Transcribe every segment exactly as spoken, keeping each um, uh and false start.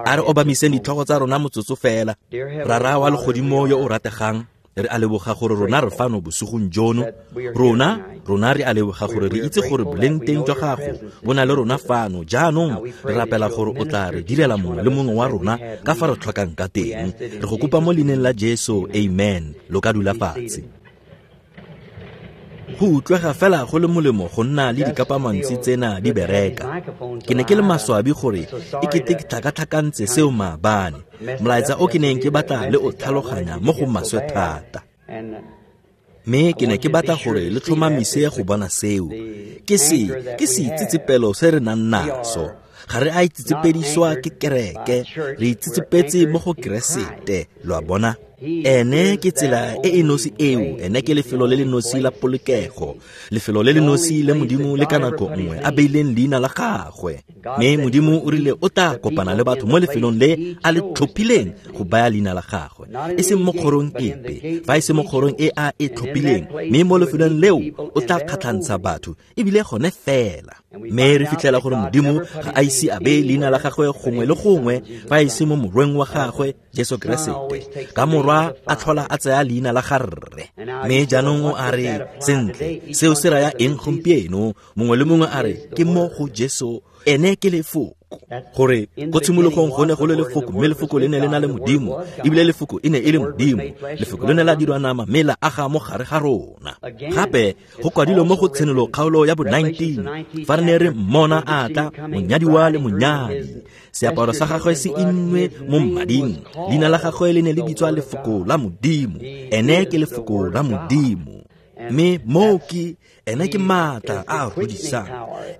A re obamiseng ditlhogo tsa rona motsotso fela. Rara wa legodimo yo o rategang, re a leboga gore rona re fano bosigong jono. Rona, rona re a leboga gore re itse gore boleng teng jwa gago bo na le rona fano. Jaanong re rapela gore o tla re direla mongwe le mongwe wa rona ka fa re tlhokang ka teng. Re go kopa mo leineng la Jesu, amen. Lo ka dula fatshe. Go utlwega fela go le molemo go nna le dikapamantsi tsena di bereka. Ke ne ke le maswabi gore e kete ke tlhakatlhakantse seo maabane. Molaetsa o ke neng ke batla le o tlhaloganya mo go maswe thata. Mme ke ne ke batla gore le tlhomamise go bona seo. Ke se, ke seitsetsepelo se re nang naso. Ga re a itsetsepediswa ke kereke, re itsetsepetse mo go Keresete, lo a bona. Ene ke tsela e e nosi eo, ene ke lefelo le le nosi la polokego, lefelo le le nosi le Modimo le ka nako nngwe a beileng leina la gagwe. Mme Modimo o rile o tla kopana le batho mo lefelong le a le tlhophileng go baya leina la gagwe, e seng mo kgorong epe, fa e se mo kgorong e a e tlhophileng, mme mo lefelong leo o tla kgatlhantsha batho ebile gone fela. Mme re fitlhela gore Modimo ga a ise a beye leina la gagwe gongwe le gongwe fa e se mo morweng wa gagwe Jesu Keresete. Ka morwa a tlhola a tsaya leina la ga rre. Mme jaanong o a re, sentle, seo se raya eng gompieno? Mongwe le mongwe a re, ke mo go Jesu, ene ke lefoko. Gore ko tshimologong go ne go le lefoko, mme lefoko le ne le na le Modimo, ebile lefoko e ne e le Modimo. Lefoko le ne la dirwa nama mme la aga mo gare ga rona. Gape go kwadilwe mo go Tshenolo kgaolo ya bo nineteen, fa re ne re mmona a tla, monyadiwa le monyadi. Seaparo sa gagwe se innwe mo mmading, leina la gagwe le ne le bitswa Lefoko la Modimo. Ene ke Lefoko la Modimo. Mme moo ke ene ke maatla a a godisang,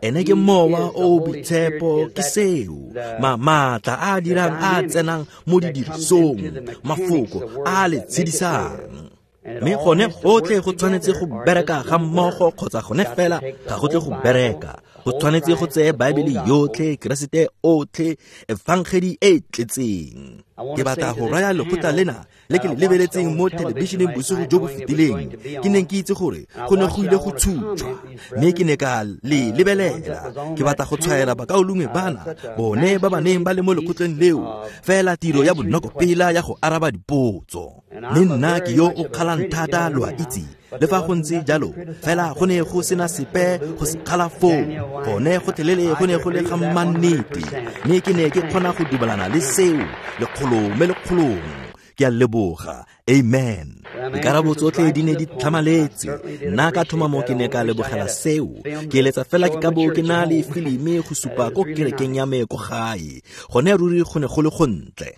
ene ke mowa o o boitshepo, ke seo ma maatla a a dirang a a tsenang mo didirisong, mafoko a a le tshedisang. Mme gone gotlhe go tshwanetse go bereka ga mmogo kgotsa gone fela ga go tle go bereka. Go tshwanetse go tseye Baebele yotlhe, Keresete otlhe, efangedi e e tletseng. Ke batla go raya lekgotla lena le ke le lebeletseng mo thelebišeneng bosigo jo bo fetileng. Ke neng ke itse gore go ne go ile go tshutshwa, mme ke ne ka le lebelela. Ke batla go tshwaela bakaulengwe bana, bone ba ba neng ba le mo lekgotleng leo, fela tiro ya bonokopela ya go araba dipotso. Mme nna ke yo o kgalang thata, lo a itse. Le fa go ntse jalo, fela go ne go sena sepe go se kgala foo. Gone gotlhelele go ne go le ga mmannete, mme ke ne ke kgona go dumelana le seo lekgolo me lekgolong. Ke a leboga, amen. Dikarabo tsotlhe di ne di tlhamaletse. Nna ka tlhomamo ke ne ka lebogela seo. Ke eletsa fela ke ka bo ke na le filimi go supa ko kerekeng ya me ko gae. Gone ruri go ne go le gontle.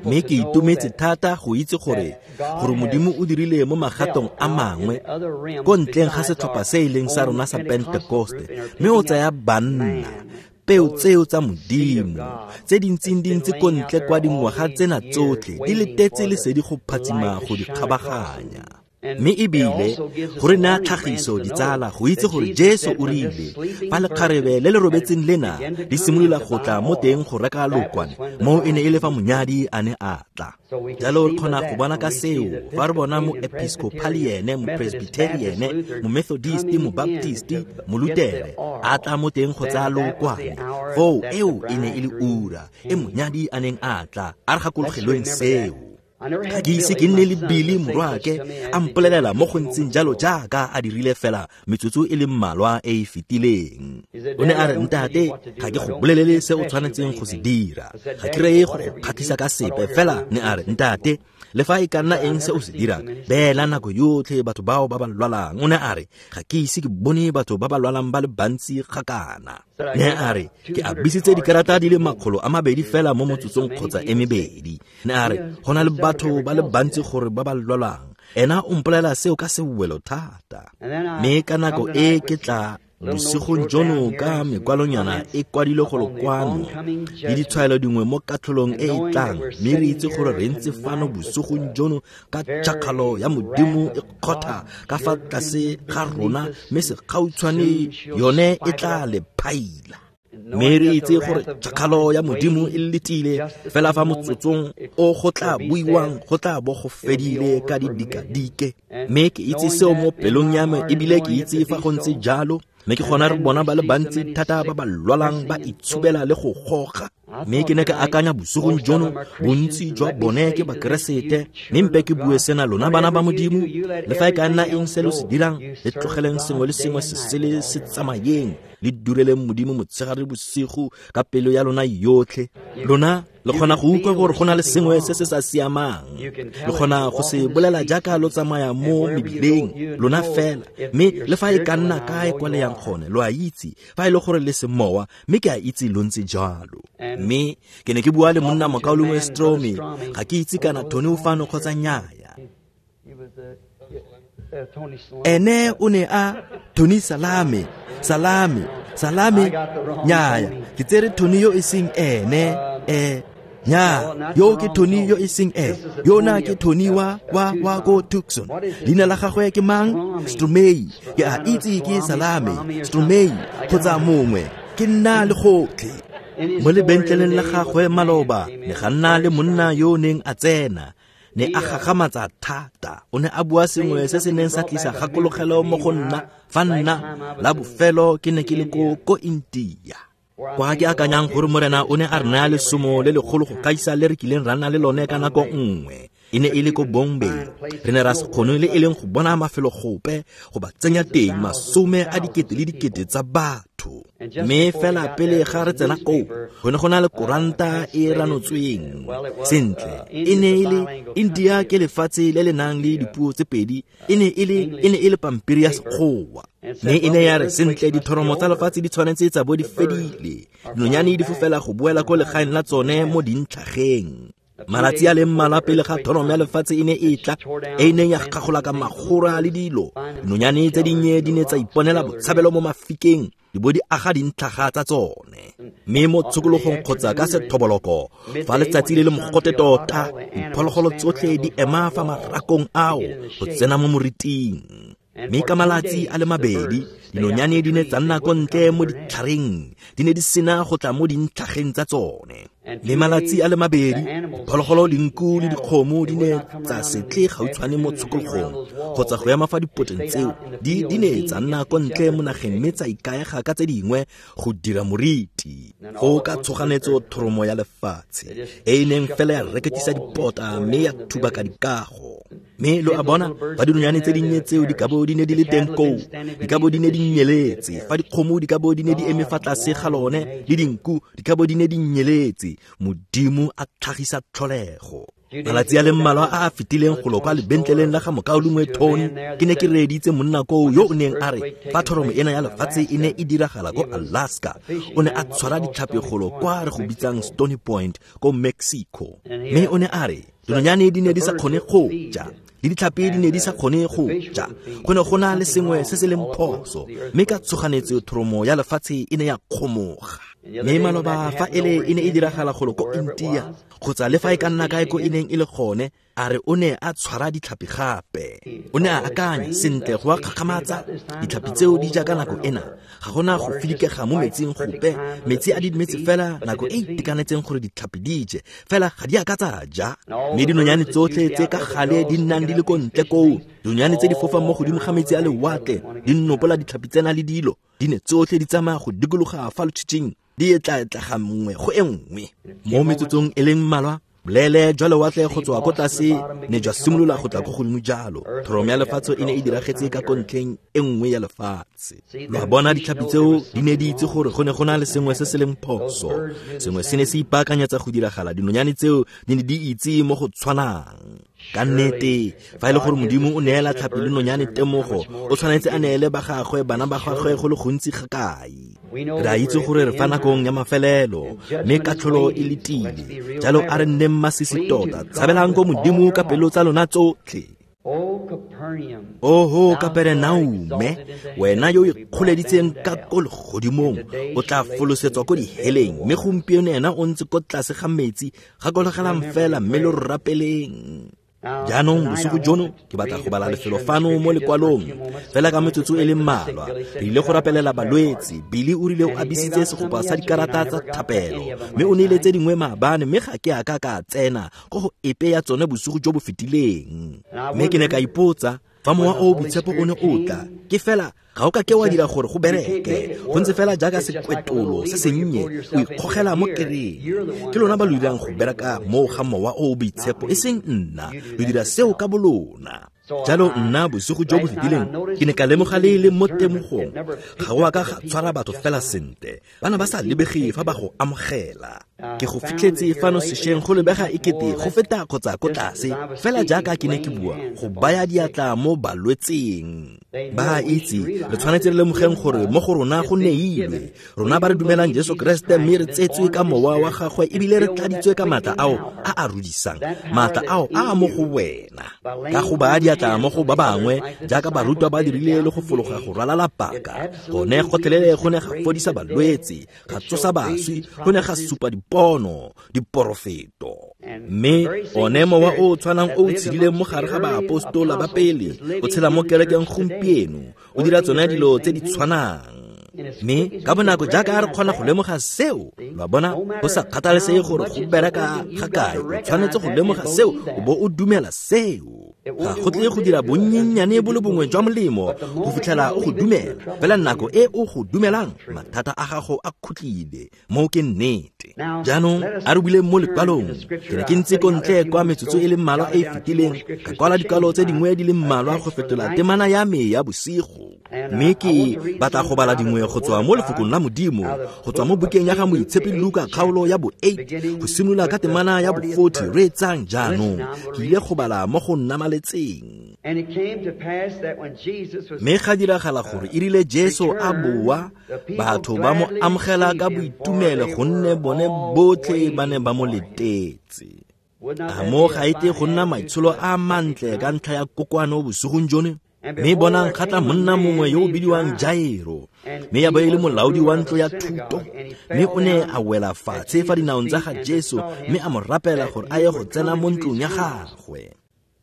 Mme ke itumetse thata go itse gore gore Modimo o dirile mo magatong a mangwe ko ntleng ga setlhopha se e leng sa rona sa Pentekoste, mme o tsaya banna, peo tseo tsa Modimo tse di ntseng di ntse ko ntle kwa dingwaga tsena tsotlhe di letetse lesedi go phatsima go di kgabaganya. Mme ebile go re naya tlhagiso ditsala go itse gore Jesu o rile fa lekgarebe le le robetseng lena di simolola go tla mo teng go reka lokwane, moo e ne e le fa monyadi a ne a tla. Jalo re kgona go bona ka seo fa re bona moepiscopaliene, mopresbyteriene, momethodist, mobaptist, molutere a tla mo teng go tsaya lokwane, foo eo e ne e le ura e monyadi a neng a tla. A re gakologelweng seo. Ga ke ise ke nne le Billy morwaake a mpolelela mo go ntseng jalo jaaka a dirile fela metsotso e le mmalwa e e fetileng. O ne a re, ntate, ga ke go bolelele se o tshwanetseng go se dira, ga ke reye go go kgatlhisa ka sepe, fela ne a re, ntate, le fa e ka nna eng se o se dirang, beela nako yotlhe batho bao ba ba lwalang. O ne a re, ga ke ise ke bone batho ba ba lwalang ba le bantsi gakana. Ne a re, ke abisitse dikarata di le makgolo a mabedi fela mo motsotsong kgotsa e mebedi. Ne a re, go na le batho ba le bantsi gore ba ba lwalang. Ena o mpolelela seo ka sewelo thata. Mme ka nako e ke tla bosigong jono ka mekwalonyana e kwadilwe golo kwano le ditshwaelo dingwe mo katlholong e e tlang, mme re itse gore re ntse fano bosigong jono ka tšhakgalo ya Modimo e kgotha ka fa tlase ga rona, mme segautshwane yone e tla le phaila. Mme re itse gore tšhakgalo ya Modimo e letile fela fa motsotsong o go tla buiwang go tla bo go fedile ka didikadike. Mme ke itse seo mo pelong ya me, ebile ke itse fa go ntse jalo. Mme ke gona re bona ba le bantsi thata ba ba lwalang ba itshubela le go goga. Mme ke ne ka akanya bosigong jono, bontsi jwa bone ke Bakeresete, mme mpe ke bue sena, lona bana ba Modimo, le fa e ka nna eng se lo se dirang, le tlogeleng sengwe le sengwe se sele se tsamayeng, le dureleng Modimo motshegare le bosigo ka pelo ya lona yotlhe. Lona le kgona go utlwa gore go na le sengwe se se sa siamang, le kgona go se bolela jaaka lo tsamaya mo mebileng lona fela, mme le fa e ka nna kae kwa le yang gone, lo a itse fa e le gore le semowa, mme ke a itse lo ntse jalo. Mme ke ne ke bua le monna mokaulengwe Stromy, ga ke itse kana Tony o fano kgotsa nnyaya. Ene o ne a Tony Salame, Salame, Salame, nnyaya, ke tsere Tony yo e seng ene, eh nya, yo ke Tony yo e seng ene, yo na ke Tony wa wa wa go Tucson. Leina la gagwe ke mang? Stromei. Ke a itse ke Salame, Stromei kgotsa mongwe, ke nna le gotlhe. Mo lebentleleng la gagwe maloba ne ga nna le monna yo o neng a tsena, ne a gagamatsa thata. O ne a bua sengwe se se neng sa tlisa kgakologelo mo go nna fa nna la bofelo ke ne ke le ko ko India, kwa ke akanyang gore Morena o ne a re naya lesomo le legolo go gaisa le re kileng ra nna le lone ka nako nngwe. E ne e le ko Bombay. Re ne ra se kgone le e leng go bona mafelo gope go ba tsenya teng masome a dikete le dikete tsa batho. Mme fela pele ga re tsena koo, go ne go na le koranta e ranotsweng sentle. E ne e le India ke lefatshe le le nang le dipuo tse pedi, e ne e le e ne e le pampiri ya Sekgowa. Mme e ne ya re sentle dithoromo tsa lefatshe di tshwanetse tsa bo di fedile, dinonyane di fofela go boela ko legaeng la tsone mo dintlhageng. Malatsi a le mmalwa pele ga thoromo ya lefatshe e ne e tla, e neng ya gagola ka magora le dilo, dinonyane tse dinnye di ne tsa iponela botshabelo mo mafikeng, di bo di aga dintlhaga tsa tsone. Mme mo tshokologong kgotsa ka sethoboloko, fa letsatsi le le mogote tota, diphologolo tsotlhe di ema fa marakong ao go tsena mo moriting. Mme ka malatsi a le mabedi, dinonyane di ne tsa nna ko ntle mo ditlhareng, di ne di sena go tla mo dintlhageng tsa tsone. Le malatsi a le mabedi, diphologolo, dinku le dikgomo di ne tsa se tle gautshwane mo tshokologong kgotsa go ema fa dipoteng tseo, di di ne tsa nna ko ntle mo nageng mme tsa ikaega ka tse dingwe go dira moriti. Go ka tshoganetso thoromo ya lefatshe e e neng fela ya reketisa dipota mme ya thuba ka dikago. Mme lo a bona, fa dinonyane tse dinnye tseo di ka bo di ne di le teng koo, di ka bo di ne di nyeletse. Fa dikgomo di ka bo di ne di eme fa tlase ga lone, le dinku di ka bo di ne di nyeletse. Modimo a tlhagisa tlholego. Malatsi a le mmalwa a a fetileng go lo kwa lebentleleng la ga mokaulengwe Tony, ke ne ke reeditse monna koo yo o neng a re fa thoromo ena ya lefatshe e ne e diragala ko Alaska, o ne a tshwara ditlhapi golo kwa re go bitsang Stony Point ko Mexico. Mme o ne a re dinonyane di ne di sa kgone go ja, le ditlhapi di ne di sa kgone go ja, go ne go na le sengwe se se leng phoso, mme ka tshoganetso thoromo ya lefatshe e ne ya kgomoga. Mme maloba fa ele e ne e diragala golo ko India kgotsa le fa e ka nna kae ko e neng e le gone, a re o ne a tshwara ditlhapi gape. O ne a akanya sentle go a kgakgamatsa, ditlhapi tseo di ja ka nako ena, ga gona go filikega mo metsing gope, metsi a didimetse fela nako e itekanetseng gore ditlhapi di je, fela ga di a ka tsa ja. Mme dinonyane tsotlhe tse ka gale di nnang di le ko ntle koo, dinonyane tse di fofang mo godimo ga metsi a lewatle, di nopola ditlhapi tsena le dilo, di ne tsotlhe di tsamaya go dikologa fa lotshitshing, di etla-etlega nngwe go e nngwe. Mo metsotsong e leng mmalwa, bolele jwa lewatle go tswa ko tlase ne jwa simolola go tla ko godimo jalo. Thoromo ya lefatshe e ne e diragetse ka ko ntlheng e nngwe ya lefatshe. Lo a bona, ditlhapi tseo di ne di itse gore go ne go na le sengwe se se leng phoso, sengwe se ne se ipaakanyetsa go diragala. Dinonyane tseo di ne di itse mo go tshwanang. Ka nnete, fa e le gore Modimo o neela tlhapi le nonyane temogo, o tshwanetse a neele ba gagwe, bana ba gagwe go le gontsi ga kae. Re a itse gore re fa nakong ya mafelelo, mme katlholo e letile. Jalo a re nneng masisi tota, tshabelang ko Modimo ka pelo tsa lona tsotlhe. Oho Kaperenaume, wena yo o ikgoleditseng ka ko legodimong, o tla folosetswa ko diheleng, mme gompieno ena o ntse ko tlase ga metsi. Gakologelang fela mme lo rapeleng. Jaanong bosigo jono ke batla go bala lefelo fano mo lekwalong fela ka metsotso e le mmalwa. Re ile go rapelela balwetse. Billy o rile o abisitse segopa sa dikarata tsa thapelo, mme o neile tse dingwe maabane, mme ga ke a ka ka tsena ko go epe ya tsone bosigo jo bo fetileng. Mme ke ne ka ipotsa, Fa Mowa o o Boitshepo o ne o tla, ke fela ga o ka ke wa dira gore go bereke. Go ntse fela jaaka sekwetolo se sennye, o ikgogela mo kereng. Ke lona ba lo dirang go bereka moo ga Mowa o o Boitshepo, e seng nna. Lo dira seo ka bolona. Jalo nna bosigo jo bo fetileng ke ne ka lemoga le le mo temogong ga o a ka ga tshwara batho fela sentle, ba ne ba sa lebege fa ba go amogela. Ke go fitlhetse fano sešweng go lebega e kete go feta kgotsa ko tlase, fela jaaka ke ne ke bua go baya diatla mo balwetseng. Ba itse re tshwanetse re lemogeng gore mo go rona go neilwe, rona ba re dumelang Jesu Kreste mme re tsetswe ka mowa wa gagwe ebile re tladitswe ka maatla ao a a rudisang, maatla ao a a mo go wena. Ka go baya diatla mo go ba bangwe jaaka barutwa ba dirile le go fologa go ralala paka, gone gotlhelele go ne ga fodisa balwetse, ga tsosa baswi, go ne ga supa dipono, diporofeto. Mme one mowa o o tshwanang o o tshedileng mo gare ga baapostola ba pele o tshela mo kerekeng gompieno, o dira tsone dilo tse di tshwanang. Mme ka bonako jaaka re kgona go lemoga seo, lo a bona, go sa kgathalesege gore go bereka ga kae, o tshwanetse go lemoga seo o bo o dumela seo. Ga go tle go dira bonnyennyane bo le bongwe jwa molemo go fitlhela o go dumela. Fela nako e o go dumelang, mathata a gago a khutlile. Moo ke nnete. Jaanong a re buileng mo lekwalong. Ke ne ke ntse ko ntle kwa metsotso e le mmalwa e e fetileng, ka kwala dikwalo tse dingwe di le mmalwa go fetola temana ya me ya bosigo. Mme ke batla go bala dingwe go tswa mo lefokong la Modimo, go tswa mo bukeng ya ga Moitshepi Luka kgaolo ya bo eight, go simolola ka temana ya bo forty. Reetsang jaanong, ke ile go bala mo go nnamaletseng. Mme ga diragala gore e rile Jesu a boa, batho ba mo amogela ka boitumelo gonne bone botlhe ba ne ba mo letetse. A mo ga ete go nna maitsholo a mantle ka ntlha ya kokoano bosigong jone? Mme bonang ga tla monna mongwe yo o bidiwang Jairo, mme ya bo e le molaodi wa ntlo ya thuto, mme o ne a wela fatshe fa dinaong tsa ga Jesu mme a mo rapela gore a ye go tsena mo ntlong ya gagwe.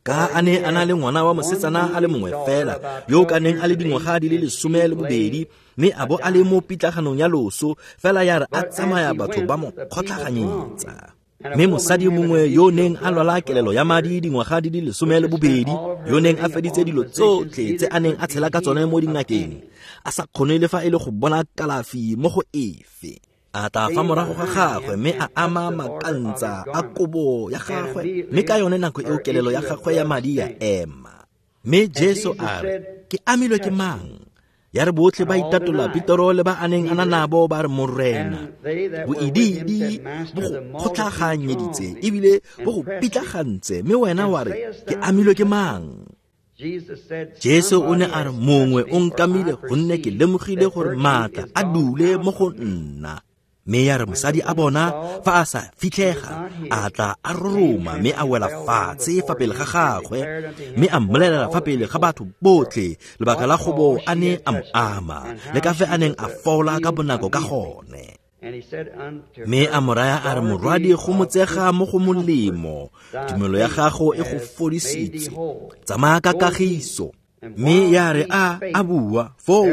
Ka a ne a na le ngwana wa mosetsana a le mongwe fela, yo o ka neng a le dingwaga di le lesome le bobedi, mme a bo a le mo pitlaganong ya loso, fela ya re a tsamaya batho ba mo kgotlhaganyetsa. Mme mosadi mongwe yo o neng a lwala kelelo ya madi dingwaga di le lesome le bobedi, yo neng a feditse dilo tsotlhe tse a neng a tshela ka tsone mo dingakeng, a sa kgone le fa e le go bona kalafi mo go efe, a tla fa morago ga gagwe mme a ama makantsa a kobo ya gagwe, mme ka yone nako eo kelelo ya gagwe ya madi ya ema. Mme Jesu a re, ke amilwe ke mang? Ya re botlhe ba itatola Petero le ba a neng a na nabo ba re, Morena, boidiidi bo go kgotlhaganyeditse ebile bo go pitlagantse, mme wena wa re, ke amilwe ke mang? Jesu o ne a re, mongwe o nkamile gonne ke lemogile gore maatla a dule mo go nna. Mme ya re mosadi a bona fa a sa fitlhega, a tla a roroma mme a wela fatshe fa pele ga gagwe, mme a mmolelela fa pele ga batho botlhe lebaka la go bo a ne a mo ama, le ka fe a neng a fola ka bonako ka gone. Mme a mo raya a re, morwadi, go motsega mo go molemo, tumelo ya gago e go fodisitse, tsamaya ka kagiso. Mme ya re a a bua foo,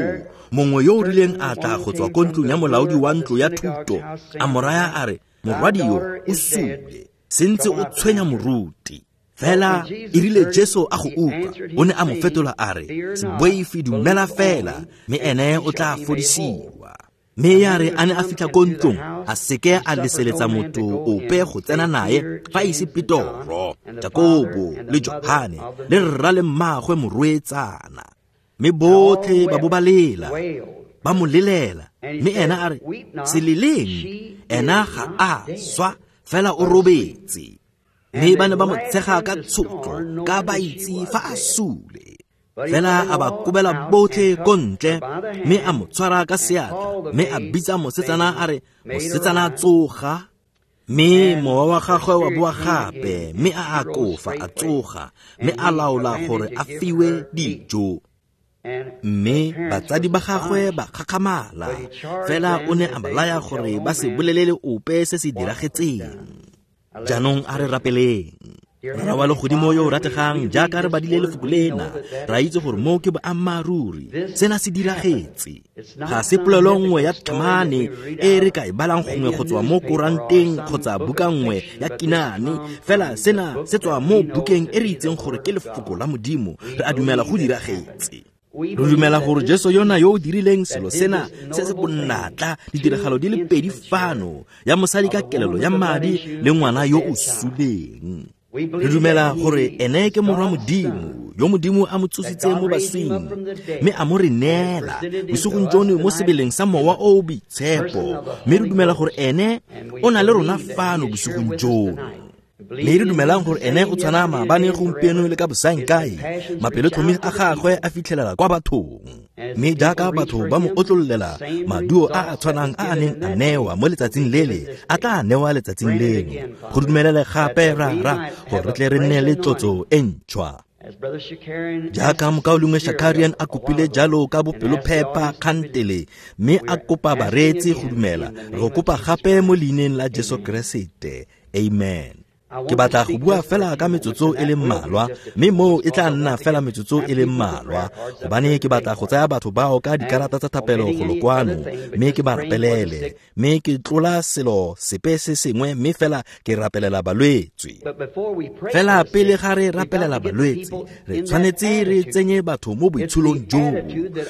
mongwe yo o rileng a tla go tswa ko ntlong ya molaodi wa ntlo ya thuto, a mo raya a re, morwadi yo o sule, sentse o tshwenya moruti. Fela e rile Jesu a go utlwa, o ne a mo fetola a re, se boife, dumela fela, mme ene o tla fodisiwa. Mme ya re a ne a fitlha ko ntlong, a seke a leseletsa motho ope go tsena nae fa ise Petoro, Jakobo le Johane le rra le mmagwe morwetsana. Mme botlhe ba bo ba lela, ba mo lelela. Mme ena a re, se leleng, ena ga a swa, fela o robetse. Mme ba ne ba mo tshega ka tshotlo, ka ba itse fa a sule. Fela a ba kobela botlhe ko ntle, mme a mo tshwara ka seatla, mme a bitsa mosetsana a re, mosetsana tsoga. Mme mowa wa gagwe wa boa gape, mme a akofa a tsoga, mme a laola gore a fiwe dijo. Mme batsadi ba gagwe ba gakgamala, fela o ne a ba laya gore ba se bolelele ope se se diragetseng. Jaanong a re rapeleng. Rara wa legodimo yo o rategang, jaaka re badile lefoko lena, ra itse gore moo ke boammaaruri. Sena se diragetse. Ga se polelo nngwe ya tlhamane e re ka e balang gongwe go tswa mo koranteng kgotsa buka nngwe ya kinane, fela sena se tswa mo bukeng e re itseng gore ke lefoko la Modimo. Re a dumela go diragetse. Re dumela gore Jesu yona yo o dirileng selo sena se se bonatla, ditiragalo di le pedi fano, ya mosadi ka kelelo ya madi le ngwana yo o suleng. Re dumela gore ene ke morwa Modimo, yo Modimo a mo tsositseng mo baswing, mme a mo re neela bosigong jono mo sebeleng sa Mowa o o Boitshepo. Mme re dumela gore ene o na le rona fano bosigong jono. Mme re dumelang gore ene o tshwana maabane, gompieno le ka bosaengkae. Mapelotlhomi a gagwe a fitlhelela kwa bathong. Mme jaaka batho ba mo otlololela maduo a a tshwanang a a neng a newa mo letsatsing lele, a tla newa letsatsing leno. Go dumelele gape, Rara, gore re tle re nne le tlotso e ntšhwa. Jaaka mokaulengwe Shakarian a kopile jalo ka bopelophepa kgantele, mme a kopa bareetsi go dumela, re go kopa gape mo leineng la Jesu Keresete. Amen. Ke batla go bua fela ka metsotso e le mmalwa, mme moo e tla nna fela metsotso e le mmalwa, gobane ke batla go tsaya batho bao ka dikarata tsa thapelo golo kwano, mme ke ba rapelele, mme ke tlola selo sepe se sengwe, mme fela ke rapelela balwetse. Fela pele ga re rapelela balwetse, re tshwanetse re tsenye batho mo boitsholong joo.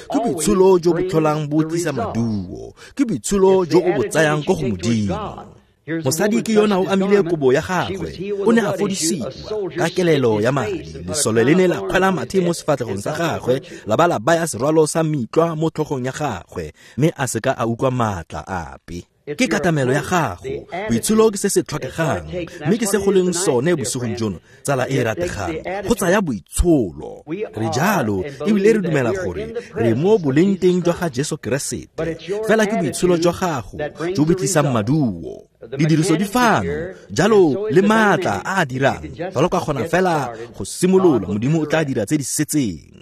Ke boitsholo jo bo tlholang bo tlisa maduo, ke boitsholo jo o bo tsayang ko go Modimo. Mosadi ke yona o amile kobo ya gagwe, o ne a fodisiwa ka kelelo ya madi. Lesole le ne la kgwela mathe mo sefatlhegong sa gagwe, la ba la baya serwalo sa mitlwa mo tlhogong ya gagwe, mme a seka a utlwa maatla ape. Ke katamelo ya gago, boitsholo ke se se tlhokegang, mme ke se go leng sone bosigong jono, tsala e e rategang, go tsaya boitsholo. Re jalo, ebile re dumela gore re mo boleng teng jwa ga Jesu Keresete. Fela ke boitsholo jwa gago jo bo tlisang maduo. Didiriso di fano, jalo le maatla a a dirang. Fa lo ka kgona fela go simolola, Modimo o tla dira tse di setseng.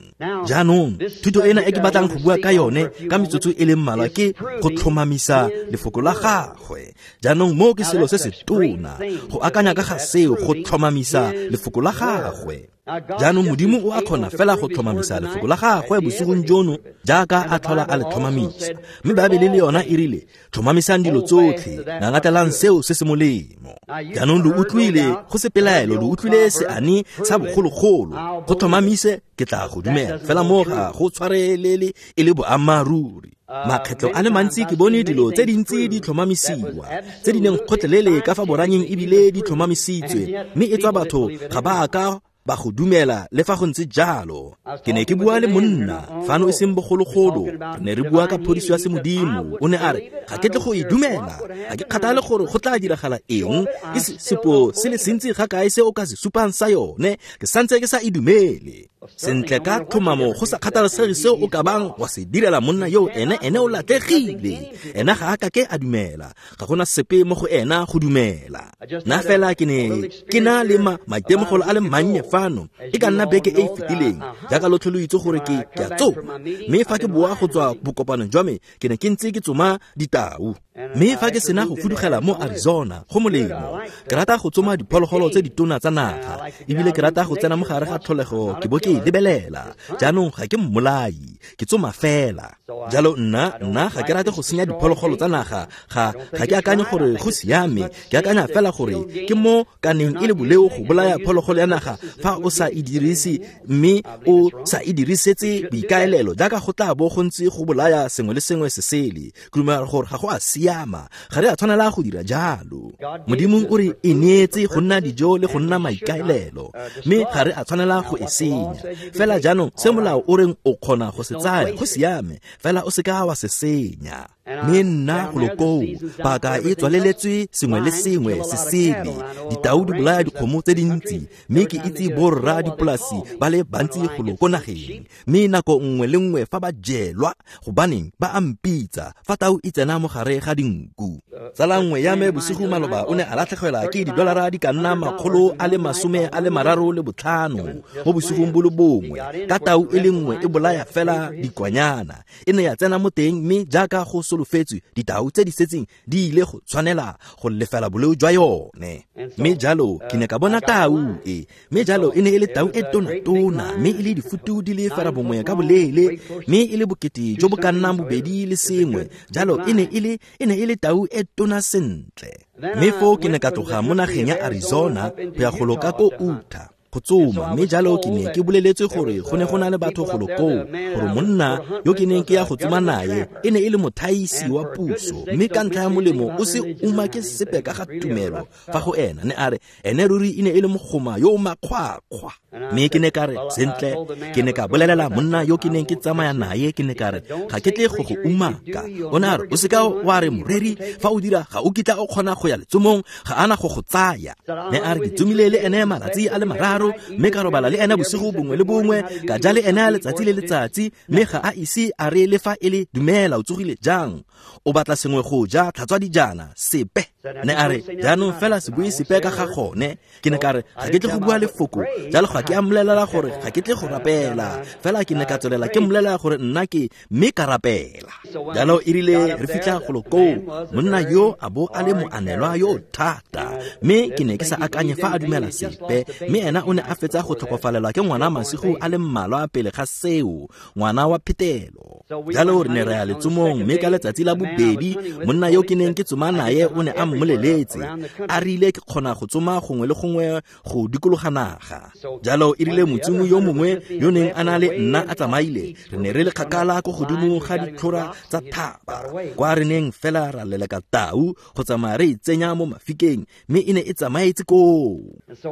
Jaanong, thuto ena e ke batlang go bua ka yone ka metsotso e le mmalwa ke go tlhomamisa lefoko la gagwe. Jaanong moo ke selo se se tona, go akanya ka ga seo, go tlhomamisa lefoko la gagwe. Jaanong Modimo o a kgona fela go tlhomamisa lefoko la gagwe bosigong jono jaaka a tlhola a le tlhomamisa. Mme Baebele le yona e rile, tlhomamisang dilo tsotlhe, ngangatelang seo se se molemo. Jaanong lo utlwile, go se pelaelo, lo utlwile seane sa bogologolo, go tlhomamise ke tla go dumela, fela mo ga go tshwarelele e le boammaaruri. Makgetlo a le mantsi ke bone dilo tse dintsi di tlhomamisiwa, tse di neng kgotlelele ka fa boranyeng ebile di tlhomamisitswe, mme e tswa batho ga ba ka ba go dumela le fa go ntse jalo. Ke ne ke bua le monna fano e seng bogologolo, re ne re bua ka phodiso ya semodimo. O ne a re, ga ke tle go e dumela, ga ke kgathale gore go tla diragala eng, ke sepo se le sentsi ga kae se o ka se supang sa yone, ke santse ke sa e dumele. Sentle ka tlhomamo, go sa kgathalesege seo o ka bang wa se direla monna yo, ene ene o latlhegile, ena ga a ka ke a dumela, ga gona sepe mo go ena go dumela. Nna fela ke ne ke na le maitemogelo a le mannye fano, e ka nna beke e e fetileng, jaaka lotlhe lo itse gore ke ke a tsoma. Mme fa ke boa go tswa bokopanong jwa me, ke ne ke ntse ke tsoma ditau. Mme fa ke sena go fudugela mo Arizona, go molemo, ke rata go tsoma diphologolo tse ditona tsa naga, ebile ke rata go tsena mo gare ga tlholego ke bo ke e lebelela. Jaanong ga ke mmolai, ke tsoma fela. Jalo nna nna ga ke rate go senya diphologolo tsa naga, ga ga ke akanye gore go siame, ke akanya fela gore ke mo kaneng e le boleo go bolaya phologolo ya naga fa o sa e dirise, mme o sa e dirisetse boikaelelo, jaaka go tla bo go ntse go bolaya sengwe le sengwe se sele. Ke dumela gore ga go a siama, ga re a tshwanela go dira jalo. Modimo o re e neetse go nna dijo le go nna maikaelelo, mme ga re a tshwanela go e senya. Fela jaanong se molao o reng o kgona go se tsaya go siame, fela o seka wa se senya. Mme nna golo koo, paka e tswaleletswe sengwe le sengwe se sele. Ditau di bolaya dikgomo tse dintsi, mme ke itse borra dipolasi ba le bantsi golo ko nageng, mme nako nngwe le nngwe fa ba jelwa, gobaneng ba a mpitsa fa tau e tsena mo gare ga dinku. Tsala nngwe ya me bosigo maloba o ne a latlhegelwa ke didolara di ka nna makgolo a le masome a le mararo le botlhano mo bosigong bo le bongwe, ka tau e le nngwe e bolaya fela dikwanyana. E ne ya tsena mo teng, mme jaaka go solofetswe, ditau tse di setseng di ile go tshwanela go lefela boleo jwa yone. Mme jalo ke ne ka bona tau e, mme jalo e ne e le tau e tona-tona, mme e le difutu di le fera bongwe ka boleele, mme e le bokete jo bo ka nnang bobedi le sengwe. Jalo e ne e le e ne e le tau e tona sentle. Mme foo ke ne ka tloga mo nageng ya Arizona go ya go loka ko Utah go tsoma, mme jalo ke ne ke boleletswe gore go ne go na le batho golo koo, gore monna yo ke neng ke ya go tsoma naye e ne e le mothaisi wa puso, mme ka ntlha ya molemo o se umake sepe ka ga tumelo fa go ena. Ne a re ene ruri e ne e le mogoma yo o makgwakgwa. Mme ke ne ka re, sentle, ke ne ka bolelela monna yo ke neng ke tsamaya naye, ke ne ka re ga ke tle go go umaka. O ne a re o seka wa re moreri, fa o dira ga o kitla o kgona go ya letsomong, ga ana go go tsaya. Ne a re ke tsomile le ene malatsi a le mararo, mme ka robala le ene bosigo bongwe le bongwe, ka ja le ene letsatsi le letsatsi, mme ga a ise a re le fa e le dumela o tsogile jang, o batla sengwe go ja, tlhatswa dijana, sepe. Ne a re jaanong fela se bue sepe ka ga gone. Ke ne ka re ga ke tle go bua lefoko, jalo ga ke a mmolelela gore ga ke tle go rapela, fela ke ne ka tswelela ke mmolelela gore nna ke, mme ka rapela. Jalo e rile re fitlha golo koo, monna yo a bo a le moanelwa yo thata, mme ke ne ke sa akanye fa a dumela sepe, mme ena o ne a fetsa go tlhokofalelwa ke ngwana masigo a le mmalwa pele ga seo, ngwana wa phetelo. Jalo re ne re ya letsomong, mme ka letsatsi la bobedi monna yo ke neng ke tsoma naye o ne a mmoleletse a rile ke kgona go tsoma gongwe le gongwe go dikologa naga. Jalo e rile motsomi yo mongwe yo neng a na le nna a tsamaile, re ne re le kgakala ko godimo ga ditlhora tsa thaba, kwa re neng fela ra leleka tau go tsamaya re e tsenya mo mafikeng, mme e ne e tsamaetse koo.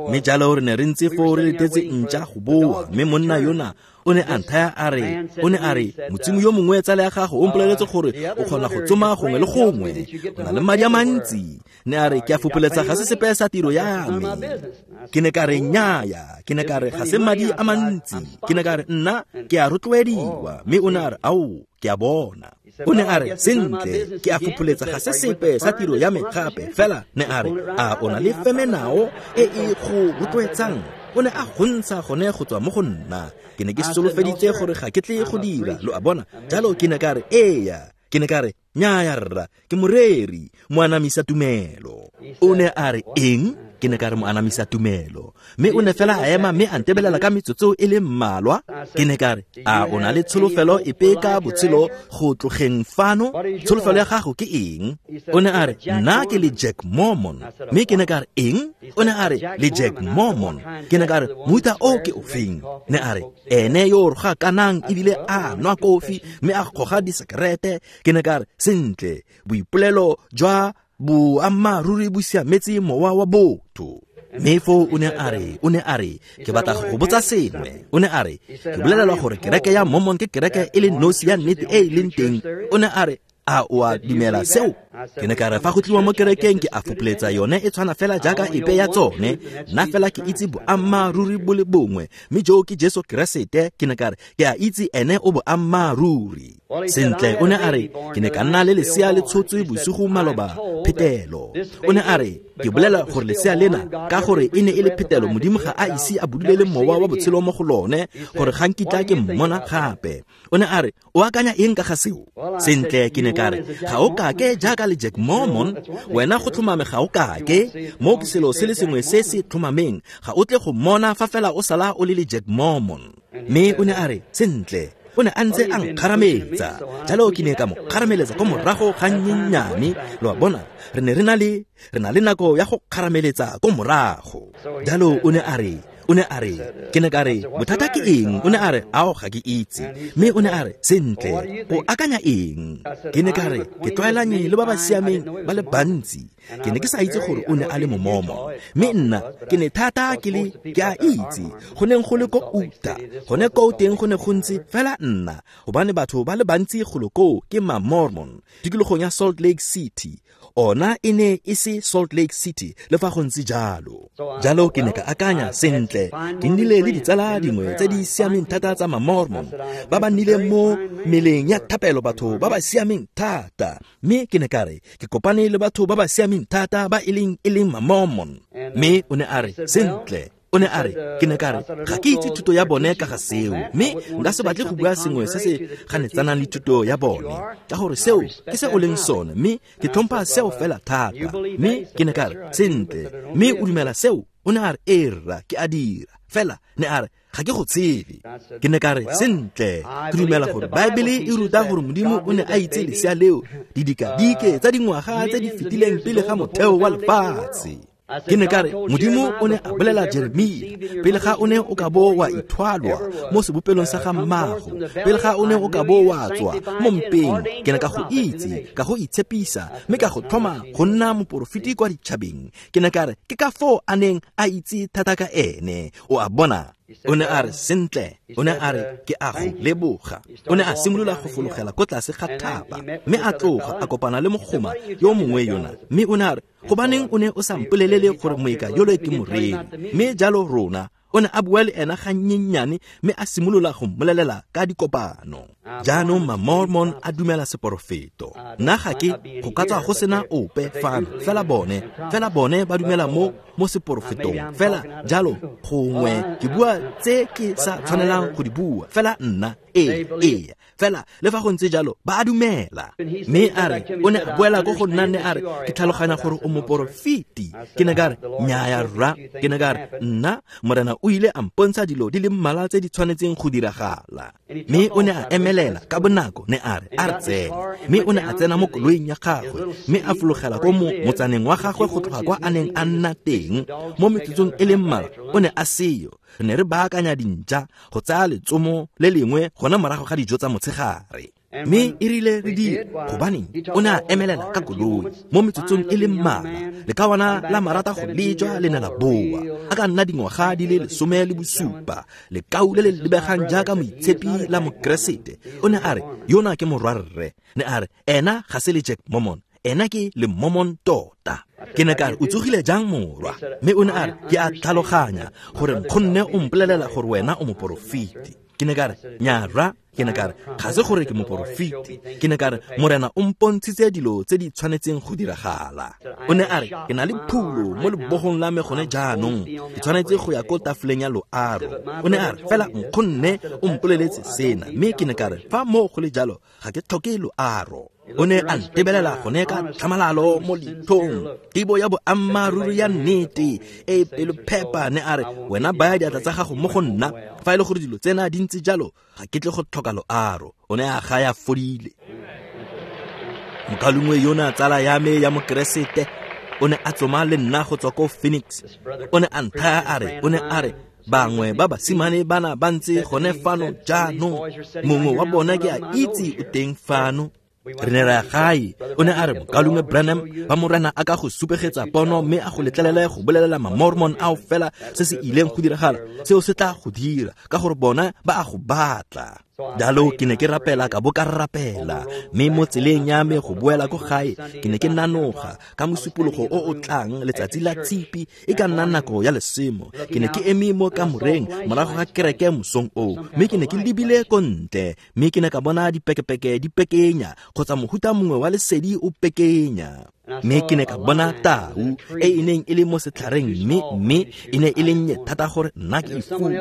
Mme jalo re ne re ntse foo re letetse ntša go boa, mme monna yona o ne a nthaya a re, o ne a re motsomi yo mongwe tsala ya gago o mpoleletse gore o kgona go tsoma gongwe le gongwe, o na le madi a mantsi. Ne a re ke a fopoletsa ga se sepe sa tiro ya me. Ke ne ka re nnyaya, ke ne ka re ga se madi a mantsi, ke ne ka re nna ke a rotloediwa. Mme o ne a re ao, ke a bona. O ne a re sentle, ke a fopoletsa ga se sepe sa tiro ya me gape, fela ne a re a o na le femenao e e go rotloetsang. O ne a gontsha gone go tswa mo go nna. Ke ne ke solofeditse gore ga ke tle go dira, lo a bona. Jalo ke ne ka re eya, ke ne ka re nnyaya rra, ke moreri, moanamisa tumelo. O ne a re eng? Ke ne ka re moanamisa tumelo. Mme o ne fela a ema mme a ntebelela ka metsotso e le mmalwa. Ke ne ka re a o na le tsholofelo epe ka botshelo go tlogeng fano? Tsholofelo ya gago ke eng? O ne a re nna ke le Jack Mormon. Mme ke ne ka re eng? O ne a re le Jack Mormon. Ke ne ka re mohuta o ke ofeng? Ne a re ene yo o rogakanang ebile a nwa kofi mme a goga disekerete. Ke ne ka re sentle, boipolelo jwa boammaaruri bo siametse mowa wa botho. Mme foo o ne a re, o ne a re ke batla go go botsa sengwe. O ne a re ke bolelelwa gore kereke ya Mormon ke kereke e le nosi ya nnete e e leng teng. O ne a re a o a dumela seo? Ke ne ka re fa go tliwa mo kerekeng ke a fopoletsa yone e tshwana fela jaaka epe ya tsone, nna fela ke itse boammaaruri bo le bongwe, mme joo ke Jesu Keresete. Ke ne ka re ke a itse ene o boammaaruri. Sentle, o ne a re ke ne ka nna le lesea le tshotswe bosigo maloba phetelo. O ne a re ke bolela gore lesea lena ka gore e ne e le phetelo, Modimo ga a ise a budulele mowa wa botshelo mo go lone, gore ga nkitla ke mmona gape. O ne a re o akanya eng ka ga seo? Sentle, ke ne ka re ga o kake jaaka le Jack Mormon, wena go tlhomame ga o kake, mo ke selo se le sengwe se se tlhomameng, ga o tle go mmona fa fela o sala o le le Jack Mormon. Mme o ne a re sentle, o ne a ntse a nkgarametsa, jalo ke ne ka mo kgarameletsa ko morago ga nnyennyane. Lo a bona, re ne re na le re na le nako ya go kgarameletsa ko morago. Jalo o ne a re, o ne a re ke ne ka re bothata ke eng? O ne a re ao ga ke itse. Mme o ne a re sentle, o akanya eng? Ke ne ka re ke tlwaelanye le ba ba siameng ba le bantsi, Ke ne ke sa itse gore o ne a le Momormon. Mme nna ke ne thata ke le ke a itse go neng go le ko Utah. Gone ko teng go ne go ntse fela nna gobane batho ba le bantsi golo koo ke ma-Mormon tikologong ya Salt Lake City. Ona e ne e se Salt Lake City le fa go ntse jalo. Jalo ke ne ka akanya sentle, ke nnile le ditsala dingwe tse di siameng thata tsa ma-Mormon ba ba nnileng mo meleng ya thapelo, batho ba ba siameng thata. Mme ke ne ka re ke kopane le batho ba ba siameng thata ba e leng e leng ma-Mormon. Mme o ne a re sentle, o ne a re ke ne ka re ga ke itse thuto ya bone ka ga seo, mme nka se batle go bua sengwe se se ganetsanang le thuto ya bone, ka gore seo ke se o leng sone, mme ke tlhompha seo fela thata. Mme ke ne ka re sentle, mme o dumela seo? O ne a re ee rra, ke a dira. Fela ne a re ga ke go tsebe. Ke ne ka re sentle, ke dumela gore Baebele e ruta gore Modimo o ne a itse lesea leo didikadike tsa dingwaga tse di fetileng pele ga motheo wa lefatshe. Ke ne ka re Modimo o ne a bolela Jeremia pele ga o ne o ka bo wa ithwalwa mo sebopelong sa ga mmago, pele ga o ne o ka bo wa tswa mo mpeng, ke ne ka go itse, ka go itshepisa, mme ka go tlhoma go nna moporofeti kwa ditšhabeng. Ke ne ka re ke ka foo a neng a itse thata ka ene. O a bona? O ne a re sentle, o ne a re ke a go leboga. O ne a simolola go fologela ko tlase ga thaba, mme a tloga a kopana le mogoma yo mongwe yona, mme o ne a re gobaneng o ne o sa mpolelele gore moeka yole ke moreri? Mme jalo rona o ne a bua le ena gannyenyane, mme a simolola go mmolelela ka dikopano. Jaanong ma-Mormon a dumela seporofeto. Nna ga ke go ka tswa go sena ope fano, fela bone fela bone ba dumela mo mo seporofetong. Fela jalo gongwe ke bua tse ke sa tshwanelang go di bua, fela nna ee ee fela le fa go ntse jalo ba a dumela. Mme a re o ne a boela ko go nna, ne a re ke tlhaloganya gore o moporofeti. Ke ne ka re nnyaya rra, ke ne ka re nna Morena o ile a mpontsha dilo di le mmalwa tse di tshwanetseng go diragala. Mme o ne a emelela ka bonako, ne a re a re tsene. Mme o ne a tsena mo koloing ya gagwe, mme a fologela ko mo motsaneng wa gagwe go tloga kwa a neng a nna teng. Mo metsotsong e le mmalwa o ne a seyo. Re ne re baakanya dintša go tsaya letsomo le lengwe gona morago ga dijo tsa motshegare. Mme e rile re dira gobaneng o ne a emelela ka koloi mo metsotsong e le mmalwa, lekawana la marata go lejwa le ne la boa. A ka nna dingwaga di le lesome le bosupa, lekau le le lebegang jaaka moitshepi la Mokeresete. O ne a re yona ke morwarre. Ne a re ena ga se le Jack Mormon, ena ke le Mormon tota. Ke ne ka re o tsogile jang morwa? Mme o ne a re ke a tlhaloganya gore nkgonne o mpolelela gore wena o moporofeti. Ke ne ka re nyara, ke ne ka re ga se gore ke moporofeti. Ke ne ka re Morena o mpontshitse dilo tse di tshwanetseng go diragala. O ne a re ke na le phulo mo lebogong la me gone jaanong, ke tshwanetse go ya ko tafoleng ya loaro. O ne a re fela nkgonne o mpoleletse sena. Mme ke ne ka re fa moo go le jalo ga ke tlhoke loaro. O ne a ntebelela gone ka tlhamalalo mo leitlhong, tebo ya boammaaruri ya nnete e pelophepa. Ne a re wena baya diatla tsa gago mo go nna, fa e le gore dilo tsena di ntse jalo ga ke tle go tlhoka loaro. O ne a gaya fodile. Mokalungwe yona tsala ya me ya Mokeresete o ne a tsoma le nna go tswa ko Phoenix. O ne a nthaya a re o ne a re bangwe ba basimane bana ba ntse gone fano jaanong, mongwe wa bona ke a itse o teng fano. Re ne ra ya gae. O ne a re mokalungwe Branham, ba Morena a ka go supegetsa pono mme a go letlelele go bolelela ma-Mormon ao fela se se ileng go diragala, seo se tla go dira ka gore bona ba a go batla. Jalo ke ne ke rapela ka bo ka rapela, mme mo tseleng ya me go boela ko gae ke ne ke nanoga ka mosupologo o o tlang letsatsi la tshipi e ka nna nako ya lesemo. Ke ne ke eme mo kamoreng morago ga kereke mosong oo, mme ke ne ke lebile ko ntle, mme ke ne ka bona dipekepeke di pekenya kgotsa mohuta mongwe wa lesedi o pekenya. Mme ke ne ka bona tau e e neng e le mo setlhareng, mme mme e ne e le nnye thata gore nna ke e fule.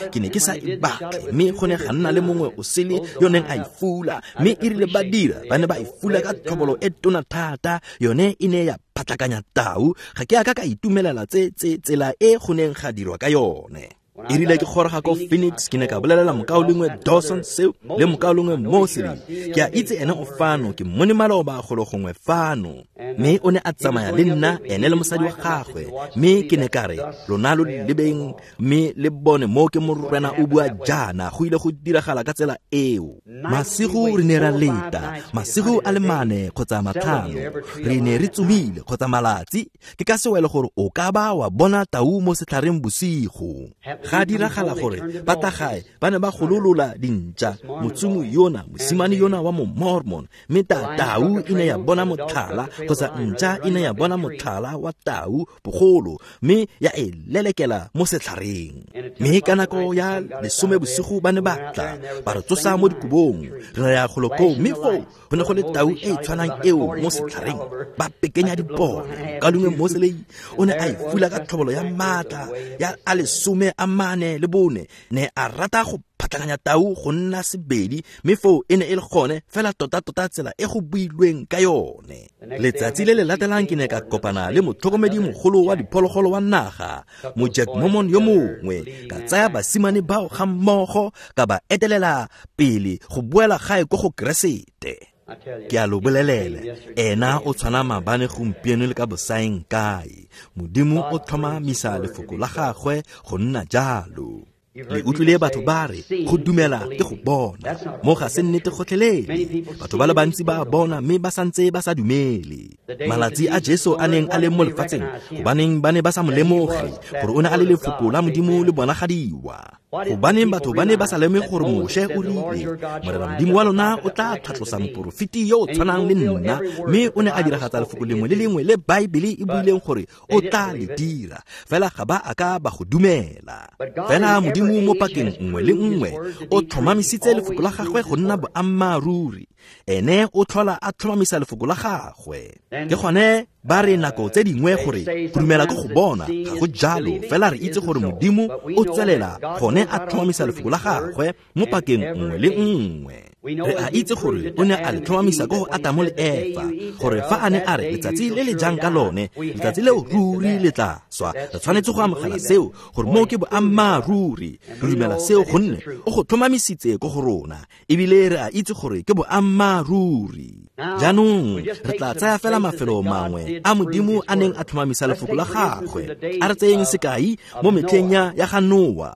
Ke ne ke sa e batle, mme go ne ga nna le mongwe o sele yo neng a e fula, mme e rile ba dira ba ne ba e fula ka tlhobolo e tona thata, yone e ne ya phatlakanya tau. Ga ke a ka ka itumelela tse tse tsela e go neng ga dirwa ka yone. E rile ke goroga ko Phoenix, ke ne ka bolelela mokaulengwe Dawson seo le mokaulengwe Mosley. Ke a itse ene o fano, ke mmone maloba golo gongwe fano. Mme o ne a tsamaya le nna, ene le mosadi wa gagwe. Mme ke ne ka re, lona lo lebeng mme le bone mo ke morena o bua jaana, go ile go diragala ka tsela eo. Masigo re ne ra leta, masigo a le mane kgotsa matlhano, re ne re tsomile kgotsa malatsi. Ke ka sewelo gore o ka ba wa bona tau mo setlhareng bosigo. Ga diragala gore ba tla gae ba ne ba gololola dintša, motsomi yona, mosimane yona wa mo-Mormon, mme ta tau e ne ya bona motlhala kgotsa ntša e ne ya bona motlhala wa tau bogolo, mme ya e lelekela mo setlhareng. Mme ka nako ya lesome bosigo ba ne ba tla ba re tsosa mo dikobong, re ya golo koo, mme foo go ne go le tau e e tshwanang eo mo setlhareng. Ba pekenya dipone. Mokaulengwe Mosley o ne a e fula ka tlhobolo ya maatla ya a lesome a mane le bone, ne a rata go phatlakanya tau go nna sebedi, mme foo e ne e le gone fela tota-tota tsela e go builweng ka yone. Letsatsi le le latelang ke ne ka kopana le motlhokomedi mogolo wa diphologolo wa naga, mo-Jack Mormon yo mongwe. Ka tsaya basimane bao ga mmogo, ka ba etelela pele go boela gae ko go Keresete. Ke a lo bolelela, ena o tshwana maabane, gompieno le ka bosaeng kae. Modimo o tlhomamisa lefoko la gagwe go nna jalo. Le utlwile batho ba re go dumela ke go bona, mo ga se nnete gotlhelele. Batho ba le bantsi ba bona mme ba santse ba sa dumele. Malatsi a Jesu a neng a le mo lefatsheng, gobaneng ba ne ba sa mo lemoge gore o ne a le lefoko la Modimo le bonagadiwa? Gobaneng batho ba ne ba sa lemoge gore Moshe o rile, Morena Modimo wa lona o tla tlhatlosa moporofeti yo o tshwanang le nna, mme o ne a diragatsa lefoko lengwe le lengwe le Baebele e buileng gore o tla le dira. Fela ga ba a ka ba go dumela. Fela Modimo mo pakeng nngwe le nngwe o tlhomamisitse lefoko la gagwe go nna boammaaruri. Ene o tlhola a tlhomamisa lefoko la gagwe. Ke gone ba re nako tse dingwe gore go dumela ke go bona, ga go jalo. Fela re itse gore Modimo o tswelela gone a tlhomamisa lefoko la gagwe mo pakeng nngwe le nngwe. Re a itse gore o ne a le tlhomamisa ko go Atamo le Efa, gore fa a ne a re letsatsi le le jang ka lone, letsatsi leo ruri le tla swa. Re tshwanetse go amogela seo gore moo ke boammaaruri. Re dumela seo gonne o go tlhomamisitse ko go rona, ebile re a itse gore ke boammaaruri. Jaanong re tla tsaya fela mafelo mangwe a Modimo a neng a tlhomamisa lefoko la gagwe. A re tseyeng sekai mo metlheng ya ya ga Noa.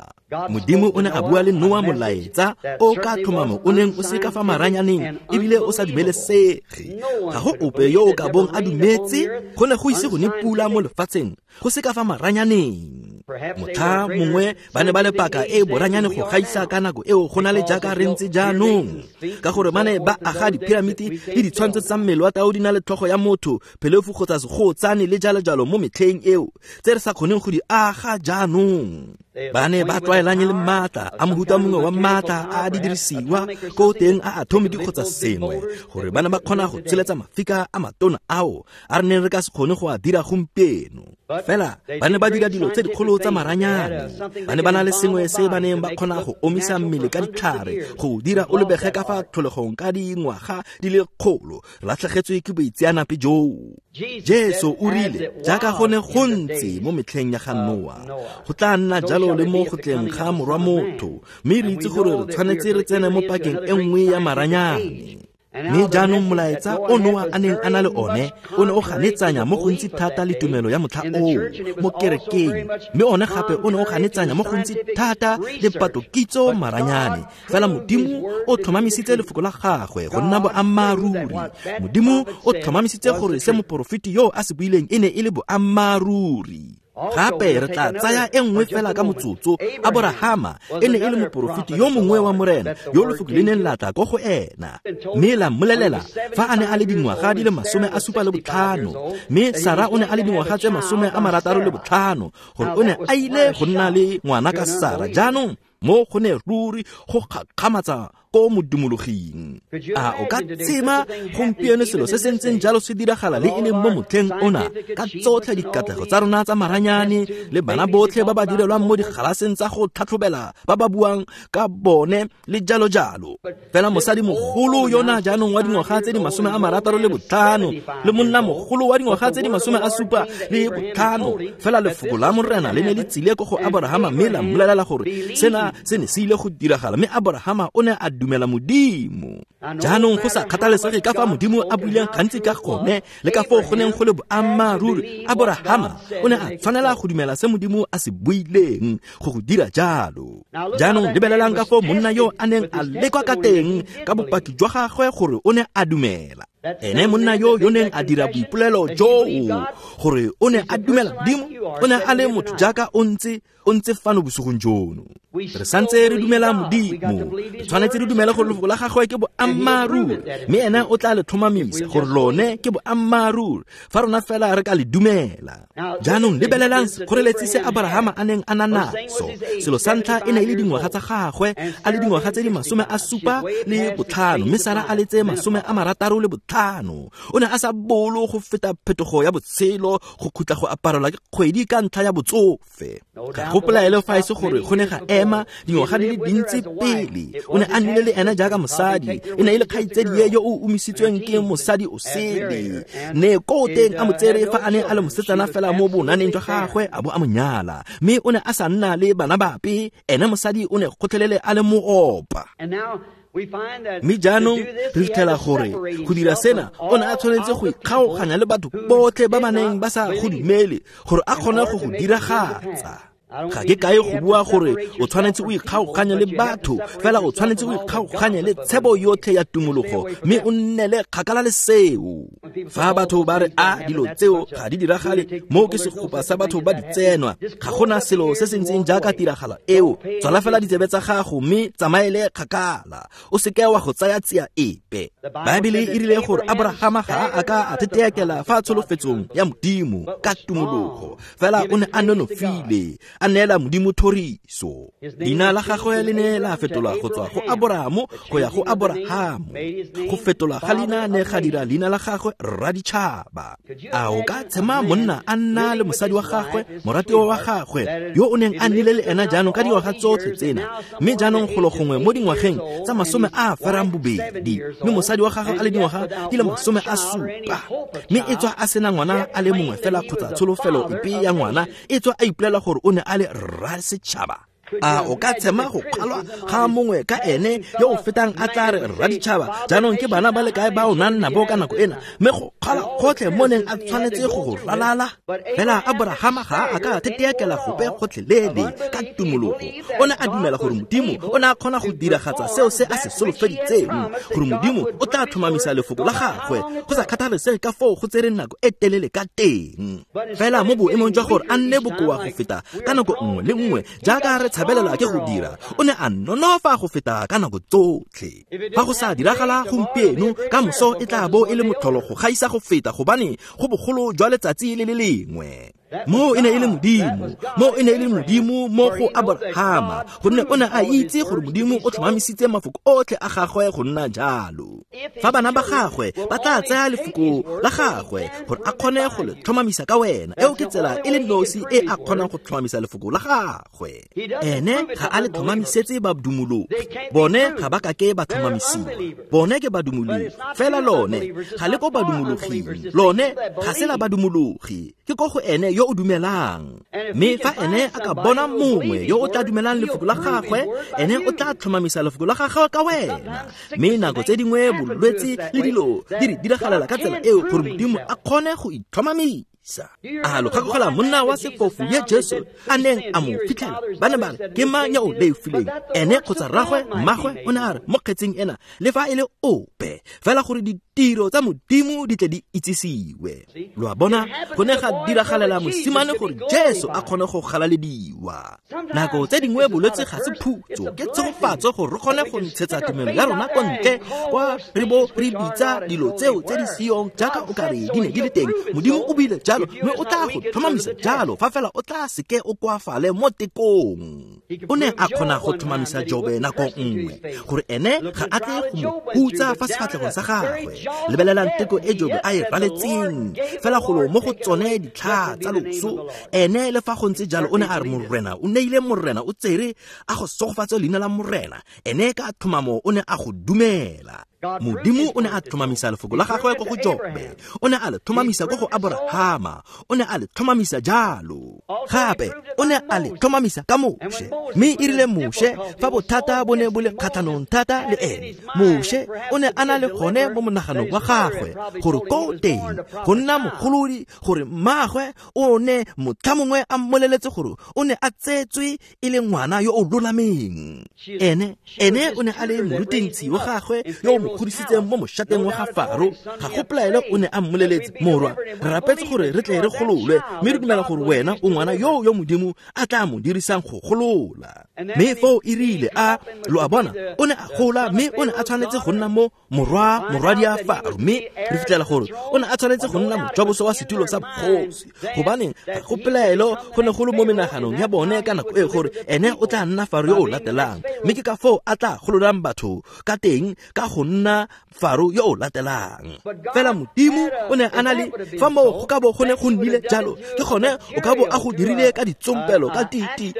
Modimo o ne a bua le Noa molaetsa o ka tlhomamo o neng o se ka fa maranyaneng ebile o sa dumelesege. Ga go ope yo o ka bong a dumetse, go ne go ise go ne pula mo lefatsheng, go se ka fa maranyaneng. Motlha mongwe ba ne ba le paka e boranyane go gaisa ka nako eo go na le jaaka re ntse jaanong, ka gore ba ne ba aga diphiramiti le ditshwantsho tsa mmele wa tau di na le tlhogo ya motho, phelefu kgotsa segotsane le jalo-jalo mo metlheng eo, tse re sa kgoneng go di aga jaanong. Ba ne ba tlwaelanye le maatla a mohuta mongwe wa maatla a di dirisiwa ko teng a atomic kgotsa sengwe, gore ba ne ba kgona go tsholetsa mafika a matona ao a re neng re ka se kgone go a dira gompieno. Fela ba ne ba dira dilo tse dikgolo tsa maranyane. Ba ne ba na le sengwe se ba neng ba kgona go omisa mmele ka ditlhare, go dira o lebege ka fa tlholegong ka dingwaga di le kgolo. Re latlhegetswe ke boitseanape joo. Jesu o rile, jaaka go ne go ntse mo metlheng ya ga Noa, go tla nna jalo le mo go tleng ga morwa motho. Mme re itse gore re tshwanetse re tsene mo pakeng e nngwe ya maranyane. Mme jaanong molaetsa o Noa a neng a na le one o ne o ganetsanya mo gontsi thata le tumelo ya motlha oo mo kerekeng, mme one gape o ne o ganetsanya mo gontsi thata le patokitso maranyane. Fela Modimo o tlhomamisitse lefoko la gagwe go nna boammaaruri. Modimo o tlhomamisitse gore se moporofeti yo a se buileng e ne e le boammaaruri. Gape re tla tsaya e nngwe fela ka motsotso. Aborahama e ne e le moporofeti yo mongwe wa Morena yo lefoko le neng la tla ko go ena, mme la mmolelela fa a ne a le dingwaga di le masome a supa le botlhano, mme Sara o ne a le dingwaga tse masome a marataro le botlhano, gore o ne a ile go nna le ngwana ka Sara. Jaanong mo go ne ruri go gakgamatsa ko modumologing. A o ka tshema gompieno selo se se ntseng jalo se diragala le e leng mo motlheng ona, ka tsotlhe dikatlego tsa rona tsa maranyane le bana botlhe ba ba direlwang mo digalaseng tsa go tlhatlhobela ba ba buang ka bone le jalo jalo. Fela mosadi mogolo yona jaanong wa dingwaga tse di masome a marataro le botlhano le monna mogolo wa dingwaga tse di masome a supa le botlhano, fela lefoko la Morena le ne le tsile ko go Abrahama mme la mmolelela gore sena se ne se ile go diragala, mme Abrahama o ne a dumela Modimo. Jaanong go sa kgathalesege ka fa Modimo a buileng gantsi ka gone le ka foo go neng go le boammaaruri, Abrahama o ne a tshwanela go dumela se Modimo a se buileng go go dira jalo. Jaanong lebelelang ka foo monna yo a neng a lekwa ka teng ka bopaki jwa gagwe gore o ne a dumela. Ene monna yo yo neng a dira boipolelo joo gore o ne a dumela Modimo, o ne a le motho jaaka o ntse o ntse fano bosigong jono. Re santse re dumela Modimo, re tshwanetse re dumele gore lefoko la gagwe ke boammaaruri, mme ena o tla le tlhomamisa gore lone ke boammaaruri fa rona fela re ka le dumela. Jaanong lebelelang sekgoreletsi se Abrahama a neng a na naso. Selo sa ntlha e ne e le dingwaga tsa gagwe, a le dingwaga tse di masome a supa le botlhano, mme Sara a le tse masome a marataro le botlhano. O ne a sa bolo go feta phetogo ya botshelo, go khutla go aparelwa ke kgwedi ka ntlha ya botsofe. Ga go pelaelo fa e se gore go ne ga ema dingwaga di le dintsi pele. O ne a nnile le ena jaaka mosadi, e ne e le kgaitsedie yo o umisitsweng ke mosadi o sele. Ne ko teng a mo tsere fa a ne a le mosetsana fela mo bonaneng jwa gagwe a bo a mo nyala, mme o ne a sa nna le bana bape. Ene mosadi o ne gotlhelele a le moopa. Mme jaanong re fitlhela gore go dira sena o ne a tshwanetse go ikgaoganya le batho botlhe ba ba neng ba sa go dumele gore a kgone go go diragatsa. Ga ke kae go bua gore o tshwanetse o ikgaoganye le batho, fela o tshwanetse o ikgaoganye le tshebo yotlhe ya tumologo, mme o nnele kgakala le seo. Fa batho ba re a dilo tseo ga di diragale, mo ke segopa sa batho ba di tsenwa, ga gona selo se se ntseng jaaka tiragalo eo. Tswala fela ditsebe tsa gago mme tsamaele kgakala, o seke wa go tsaya tsia epe. Baebele e rile gore Abrahama ga a ka a teteakela fa tsholofetsong ya Modimo ka tumologo, fela o ne a nonofile, a neela Modimo thoriso. Leina la gagwe le ne la fetolwa go tswa go Abrahamo go ya go Abrahamo. Go fetolwa ga leina ne ga dira leina la gagwe Raditšhaba. A o ka tshema monna a nna le mosadi wa gagwe, moratiwa wa gagwe, yo o neng a nnile le ena jaanong ka dingwaga tsotlhe tsena, mme jaanong golo gongwe mo dingwageng tsa masome a ferang bobedi, mme mosadi wa gagwe a le dingwaga di le masome a supa, mme e tswa a sena ngwana a le mongwe fela kgotsa tsholofelo epe ya ngwana, e tswa a ipolela gore o ne a le rra setšhaba. A o ka tshema go kgalwa ga mongwe ka ene yo o fetang a tla re Raditšhaba jaanong ke bana ba le kae ba o nang nabo ka nako ena, mme go kgalwa gotlhe mo neng a tshwanetse go go ralala. Fela Abrahama ga a ka teteakela gope gotlhelele ka tumologo. O ne a dumela gore Modimo o ne a kgona go diragatsa seo se a se solofeditseng, gore Modimo o tla tlhomamisa lefoko la gagwe go sa kgathalesege ka foo go tsereng nako e telele ka teng. Fela mo boemong jwa gore a nne bokoa go feta ka nako nngwe le nngwe jaaka re tshabelelwa ke go dira, o ne a nonofa go feta ka nako tsotlhe. Fa go sa diragala gompieno, ka moso e tla bo e le motlholo go gaisa go feta, gobane go bogolo jwa letsatsi le le lengwe. Mo e ne e le Modimo, mo e ne e le Modimo mo go Abrahama, gonne o ne a itse gore Modimo o tlhomamisitse mafoko otlhe a gagwe go nna jalo. Fa bana ba gagwe ba tla tsaya lefoko la gagwe gore a kgone go le tlhomamisa ka wena, eo ke tsela e le nosi e a kgonang go tlhomamisa lefoko la gagwe. Ene ga a le tlhomamisetse badumologi, bone ga ba kake ba tlhomamisiwa, bone ke badumologi. Fela lone ga le ko badumologing, lone ga se la badumologi, ke ko go ene yo o dumelang. Mme fa ene a ka bona mongwe yo o tla dumelang lefoko la gagwe, ene o tla tlhomamisa lefoko la gagwe ka wena. Mme nako tse dingwe bolwetse le dilo di re diragalela ka tsela eo gore Modimo a kgone go itlhomamisa. A lo gakologelwa monna wa sefofu ye Jesu a neng a mo fitlhela? Ba ne ba re ke mang ya o leofileng, ene kgotsa rragwe mmagwe? O ne a re mo kgetseng ena le fa e le ope, fela gore ditiro tsa Modimo di tle di itsisiwe. Lo a bona, go ne ga diragalela mosimane gore Jesu a kgone go galalediwa. Nako tse dingwe bolwetse ga se phutso, ke tshegofatso gore re kgone go ntshetsa tumelo ya rona kwa ntle, kwa re bo re bitsa dilo tseo tse di seyong jaaka o kare di ne di le teng. Modimo o buile jalo, mme o tla go tlhomamisa jalo fa fela o tla seke o koafale mo tekong. O ne a kgona go tlhomamisa Jobe nako nngwe gore ene ga a tle go mo hutsa fa sefatlhegong sa gagwe. Lebelelang teko e Jobe a e raletseng fela golo mo go tsone ditlhaa tsa loso. Ene le fa go ntse jalo o ne a re Morena o neile, Morena o tsere, a go sogofatse leina la Morena. Ene ka tlhomamo o ne a go dumela. Modimo o ne a tlhomamisa lefoko la gagwe ko go Jobe, o ne a le tlhomamisa ko go Aborahama, o ne a le tlhomamisa jalo. Gape o ne a le tlhomamisa ka Moshe. Mme e rile Moshe fa bothata bo ne bo le kgatlhanong thata le ene, Moshe o ne a na le gone mo monaganong wa gagwe gore ko teng go nna mogolodi, gore mmaagwe o ne motlha mongwe a mmoleletse gore o ne a tsetswe e le ngwana yo o lolameng. Ene ene o ne a le morutintshi wa gagwe yo o godisitseng mo moshateng wa ga Faro. Ga go pelaelo o ne a mmoleletse, morwa, re rapetse gore re tle re gololwe, mme re dumela gore wena o ngwana yo yo Modimo a tla mo dirisang go golola. Mme foo e rile a lo a bona o ne a gola, mme o ne a tshwanetse go nna mo morwa morwadia Faro. Mme re fitlhela gore o ne a tshwanetse go nna mojaboso wa setulo sa bogosi, gobaneng ga go pelaelo go ne go le mo menaganong ya bone ka nako e gore ene o tla nna Faro yo o latelang. Mme ke ka foo a tla gololang batho ka teng ka go nna Faro yo o latelang. Fela Modimo o ne a na le fa moo go ka bo go ne go nnile jalo, ke gone o ka bo a go dirile ka ditsompelo, ka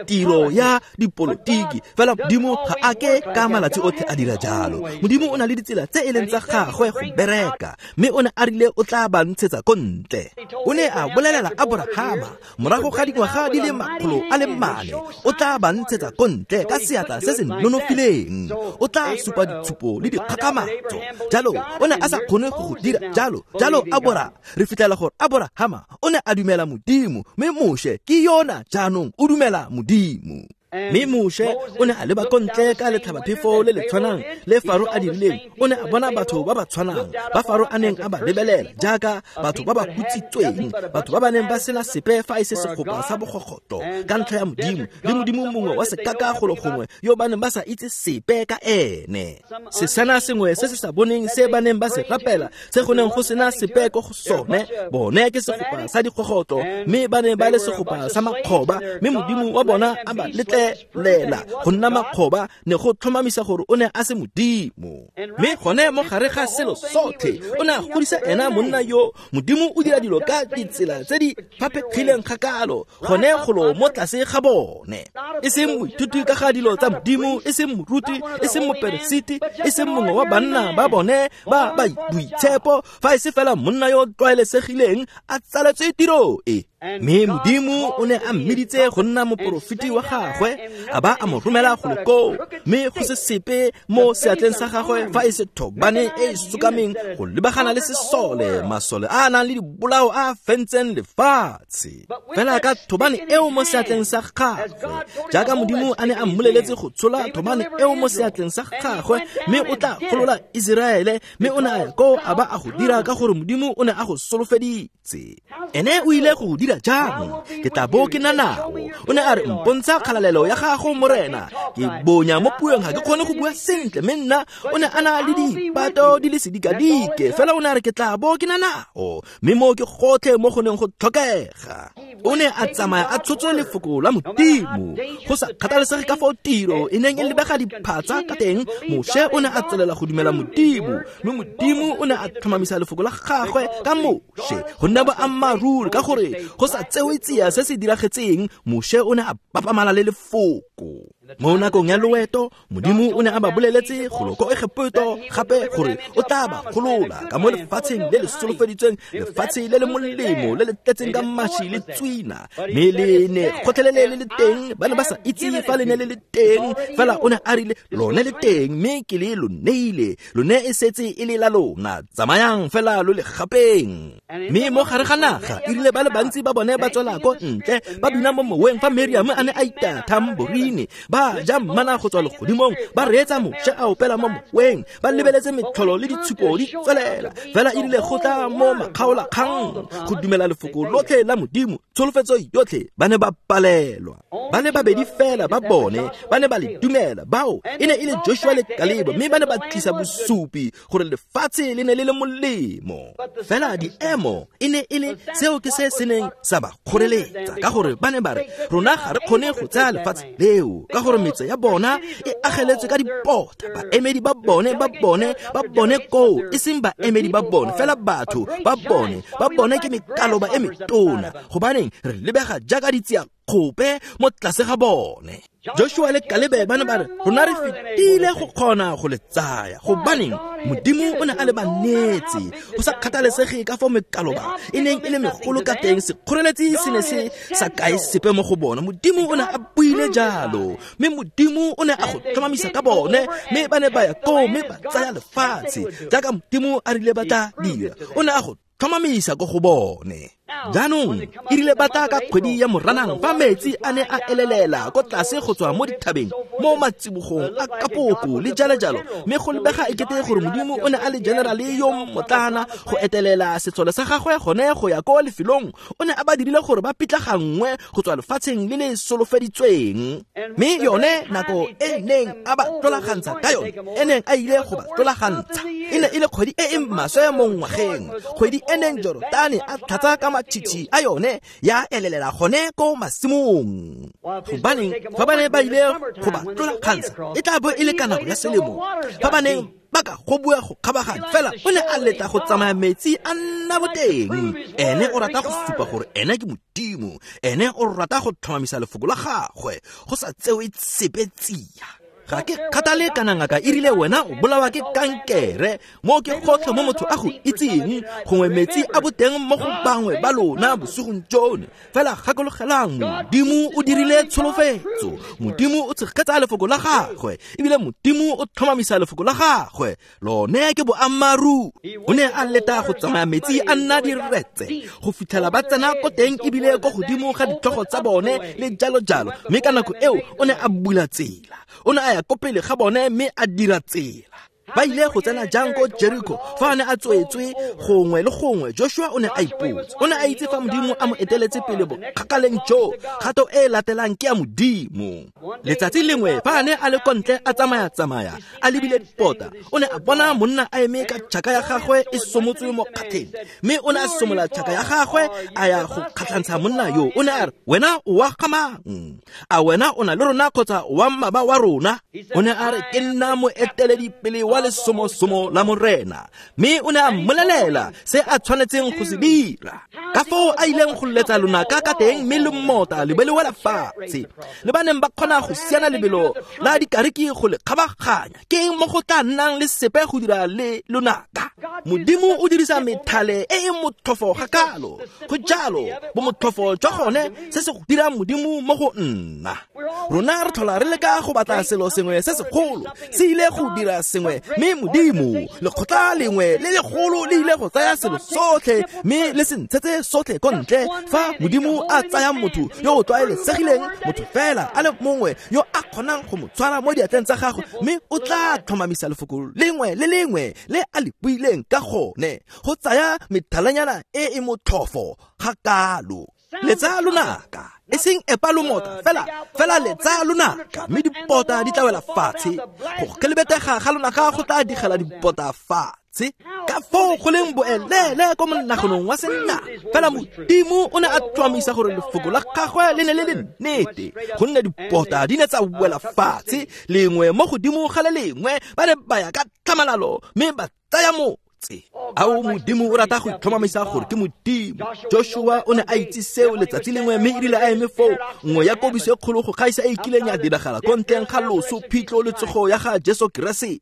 tiro ya dipolotiki. Fela Modimo ga a ke ka malatsi otlhe a dira jalo. Modimo o na le ditsela tse e leng tsa gagwe go bereka, mme o ne a rile o tla ba ntshetsa ko ntle. O ne a bolelela Aborahama morago ga dingwaga di le makgolo a le mane, o tla ba ntshetsa ko ntle ka seatla se se nonofileng, o tla supa ditshupo le dikgakgamatso. Jalo o ne a sa kgone go go dira jalo. Jalo Abora re fitlhela gore Aborahama o ne a dumela Modimo, mme Moshe ke yona jaanong o dumela Modimo. Mme Moshe o ne a leba ko ntle ka letlhabaphefo le le tshwanang le Faro a dirileng. O ne a bona batho ba ba tshwanang ba Faro a neng a ba lebelela jaaka batho ba ba hutsitsweng, batho ba ba neng ba sena sepe fa e se segopa sa bogogoto ka ntlha ya Modimo le Modimo mongwe wa sekaka golo gongwe yo ba neng ba sa itse sepe ka ene. Sesana sengwe se se sa boneng se ba neng ba se rapela, se go neng go sena sepe ko go sone, bone ke segopa sa digogoto, mme ba ne ba le segopa sa makgoba, mme Modimo wa bona a ba letle lela go nna makgoba ne go tlhomamisa gore o ne a se Modimo. Mme gone mo gare ga selo sotlhe o ne a godisa ena monna yo. Modimo o dira dilo ka ditsela tse di faphegileng kgakalo gone golo mo tlase ga bone. E seng moithuti ka ga dilo tsa Modimo, e seng moruti, e seng moperesiti, e seng mongwe wa banna ba bone ba ba boitshepo, fa e se fela monna yo tlwaelesegileng a tsaletswe tiro e. Mme Modimo o ne a mmiditse go nna moporofeti wa gagwe, a ba a mo romela golo koo, mme go se sepe mo seatleng sa gagwe fa e se thobane e e sokameng go lebagana le sesole, masole a a nang le dibolao a a fentseng lefatshe. Fela ka thobane eo mo seatleng sa gagwe, jaaka Modimo a ne a mmoleletse go tshola thobane eo mo seatleng sa gagwe, mme o tla golola Iseraele. Mme o ne a ya koo a ba a go dira ka gore Modimo o ne a go solofeditse. Ene o ile go dira jang? Ke tla bo ke na nao. O ne a re, mpontsha kgalalelo ya gago Morena. Ke bonya mo puong, ga ke kgone go bua sentle, mme nna o ne a na le dipato di le sedikadike, fela o ne a re ke tla bo ke na nao. Mme mo ke gotlhe mo go neng go tlhokega. O ne a tsamaya a tshotse lefoko la Modimo. Go sa kgathalesege ka fao tiro e neng e lebega diphatsa ka teng, Moshe o ne a tswelela go dumela Modimo, mme Modimo o ne a tlhomamisa lefoko la gagwe ka Moshe go nna boammaaruri, ka gore go sa tsewe tsia se se diragetseng, Moshe o ne a bapamala le lefoko. Mo nakong ya loeto, Modimo o ne a ba boleletse golo ko Egepeto gape gore o tla ba golola ka mo lefatsheng le le solofeditsweng, lefatshe le le molemo le le tletseng ka maši le tswina. Mme le ne gotlhelele le le teng, ba ne ba sa itse fa le ne le le teng, fela o ne a rile lone le teng, mme ke le lo neile, lone e setse e le la lona, tsamayang fela lo le gapeng. Mme mo gare ga naga e rile ba le bantsi ba bone ba tswela ko ntle ba bina mo moweng fa Miriam a ne a itaya tamborine, ba Ba ja mana go tswa legodimong, ba reetsa Moshe a opela mo moweng, ba lebeletse metlholo le ditshupo di tswelela. Fela e rile go tla mo makgaolakgang go dumela lefoko lotlhe la Modimo, tsholofetso yotlhe, ba ne ba palelwa. Ba le babedi fela ba bone ba ne ba le dumela, bao e ne e le Joshua le Kalebo, mme ba ne ba tlisa bosupi gore lefatshe le ne le le molemo. Fela diemo e ne e le seo ke se se neng sa ba kgoreletsa, ka gore ba ne ba re rona ga re kgone go tsaya lefatshe leo, ka gore metse ya bona e ageletswe ka dipota. Baemedi ba bone ba bone ba bone koo, e seng baemedi ba bone fela, batho ba bone ba bone ke mekaloba e metona, gobaneng re lebega jaaka ditsia kgope mo tlase ga bone. Joshua le Kalebe ba ne ba re rona re fetile go kgona go le tsaya, gobaneng Modimo o ne a le ba neetse. Go sa kgathalesege ka fao mekaloba e neng e le megolo ka teng, sekgoreletsi se ne se sa kae sepe mo go bona. Modimo o ne a buile jalo, mme Modimo o ne a go tlhomamisa ka bone, mme ba ne ba ya koo mme ba tsaya lefatshe jaaka Modimo a rile ba tla dira. O ne a go tlhomamisa ko go bone. Jaanong e rile ba tla ka kgwedi ya Moranang, fa metsi a ne a elelela ko tlase go tswa mo dithabeng mo matsibogong a kapoko le jalo-jalo, mme go lebega ekete gore Modimo o ne a le generale yo motlana go etelela setsole sa gagwe gone go ya ko lefelong. O ne a ba dirile gore ba pitlaganngwe go tswa lefatsheng le le solofeditsweng, mme yone nako e neng a ba tlolagantsha ka yone, e neng a ile go ba tlolagantsha, e ne e le kgwedi e e maswe mo ngwageng, kgwedi e neng Jorotane a tlhatsa ka matšhitšhi a yone ya elelela gone ko masimong. Gobaneng fa ba ne ba ile go ba tlolagantsha, e tla bo e le ka nako ya selemo, fa ba neng ba ka go bua go kgabaganya, fela o ne a letla go tsamaya metsi a nna boteng. Ene o rata go supa gore ene ke Modimo, ene o rata go tlhomamisa lefoko la gagwe, go sa tsewe sepe tsia. Ga ke kgathale kana ngaka e rile wena o bolawa ke kankere, mo ke gotlhe mo motho a go itseng, gongwe metsi a boteng mo go bangwe ba lona bosigong jono. Fela gakologelang, Modimo o dirile tsholofetso, Modimo o tshegetsa lefoko la gagwe, ebile Modimo o tlhomamisa lefoko la gagwe, lone ke boammaaruri. O ne a leta go tsamaya metsi a nna diretse go fitlhela ba tsena ko teng ebile ko godimo ga ditlhogo tsa bone le jalo-jalo, mme ka nako eo o ne a bula tsela. O ne a ya ko pele ga bone mme a dira tsela. Ba ile go tsena jang ko Jericho fa a ne a tswetswe gongwe le gongwe? Joshua o ne a ipotsa. O ne a itse fa Modimo a mo eteletse pele bokgakaleng jo, kgato e latelang ke ya Modimo. Letsatsi lengwe fa a ne a le ko ntle a tsamaya-tsamaya a lebile dipota, o ne a bona monna a eme ka tšhaka ya gagwe e somotswe mo kgatlheng, mme o ne a somola tšhaka ya gagwe a ya go kgatlhantsha monna yo. O ne a re, wena o wa ga mang? A wena o na le rona kgotsa wa mmaba wa rona? O ne a re, ke nna moeteledipele wa lesomosomo la Morena. Mme o ne a mmolelela se a tshwanetseng go se dira, ka foo a ileng go letsa lonaka ka teng, mme le mmota le be le wela fatshe, le ba neng ba kgona go siana lebelo la dikariki go le kgabaganya. Ke eng mo go tla nnang le sepe go dira le lonaka? Modimo o dirisa methale e e motlhofo ga kalo. Go jalo bomotlhofo jwa gone se se go dirang Modimo mo go nna. Rona re tlhola re leka go batla selo sengwe se segolo, se ile go dira sengwe, mme Modimo lekgotla lengwe le legolo le ile go tsaya selo sotlhe mme le se ntshetse sotlhe ko ntle. Fa Modimo a tsaya motho yo o tlwaelesegileng, motho fela a le mongwe yo a kgonang go mo tshwara mo diatleng tsa gagwe, mme o tla tlhomamisa lefoko lengwe le lengwe le a le buileng ka gone, go tsaya methalanyana e e motlhofo ga kalo. Letsa lonaka, e seng epa lomota fela, fela letsa lonaka, mme dipota di tla wela fatshe. Go kelebetega ga lonaka go tla digela dipota fatshe. Ka foo go leng boelele ko monaganong wa senna. Fela Modimo o ne a tlhomamisa gore lefoko la gagwe le ne le le nnete, gonne dipota di ne tsa wela fatshe lengwe mo godimo ga le lengwe, ba ne ba ya ka tlhamalalo mme ba tsaya motse. Ao Modimo o rata go itlhomamisa gore ke Modimo. Joshua o ne a itse seo letsatsi lengwe, mme e rile a eme foo, nngwe ya kobiso e kgolo go gaisa e e kileng ya diragala ko ntleng ga loso, phitlho le tsogo ya ga Jesu Keresete.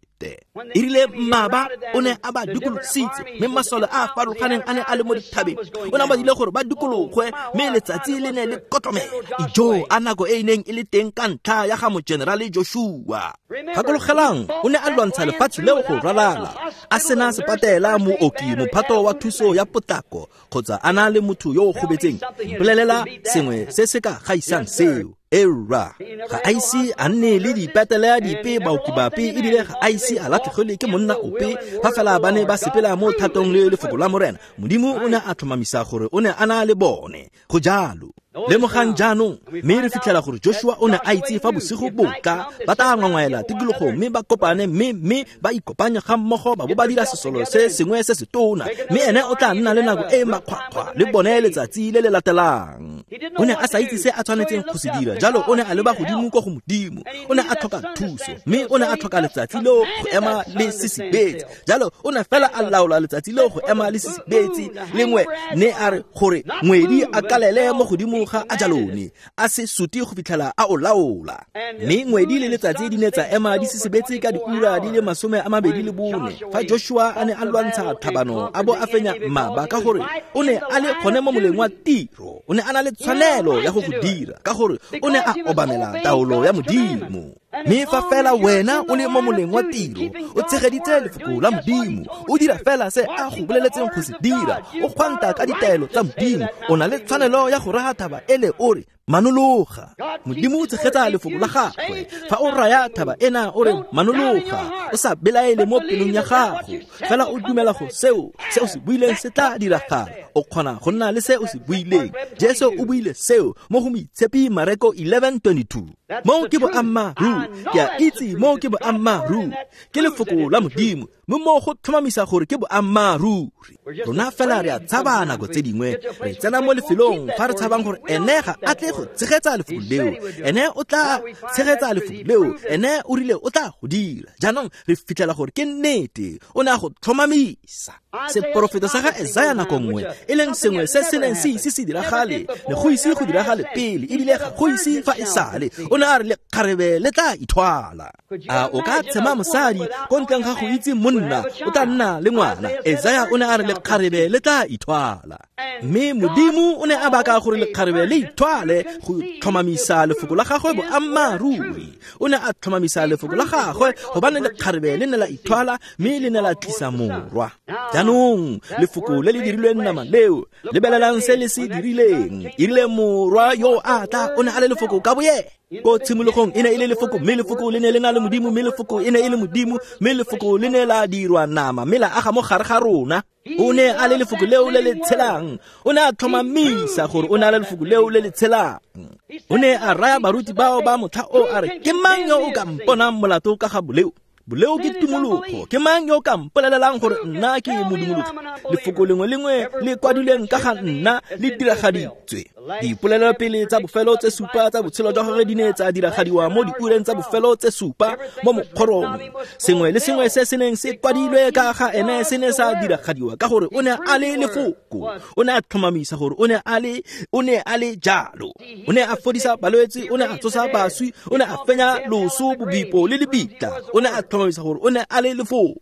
E rile mmaba o ne a ba dikolositse, mme masole a a farologaneng a ne a le mo dithabeng. O ne a ba dile gore ba dikologwe, mme letsatsi le ne le kotlomela. Ijo a nako e e neng e le teng ka ntlha ya ga mogenerale Joshua. Gakologelang, o ne a lwantsha lefatshe leo go ralala, a sena sepatela, mooki, mophato wa thuso ya potlako, kgotsa a na le motho yo o gobetseng. Mpolelela sengwe se se ka gaisang seo. Era ga a ise a nne le dipetele dipe baoki bape ebile ga a ise a latlhegelwe ke monna ope fa fela ba ne ba sepela mo thatong le lefoko la Morena. Modimo o ne a tlhomamisa gore o ne a na le bone. Go jalo. Lemogang jaanong, mme re fitlhela gore Joshua o ne a itse fa bosigo bo tla ba tla ngwangwaela tikologo mme ba kopane mme mme ba ikopanya ga mmogo ba bo ba dira sesolo se sengwe se se tona, mme ene o tla nna le nako e makgwakgwa le bone letsatsi le le latelang. O ne a sa itse se a tshwanetseng go se dira, jalo o ne a leba godimo kwa go Modimo. O ne a tlhoka thuso, mme o ne a tlhoka letsatsi leo go ema le sisibetse. Jalo o ne fela a laola letsatsi leo go ema le sisibetse lengwe, ne a re gore ngwedi a kalele mo godimo ga a jalone a se suti go fitlhela a o laola. Mme ngwedi le letsatsi di ne tsa ema di sisibetse ka diura di le masome a mabedi le bone fa Joshua a ne a lwantsha tlhabano a bo a fenya mmaba, ka gore o ne a le gone mo moleng wa tiro. O ne a na le tshwanelo ya go go dira ka gore o ne a obamela taolo ya Modimo. Mme fa fela wena o le mo moleng wa tiro, o tshegeditse lefoko la Modimo, o dira fela se a go boleletseng go se dira, o kgwanta ka ditaelo tsa Modimo, o na le tshwanelo ya go raya thaba ele o re manologa. Modimo o tshegetsa lefoko la gagwe. Fa o raya thaba ena o re manologa, o sa belaele mo pelong ya gago, fela o dumela go seo se o se buileng se tla diragala. O kgona go nna le se o se buileng. Jesu o buile seo mo go Moitshepi Mareko eleven twenty-two. Mo ke boammaaruri, ke a itse mo ke boammaaruri, ke lefoko la Modimo, mme mo go tlhomamisa gore ke boammaaruri. Rona fela re a tshaba nako tse dingwe, re tsena mo lefelong fa re tshabang gore ene ga a tle go tshegetsa lefoko leo, ene o tla tshegetsa lefoko leo, ene o rile o tla go dira. Jaanong re fitlhela gore ke nnete, o ne a go tlhomamisa. Seporofeto sa ga Esaya nako nngwe, e leng sengwe se se neng se ise se diragale, ne go ise go diragale pele, ebile ga go ise fa e sale. O ne a re lekgarebe le tla ithwala. A o ka tshema mosadi ko ntleng ga go itse monna o tla nna le ngwana? Esaya o ne a re lekgarebe le tla ithwala. Mme Modimo o ne a baka gore lekgarebe le ithwale go tlhomamisa lefoko la gagwe boammaaruri. O ne a tlhomamisa lefoko la gagwe gobane lekgarebe le ne la ithwala mme le ne la tlisa morwa. Jaanong lefoko le le dirilweng nama leo, lebelelang se le se dirileng. E rile morwa yo a tla o ne a le lefoko ka boyena. Ko tshimologong e ne e le lefoko, mme lefoko le ne le na le Modimo, mme lefoko e ne e le Modimo, mme lefoko le ne la dirwa nama mme la aga mo gare ga rona. O ne a le lefoko leo le le tshelang. O ne a tlhomamisa gore o ne a le lefoko leo le le tshelang. O ne a raya baruti bao ba motlha o a re, ke mang yo o ka mponang molato ka ga boleo? Boleo ke tumologo. Ke mang yo o ka mpolelelang gore nna ke modumologi? Lefoko lengwe lengwe le kwadilweng ka ga nna le diragaditswe. Dipolelelopele tsa bofelo tse supa tsa botshelo jwa gagwe di ne tsa diragadiwa mo diureng tsa bofelo tse supa mo mokgorong. Sengwe le sengwe se se neng se kwadilwe ka ga ene se ne sa diragadiwa ka gore o ne a le lefoko. O ne a tlhomamisa gore o ne a le o ne a le jalo. O ne a fodisa balwetse, o ne a tsosa baswi, o ne a fenya loso, bobipo le lebitla. O ne a tlhomamisa gore o ne a le lefoko.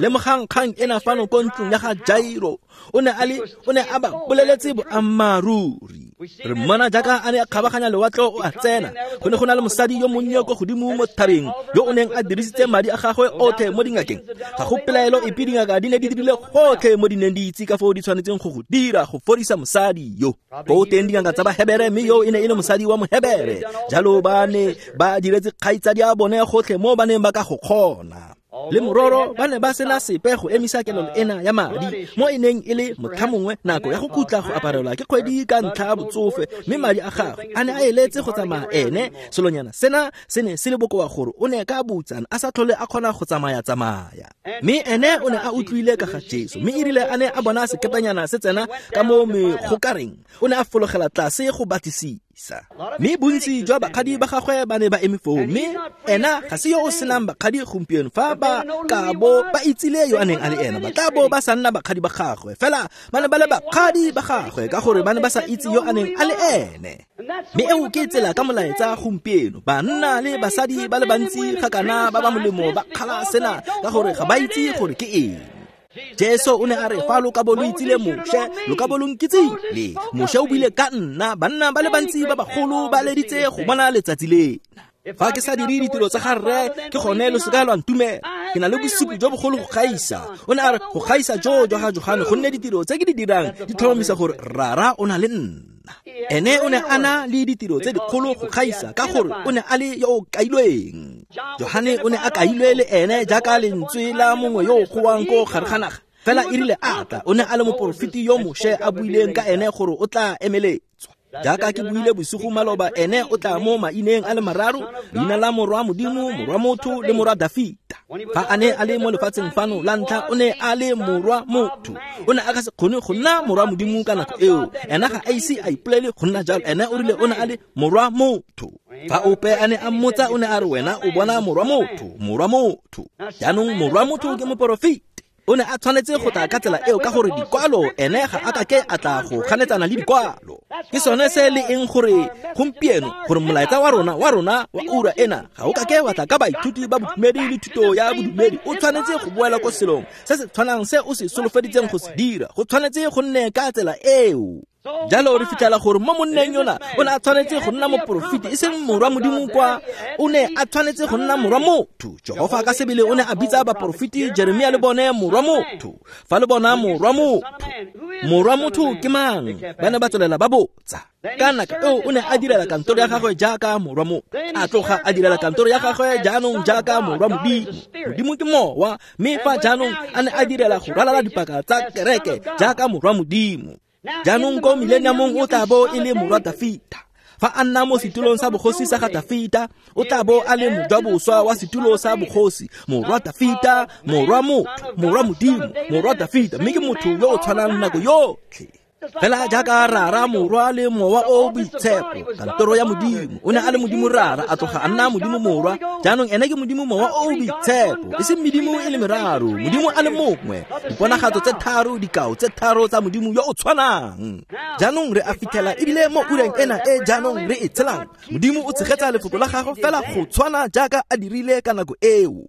Lemogang kgang ena fano ko ntlong ya ga Jairo. O ne a le o ne a ba boleletse boammaaruri. Re mmona jaaka a ne a kgabaganya lewatle o a tsena. Go ne go na le mosadi yo monnye ko godimo mo thabeng yo o neng a dirisitse madi a gagwe otlhe mo dingakeng. Ga go pelaelo epe, dingaka di ne di dirile gotlhe mo di neng di itse ka foo di tshwanetseng go go dira go fodisa mosadi yo. Ko teng dingaka tsa Bahebere, mme yo e ne e le mosadi wa Mohebere. Jalo ba ne ba diretse kgaitsadi a bone gotlhe mo ba neng ba ka go kgona. Le mororo ba ne ba sena sepe go emisa kelelo ena ya madi mo e neng e le motlhamongwe nako ya go khutla go aparelwa ke kgwedi ka ntlha ya botsofe, mme madi a gagwe a ne a eletse go tsamaya ene. Selonyana sena se ne se le bokoa gore o ne ka botsana a sa tlhole a kgona go tsamaya-tsamaya. Mme ene o ne a utlwile ka ga Jesu, mme erile a ne a bona sekepanyana se tsena ka mo megokareng, o ne a fologela tlase go batlisisa. Mme bontsi jwa bakgadi ba gagwe ba ne ba eme foo, mme ena ga se yo o senang bakgadi gompieno. Fa ba ka bo ba itsile yo a neng a le ena, ba tla bo ba sa nna bakgadi ba gagwe. Fela ba ne ba le bakgadi ba gagwe ka gore ba ne ba sa itse yo a neng a le ene. Mme eo ke tsela ka molaetsa gompieno. Banna le basadi ba le bantsi ga kana ba ba molemo ba kgala sena ka gore ga ba itse gore ke eng. Jesu o ne a re, fa lo ka bo lo itsile Moshe, lo ka bo lo nkitsile. Moshe o buile ka nna. Banna ba le bantsi ba bagolo ba leditse go bona letsatsi lena. Fa ke sa dire ditiro tsa ga rre, ke gone lo seka lwa ntumela. Ke na le bosupi jo bogolo go gaisa. O ne a re go gaisa jo jwa ga Johane, gonne ditiro tse ke di dirang di tlhomamisa gore Rara o na le nna. nna. Ene o ne a na le ditiro tse dikgolo go gaisa ka gore o ne a le yo o kailweng. Johane o ne a kailwe le ene jaaka lentswe la mongwe yo o goang ko gare ga naga. Fela e rile a tla, o ne a le moporofeti yo Moshe a buileng ka ene gore o tla emeletswa. Jaaka ke buile bosigo maloba, ene o tla mo maineng a le mararo, leina la morwa Modimo, morwa motho le morwa Dafita. Fa a ne a le mo lefatsheng fano la ntlha, o ne a le morwa motho. O ne a ka se kgone go nna morwa Modimo ka nako eo. Ena ga a ise a ipolele go nna jalo. Ene o rile o ne a le morwa motho. Fa ope a ne a mmotsa, o ne a re wena o bona morwa motho, morwa motho. Jaanong morwa motho ke moporofeti. O ne a tshwanetse go tla ka tsela eo ka gore dikwalo ene ga a ka ke a tla go ganetsana le dikwalo. Ke sone se le eng gore gompieno gore molaetsa wa rona wa rona wa ura ena ga o ka ke wa tla ka baithuti ba bodumedi le thuto ya bodumedi. O tshwanetse go boela ko selong se se tshwanang se o se solofeditseng go se dira. Go tshwanetse go nne ka tsela eo. Jalo re fitlhela gore mo monneng yona o ne a tshwanetse go nna moporofeti, e seng morwa Modimo kwa, o ne a tshwanetse go nna morwa motho. Jehofa ka sebele o ne a bitsa baporofeti Jeremia le bone morwa motho. Fa le bona morwa motho, morwa motho ke mang? Ba ne ba tswelela ba botsa. Ka nako eo o ne a direla kantoro ya gagwe jaaka morwa motho, a tloga a direla kantoro ya gagwe jaanong jaaka morwa Modimo. Modimo ke mowa, mme fa jaanong a ne a direla go ralala dipaka tsa kereke jaaka morwa Modimo. Jaanong ko millenniumong o tla bo e le morwa Dafita. Fa a nna mo setulong sa bogosi sa ga Dafita, o tla bo a le mojaboswa wa setulo sa bogosi, morwa Dafita, morwa motho, morwa Modimo, morwa Dafita, mme ke motho yo o tshwanang nako yotlhe. Fela jaaka Rara, Morwa le Mowa o Boitshepo, kantoro ya Modimo. O ne a le Modimo Rara, a tloga a nna Modimo Morwa. Jaanong ene ke Modimo Mowa o Boitshepo, e seng medimo e le meraro, Modimo a le mongwe. Diponagatso tse tharo, dikao tse tharo tsa Modimo yo o tshwanang. Jaanong re a fitlhela ebile mo ureng ena e jaanong re e tshelang, Modimo o tshegetsa lefoko la gagwe fela go tshwana jaaka a dirile ka nako eo.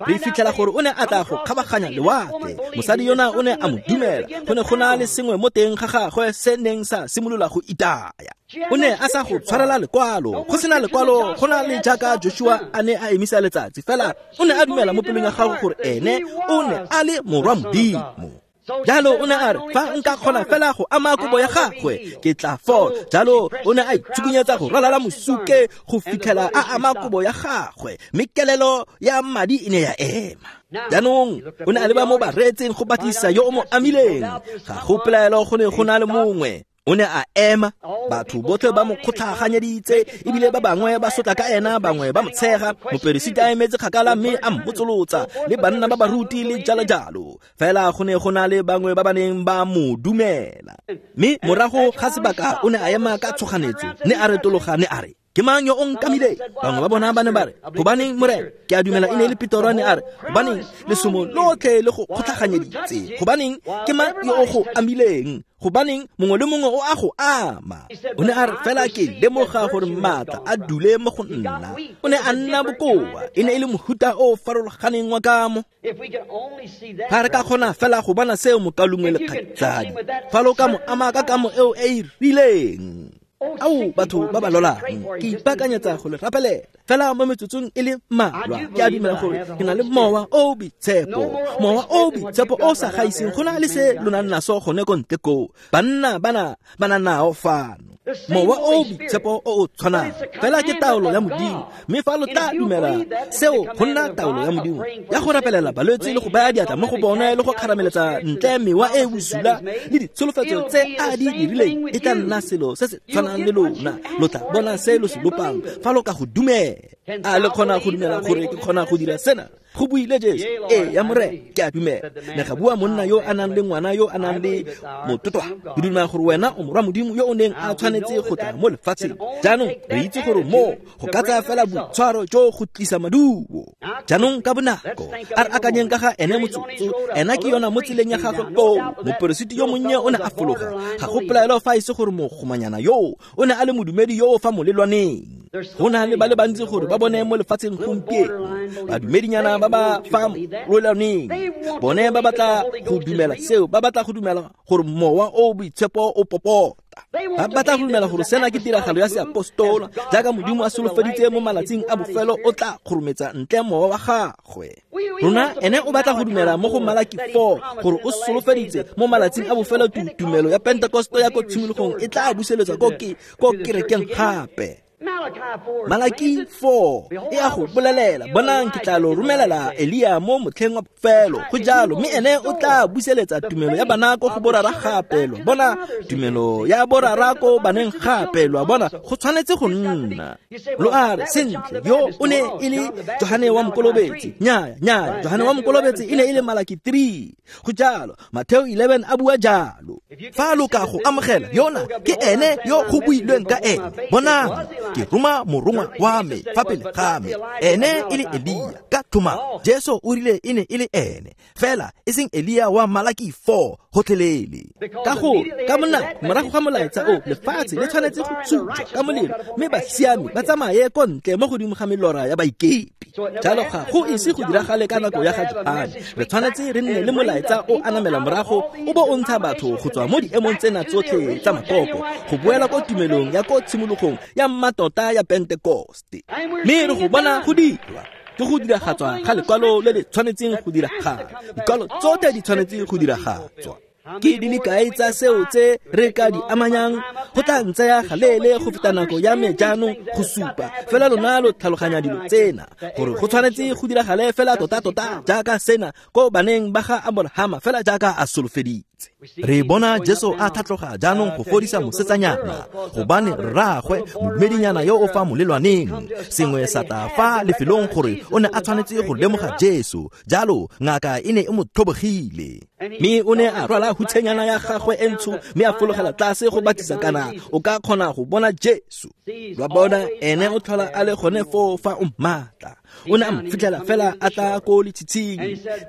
Re fitlhela gore o ne a tla go kgabaganya lewatle. Mosadi yona o ne a mo dumela. Go ne go na le sengwe mo teng ga gagwe se neng sa simolola go itaya. O ne a sa go tshwarela lekwalo. Go sena lekwalo, go na le jaaka Joshua a ne a emisa letsatsi. Fela o ne a dumela mo pelong ya gagwe gore ene o ne a le morwa Modimo. Jalo o ne a re, fa nka kgona fela go ama kobo ya gagwe, ke tla fola. Jalo o ne a itsukunyetsa go ralala mosuke go fitlhela a ama kobo ya gagwe, mme kelelo ya madi e ne ya ema. Jaanong o ne a leba mo bareetseng go batlisisa yo o mo amileng. Ga go pelaelo go ne go na le mongwe. O ne a ema, batho botlhe ba mo kgotlhaganyeditse, ebile ba bangwe ba sotla ka ena, bangwe ba mo tshega. Moperesiti a emetse kgakala mme a mmotsolotsa, le banna ba baruti le jalo jalo. Fela go ne go na le bangwe ba ba neng ba mo dumela. Mme morago ga sebaka o ne a ema ka tshoganetso, ne a retologa, ne a re, ke mang yo o nkamile? Bangwe ba bona ba ne ba re, gobaneng Morena? Ke a dumela e ne e le Petoro, ne a re, gobaneng lesomo lotlhe le go kgotlhaganyeditse? Gobaneng ke mang yo o go amileng? Gobaneng mongwe le mongwe o a go ama? O ne a re, fela ke lemoga gore maatla a dule mo go nna. O ne a nna bokoa, e ne e le mohuta o farologaneng wa kamo. Fa re ka kgona fela go bona seo mokalungwe le kgaitsadi, fa lo ka mo ama ka kamo eo e e rileng. Ao batho ba ba lolang, ke ipaakanyetsa go le rapelela. Fela mo metsotsong e le mmalwa, ke a dumela gore ke na le Mowa o Boitshepo. Mowa o Boitshepo o sa gaiseng go na le se lo nang naso gone ko ntle koo. Banna bana ba na nao fano. Mowa o Boitshepo o o tshwanang, fela ke taolo ya Modimo. Mme fa lo tla dumela seo go nna taolo ya Modimo ya go rapelela balwetse le go baya diatla mo go bone le go kgarameletsa ntle mewa e bosula le ditsholofetso tse a di dirileng, e tla nna selo se se tshwanang le lona. Lo tla bona se lo se lopang fa lo ka go dumela. A le kgona go dumela gore ke kgona go dira sena? Go buile Jesu. Ee, ya Morena, ke a dumela. Ne ga bua monna yo a nang le ngwana yo a nang le mototwa. Ke dumela gore wena o morwa Modimo yo o neng a tshwanetse go tla mo lefatsheng. Jaanong re itse gore mo go ka tsaya fela boitshwaro jo go tlisa maduo. Jaanong ka bonako a re akanyeng ka ga ene motsotso. Ena ke yona mo tseleng ya gagwe koo. Moperesiti yo monnye o ne a fologa. Ga go pelaelo fa e se gore mogomanyana yo o ne a le modumedi yo o fa molelwaneng. Go na le ba le bantsi gore ba bone mo lefatsheng gompieno, badumedinyana ba ba fa molelwaneng. Bone ba batla go dumela seo, ba batla go dumela gore Mowa o Boitshepo o popota. Ba batla go dumela gore sena ke tiragalo ya seapostola, jaaka Modimo a solofeditse mo malatsing a bofelo o tla kgorometsa ntle mowa wa gagwe. Rona ene o batla go dumela mo go Malaki four gore o solofeditse mo malatsing a bofelo tumelo ya Pentekoste ya ko tshimologong e tla buseletswa ko ke ko kerekeng gape. Malaki four e a go bolelela, bonang ke tla lo romelela Elia mo motlheng wa bofelo. Go jalo, mme ene o tla buseletsa tumelo ya bana ko go borara gape. Lo bona tumelo ya borara ko baneng gape. Lo bona go tshwanetse go nna. Lo a re sentle, yo o ne e le Johane wa Mokolobetsi. Nnyaya, nnyaya, Johane wa Mokolobetsi e ne e le Malaki three. Go jalo, Mateo eleven a bua jalo. Fa lo ka go amogela yona ke ene yo go builweng ka ene. Bonang, ke roma morongwa wa me fa pele ga me, ene e le Elia. Ka tlhomamo Jesu o rile e ne e le ene, fela e seng Elia wa Malaki four gotlhelele. Ka gore ka monako morago ga molaetsa o, lefatshe le tshwanetse go tsujwa ka molelo, mme basiami ba tsamaye ko ntle mo godimo ga melora ya baikepi. Jalo ga go ise go diragale ka nako ya ga Johane. Re tshwanetse re nne le molaetsa o anamela morago o bo o ntsha batho go tswa mo diemong tsena tsotlhe tsa makoko go boela ko tumelong ya ko tshimologong ya mmatota ya Pentekoste. Mme re go bona go dirwa ke go diragatswa ga lekwalo le le tshwanetseng go diragala. Dikwalo tsotlhe di tshwanetse go diragatswa. Ke di le kae tsa seo tse re ka di amanyang? Go tla ntsaya galeele go feta nako ya me jaanong go supa fela lona lo tlhaloganya dilo tsena, gore go tshwanetse go diragale fela tota-tota jaaka sena ko baneng ba ga Aborahama, fela jaaka a solofeditse. Re bona Jesu a tlhatloga jaanong go fodisa mosetsanyana, gobane rraagwe modumedinyana yo o fa molelwaneng sengwe sa tla fa lefelong gore o ne a tshwanetse go lemoga Jesu. Jalo ngaka e ne e mo tlhobogile, mme o ne a rwala hutshenyana ya gagwe e ntsho mme a fologela tlase go batisa kana o ka kgona go bona Jesu. Lwa bona ene o tlhola a le gone foo fa o mmatla. O ne a mo fitlhela fela a tla ko letshitshing,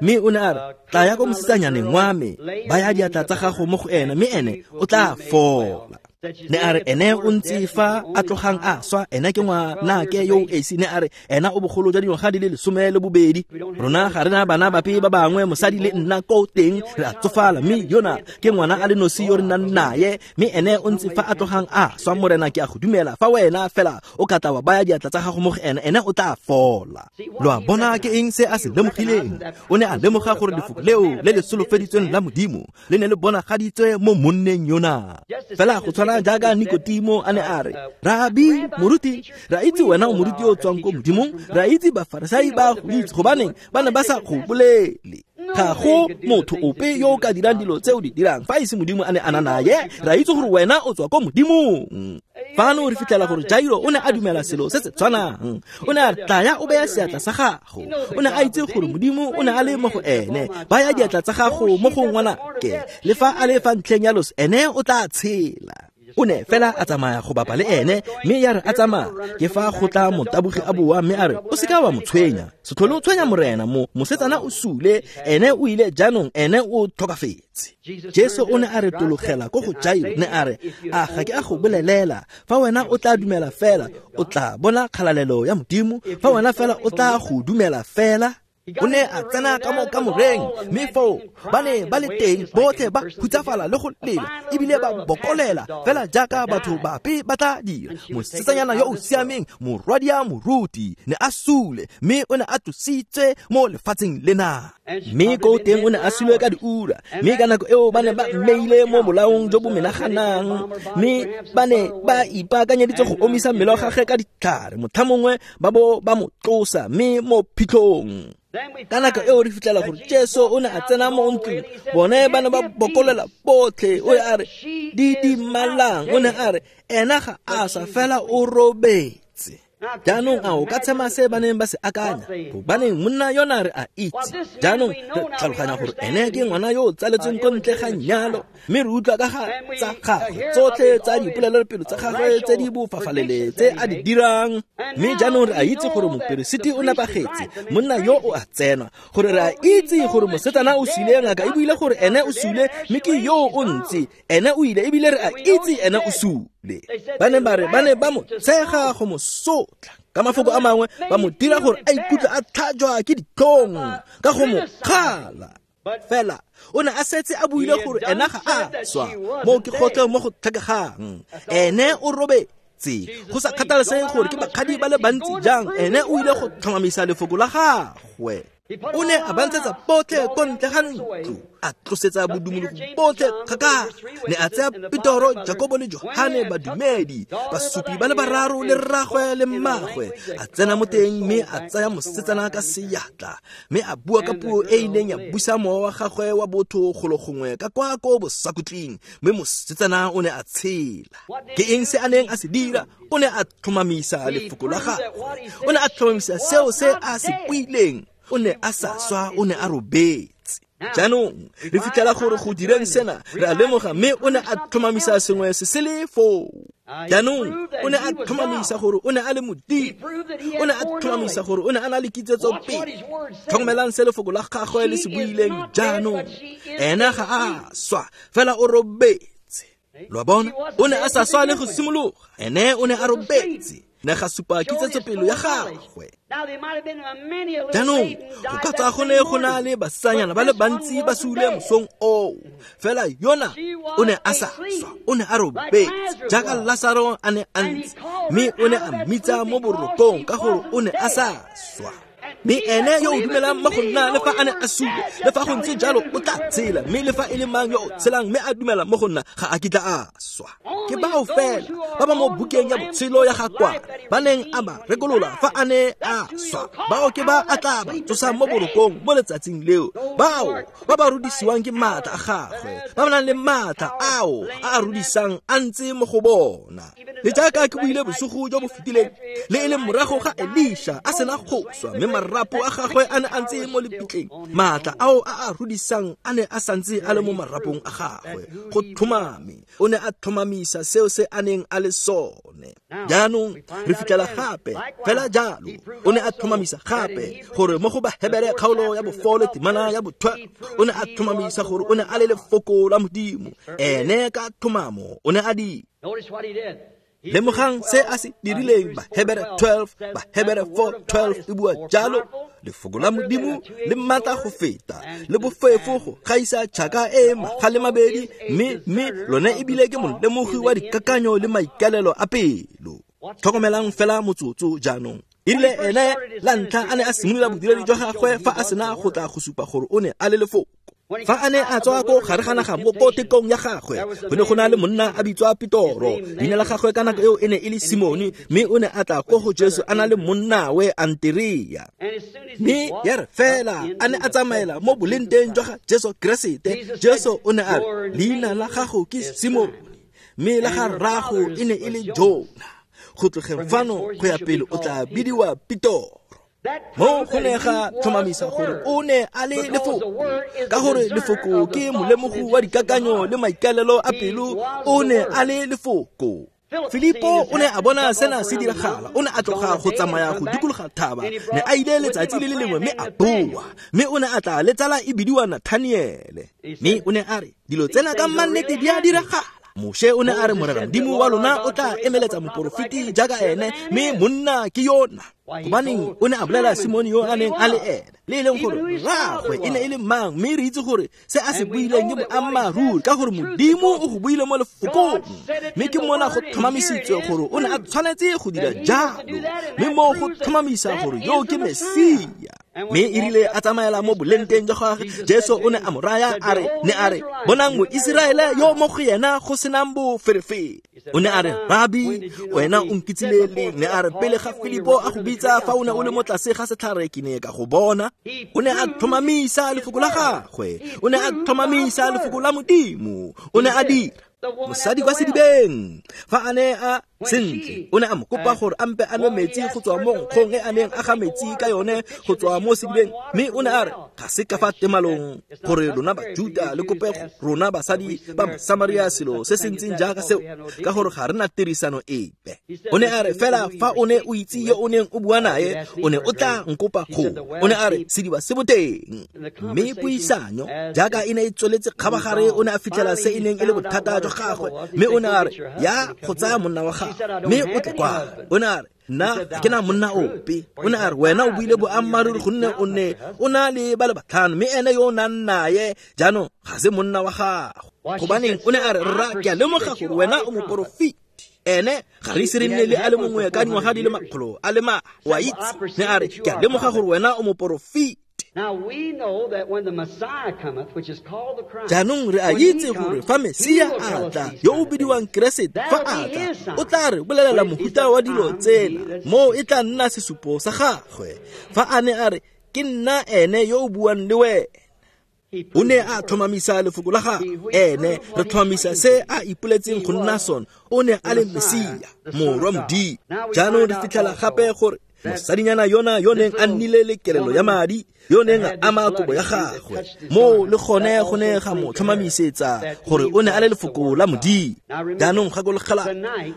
mme o ne a re, tlaya ko mosetsanyaneng wa me, baya diatla tsa gago mo go ene, mme ene o tla fola. Ne a re ene o ntse fa a tlogang a swa, ene ke ngwanake yo o esi. Ne a re ena o bogolo jwa dingwaga di le lesome le bobedi. Rona ga re na bana bape ba bangwe, mosadi le nna ko teng re a tsofala, mme yona ke ngwana a le nosi yo re nnang naye, mme ene o ntse fa a tlogang a swa. Morena, ke a go dumela, fa wena fela o ka tla wa baya diatla tsa gago mo go ene, ene o tla fola. Lo a bona ke eng se a se lemogileng? O ne a lemoga gore lefoko leo le le solofeditsweng la Modimo le ne le bonagaditswe mo monneng yona. Fela go tshwana jaaka Nikodimo a ne a re, Rabi, moruti, ra itse wena o moruti yo o tswang ko Modimong, ra itse Bafarisai ba go itse, gobaneng ba ne ba sa go bolele. Ga go motho ope yo o ka dirang dilo tse o di dirang fa e se Modimo a ne a na naye. Ra itse gore wena o tswa ko Modimong. Fano re fitlhela gore Jairo o ne a dumela selo se se tshwanang. O ne a re, tlaya o beye seatla sa gago. O ne a itse gore Modimo o ne a le mo go ene. Baya diatla tsa gago mo go ngwanake, le fa a le fa ntlheng ya loso, ene o tla tshela. O ne fela a tsamaya go bapa le ene, mme ya re a tsamaya ke fa go tla motabogi a boa, mme a re, o seka wa mo tshwenya, se tlhole o tshwenya morena, mo mosetsana o sule, ene o ile jaanong, ene o tlhokafetse. Jesu o ne a re tologela ko go Jairo, ne a re, a ga ke a go bolelela, fa wena o tla dumela fela o tla bona kgalalelo ya Modimo, fa wena fela o tla go dumela fela. O ne a tsena ka mo kamoreng, mme foo ba ne ba le teng botlhe ba hutsafala le go lela, ebile ba bokolela fela jaaka batho bape ba tla dira. Mosetsanyana yo o siameng, morwadia moruti, ne a sule, mme o ne a tlositswe mo lefatsheng lena. Mme ko teng o ne a sule ka diura, mme ka nako eo ba ne ba mmeile mo bolaong jo bo menaganang, mme ba ne ba ipaakanyeditse go omisa mmele wa gagwe ka ditlhare, motlha mongwe ba bo ba mo tlosa mme mo phitlhong. Ka nako eo re fitlhela gore Jesu o ne a tsena mo ntlong, bone ba ne ba bokolela botlhe. O ne a re, didimalang. O ne a re, ena ga a swa, fela o robetse. Jaanong a o ka tshema se ba neng ba se akanya? Gobaneng monna yona re a itse. Jaanong re tlhaloganya gore ene ke ngwana yo o tsaletsweng ko ntle ga nyalo, mme re utlwa ka ga tsa gagwe tsotlhe tsa dipolelelopele tsa gagwe tse di bofafalele tse a di dirang. Mme jaanong re a itse gore moperesiti o nepagetse, monna yo o a tsenwa, gore re a itse gore mosetsana o sule, ngaka e buile gore ene o sule, mme ke yo o ntse, ene o ile, ebile re a itse ene o sule. Ba ne ba re ba ne ba mo tshega go mo sotla, ka mafoko a mangwe ba mo dira gore a ikutlwe a tlhajwa ke ditlhong ka go mo kgala. Fela o ne a setse a buile gore ena ga a swa mo ke gotlhe mo go tlhokegang. Ene o robetse go sa kgathalesege gore ke bakgadi ba le bantsi jang, ene o ile go tlhomamisa lefoko la gagwe. O ne a ba ntshetsa botlhe ko ntle ga ntlo, a tlosetsa bodumologo botlhe kgakala. Ne a tsaya Petoro, Jakobo le Johane badumedi, basupi ba le bararo le rragwe le mmagwe, a tsena mo teng mme a tsaya mosetsana ka seatla, mme a bua ka puo e e neng ya busa mowa wa gagwe wa botho golo gongwe ka kwa ko bosakutleng, mme mosetsana o ne a tshela. Ke eng se a neng a se dira? O ne a tlhomamisa lefoko la gagwe, o ne a tlhomamisa seo se a se buileng. O ne a sa swa, o ne a robetse. Jaanong re fitlhela gore go direng sena re a lemoga, mme o ne a tlhomamisa sengwe se se le foo. Jaanong o ne a tlhomamisa gore o ne a le Modimo, o ne a tlhomamisa gore o ne a na le kitsetsopele. Tlhokomelang se lefoko la gagwe le se buileng jaanong. Ena ga a swa, fela o robetse. Lo a bona? O ne a sa swa le go simologa, ene o ne a robetse. Ne ga supa kitsetsopele ya gagwe. Jaanong go ka tswa go ne go na le basetsanyana ba le bantsi ba sule mosong oo, fela yona o ne a sa swa, o ne a robetse jaaka Lasaro a ne a ntse, mme o ne a mmitsa mo borokong ka gore o ne a sa swa. Mme ene yo o dumelang mo go nna, le fa a ne a sule, le fa go ntse jalo o tla tshela, mme le fa e le mang yo o tshelang mme a dumela mo go nna ga a kitla a swa. Ke bao fela ba ba mo bukeng ya botshelo ya ga Kwana ba neng a ba rekolola fa a ne a swa, bao ke ba a tla ba tsosang mo borokong mo letsatsing leo, bao ba ba rudisiwang ke maatla a gagwe, ba ba nang le maatla ao a a rudisang a ntse mo go bona. Le jaaka ke buile bosigo jo bo fetileng, le e leng morago ga Elisha a sena go swa, mme marapo a gagwe a ne a ntse mo lebitleng, maatla ao a a rudisang a ne a santse a le mo marapong a gagwe. Go tlhomame, o ne a tlhomamisa seo se a neng a le sone. Jaanong re fitlhela gape fela jalo, o ne a tlhomamisa gape gore mo go Bahebere kgaolo ya bofole temana ya bo twelve, o ne a tlhomamisa gore o ne a le lefoko la Modimo. Ene ka tlhomamo o ne a di. Lemogang se a se dirileng. Bahebere twelve, Bahebere four twelve e bua jalo, lefoko la Modimo le maatla go feta le bofefo go gaisa tšhaka e magale mabedi, mme mme lone ebile ke molemogi wa dikakanyo le maikalelo a pelo. Tlhokomelang fela motsotso jaanong. E rile ene la ntlha a ne a simolola bodiredi jwa gagwe fa a sena go tla go supa gore o ne a le lefoko. Fa a ne a tswa ko gare ga naga mo ko tekong ya gagwe, go ne go na le monna a bitswa Petoro. Leina la gagwe ka nako eo e ne e le Simone, mme o ne a tla ko go Jesu a na le monnawe Anterea. Mme ya re fela a ne a tsamaela mo bolenteng jwa ga Jesu Keresete, Jesu o ne a re, leina la gago ke Simone, mme la ga rrago e ne e le Jona. Go tlogeng fano go ya pele o tla bidiwa Petoro. Mo go ne ga tlhomamisa gore o ne a le lefoko, ka gore lefoko ke molemogi wa dikakanyo le maikalelo a pelo. O ne a le lefoko. Filipo o ne a bona sena se diragala, o ne a tloga go tsamaya go dikologa thaba, ne a ile letsatsi le le lengwe mme a boa, mme o ne a tla le tsala e bidiwa Nathaniele, mme o ne a re dilo tsena ka mannete di a diragala. Moshe o ne a re Morena Modimo wa lona o tla emeletsa moporofeti jaaka ene, mme monna ke yona. Gobaneng o ne a bolela Simone yo a neng a le ene, le e leng gore rraagwe e ne e le mang, mme re itse gore se a se buileng ke boammaaruri, ka gore Modimo o go buile mo lefokong, mme ke mona go tlhomamisitswe gore o ne a tshwanetse go dira jalo, mme mo go tlhomamisa gore yo ke Mesia. Mme e rile a tsamaela mo bolenteng jwa gagwe, Jesu o ne a mo raya a re, ne a re, bonang Moiseraele yo mo go yena go senang boferefere. O ne a re, Rabi, wena o nkitsile leng? Ne a re, pele ga Filipo a go bitsa fa o ne o le mo tlase ga setlhare ke ne ka go bona. O ne a tlhomamisa lefoko la gagwe, o ne a tlhomamisa lefoko la Modimo, o ne a dira. Mosadi kwa sedibeng fa a ne a sentle, o ne a mo kopa gore a mpe a nwe metsi go tswa mo nkgong e a neng a ga metsi ka yone go tswa mo sedibeng, mme o ne a re ga se ka fa temalong gore lona Bajuta le kope rona basadi ba Samaria selo se se ntseng jaaka seo, ka gore ga re na tirisano epe. O ne a re fela fa o ne o itse yo o neng o bua nae, o ne o tla nkopa go. O ne a re sediba se boteng. Mme puisanyo jaaka e ne e tsweletse kgabagare, o ne a fitlhela se e neng e le bothata jwa gagwe, mme o ne a re ya go tsaya monna wa gagwe mme o tle kwa. O ne a re Nna ga ke na monna ope. O ne a re, wena o buile boammaaruri gonne o ne o na le ba le batlhano, mme ene yo o nang naye jaanong ga se monna wa gago. Gobaneng o ne a re, rra, ke a lemoga gore wena o moporofeti. Ene ga re ise re nne le a le mongwe ka dingwaga di le makgolo a le ma, o a itse. Ne a re, ke a lemoga gore wena o moporofeti. Jaanong re a itse gore fa Mesia a tla, yo o bidiwang Keresete, fa a tla, o tla re bolelela mohuta wa dilo tsena, moo e tla nna sesupo sa gagwe. Fa a ne a re, ke nna ene yo o buang le wena. O ne a tlhomamisa lefoko la gagwe. Ene re tlhomamisa se a ipoletseng go nna sone. O ne a le Mesia, morwa Modimo. Jaanong re fitlhela gape gore mosadinyana yona yo neng a nnile le kelelo ya madi, yo neng a ama kobo ya gagwe, moo le gone go ne ga mo tlhomamisetsa gore o ne a le lefoko la Modimo. Jaanong gakologelwa,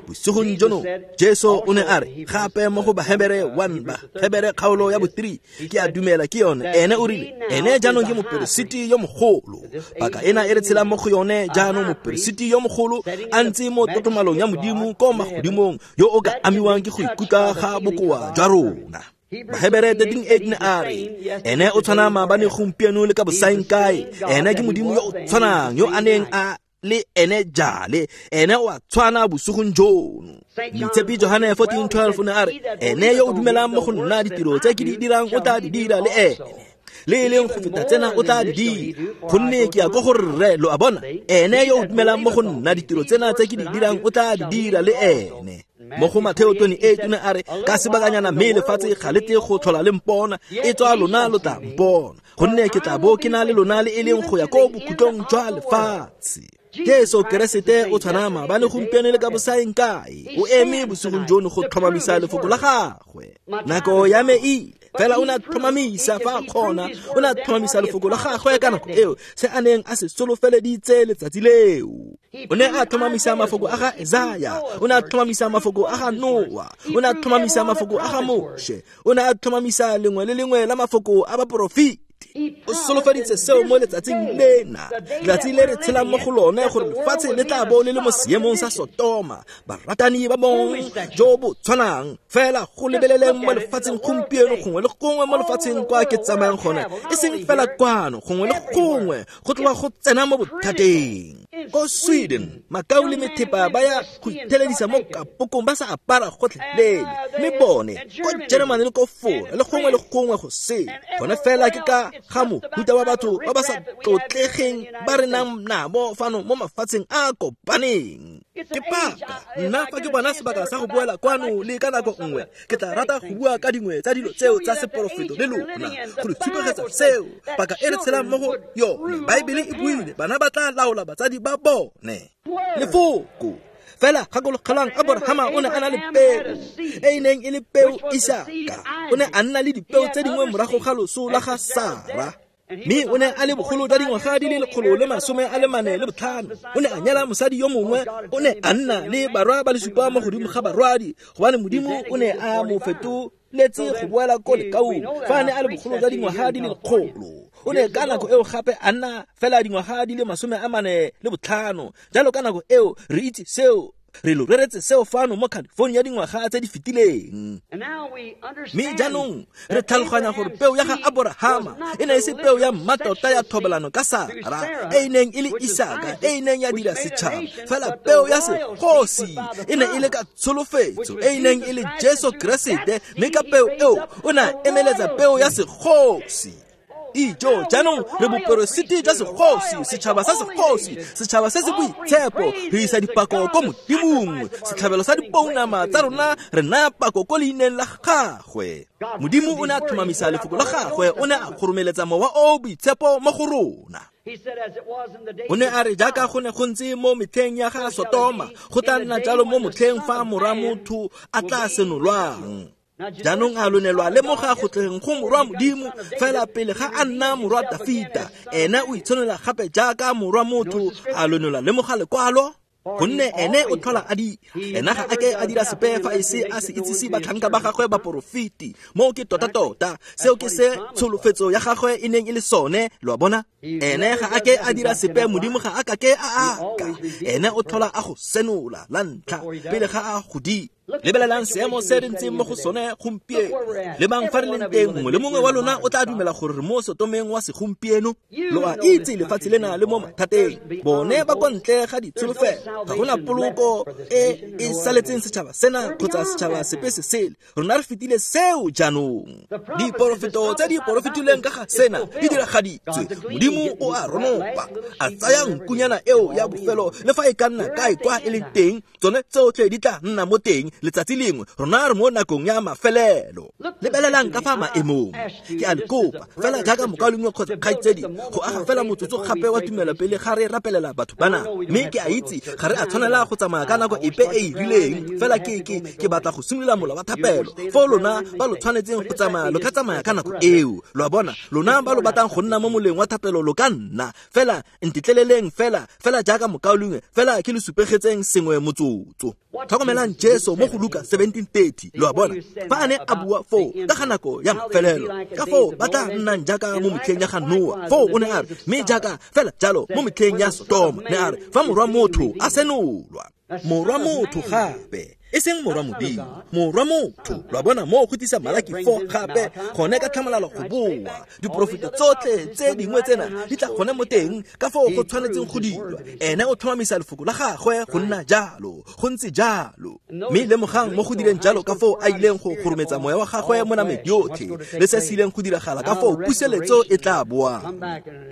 bosigong jono Jesu o ne a re gape mo go Bahebere one, Bahebere kgaolo ya bo three, ke a dumela ke yone. Ene o rile, ene jaanong ke moperesiti yo mogolo. Paka ena e re tshelang mo go yone jaanong, moperesiti yo mogolo a ntse mo tlotlomalong ya Modimo ko magodimong, yo o ka amiwang ke go ikutlwa ga bokoa jwa rona. Bahebere thirteen eight ne a re, ene o tshwana maabane, gompieno le ka bosaengkae. Ene ke Modimo yo o tshwanang yo a neng a le ene jale, ene o a tshwana bosigong jono. Moitshepi Johane fourteen twelve o ne a re, ene yo o dumelang mo go nna, ditiro tse ke di dirang o tla di dira le ene, le e leng go feta tsena o tla di dira, gonne ke ya ko go rre. Lo a bona, ene yo o dumelang mo go nna, ditiro tsena tse ke di dirang o tla di dira le ene. Mo go Mateo twenty-eight o ne a re, ka sebakanyana mme lefatshe ga le tle go tlhola le mpona, e tswa lona lo tla mpona, gonne ke tla bo ke na le lona le e leng go ya ko bokhutlong jwa lefatshe. Jesu Keresete o tshwana maabane, gompieno le ka bosaengkae. O eme bosigong jono go tlhomamisa lefoko la gagwe. Nako ya me e ile, fela o ne a tlhomamisa fa a kgona, o ne a tlhomamisa lefoko la gagwe ka nako eo, se a neng a se solofeleditse letsatsi leo. O ne a tlhomamisa mafoko a ga Isaya, o ne a tlhomamisa mafoko a ga Noa, o ne a tlhomamisa mafoko a ga Moshe, o ne a tlhomamisa lengwe le lengwe la mafoko a baporofeti. O solofeditse seo mo letsatsing lena, letsatsi le re tshelang mo go lone, gore lefatshe le tla bo le le mo seemong sa Sotoma, baratani ba bong jo bo tshwanang. Fela go lebeleleng mo lefatsheng gompieno, gongwe le gongwe mo lefatsheng kwa ke tsamayang gone, e seng fela kwano, gongwe le gongwe go tloga go tsena mo bothateng. Ko Sweden, makau le methepa ba ya go itheledisa mo kapokong ba sa apara gotlhelele, mme bone ko Germany le ko Fora le gongwe le gongwe go sele. Gone fela ke ka ga mohuta wa batho ba ba sa tlotlegeng ba re nang nabo fano mo mafatsheng a kopaneng. Ke paka nna fa ke bona sebaka sa go boela kwano le ka nako nngwe, ke tla rata go bua ka dingwe tsa dilo tseo tsa seporofeto le lona, go le tshupegetsa seo paka e re tshelang mo go yone. Baebele e buile, bana ba tla laola batsadi ba bone. Lefoko fela gakologelang, Aborahama o ne a na le peo e e neng e le peo Isaka. O ne a nna le dipeo tse dingwe morago ga loso la ga Sara, mme o ne a le bogolo jwa dingwaga di le lekgolo le masome a le mane le botlhano. O ne a nyala mosadi yo mongwe, o ne a nna le barwa ba le supa mo godimo ga barwadi, gobane Modimo o ne a mo fetoletse go boela ko lekaung fa a ne a le bogolo jwa dingwaga di le lekgolo. O ne ka nako eo gape a nna fela dingwaga di le masome a mane le botlhano. Jalo ka nako eo re itse seo, re lo reretse seo fano mo California dingwaga tse di fetileng. Mme jaanong re tlhaloganya gore peo ya ga Aborahama e ne e se peo ya mmatota ya thobalano ka Sara, e e neng e le Isaka, e e neng ya dira setšhaba. Fela peo ya segosi e ne e le ka tsholofetso, e e neng e le Jesu Keresete, mme ka peo eo o ne a emeletsa peo ya segosi. Ijo, jaanong re boperesiti jwa segosi, setšhaba sa segosi, setšhaba se se boitshepo. Re isa dipako ko Modimong, setlhabelo sa dipounama tsa rona re naya pako ko leineng la gagwe. Modimo o ne a tlhomamisa lefoko la gagwe, o ne a kgoromeletsa mowa o boitshepo mo go rona. O ne a re, jaaka go ne go ntse mo metlheng ya ga Sotoma, go tla nna jalo mo motlheng fa morwa motho a tla senolwang. Jaanong a lo ne lwa lemoga go tleng go morwa Modimo, fela pele ga a nna morwa Dafita, ene o itshenola gape jaaka morwa motho. A lo ne lwa lemoga lekwalo? Gonne ene o tlhola a dira, ena ga a ke a dira sepe fa e se a se itsise batlhanka ba gagwe baporofeti. Moo ke tota-tota seo ke se tsholofetso ya gagwe e neng e le sone. Lo a bona, ene ga a ke a dira sepe, Modimo ga a ka ke a aka. Ene o tlhola a go senola la ntlha pele ga a go dira. Lebelelang seemo se re ntseng mo go sone gompieno. Lebang fa re leng teng, mongwe le mongwe wa lona o tla dumela gore re mo Sotomeng wa segompieno. Lo a itse lefatshe lena le mo mathateng. Bone ba kwa ntle ga ditsholofelo. Ga gona poloko e e saletseng setšhaba sena kgotsa setšhaba sepe se sele. Rona re fetile seo jaanong. Diporofeto tse di porofetilweng ka ga sena di diragaditswe. Modimo o a ronopa, a tsaya nkunyana eo ya bofelo le fa e ka nna kae kwa e leng teng, tsone tsotlhe di tla nna mo teng letsatsi lengwe. Rona re mo nakong ya mafelelo. Lebelelang ka fa maemong. Ke a le kopa fela jaaka mokaulengwe kgotsa kgaitsedi go aga fela motsotso gape wa tumelo pele ga re rapelela batho bana. Mme ke a itse ga re a tshwanela go tsamaya ka nako epe e e rileng, fela ke ke ke batla go simolola mola wa thapelo. Foo lona ba lo tshwanetseng go tsamaya lo ka tsamaya ka nako eo. Lo a bona, lona ba lo batlang go nna mo moleng wa thapelo lo ka nna. Fela ntetleleleng fela fela jaaka mokaulengwe, fela ke le supegetseng sengwe motsotso. Tlhokomelang Jesu mo go Luka seventeen thirty. Lo a bona, fa a ne a bua foo ka ga nako ya mafelelo, ka foo ba tla nnang jaaka mo metlheng ya ga Noa. Foo o ne a re, mme jaaka fela jalo mo metlheng ya Sodoma, ne a re fa morwa motho a senolwa. Morwa motho gape, e seng morwa Modimo, morwa motho. Lo a bona mo go tlisa Malaki four gape, gone ka tlhamalalo go boa. Diporofeto tsotlhe tse dingwe tsena di tla gone mo teng ka foo go tshwanetseng go dirwa. Ene o tlhomamisa lefoko la gagwe go nna jalo, go ntse jalo. Mme lemogang mo go direng jalo ka foo a ileng go gorometsa moya wa gagwe mo nameng yotlhe, le se se ileng go diragala ka foo puseletso e tla boang.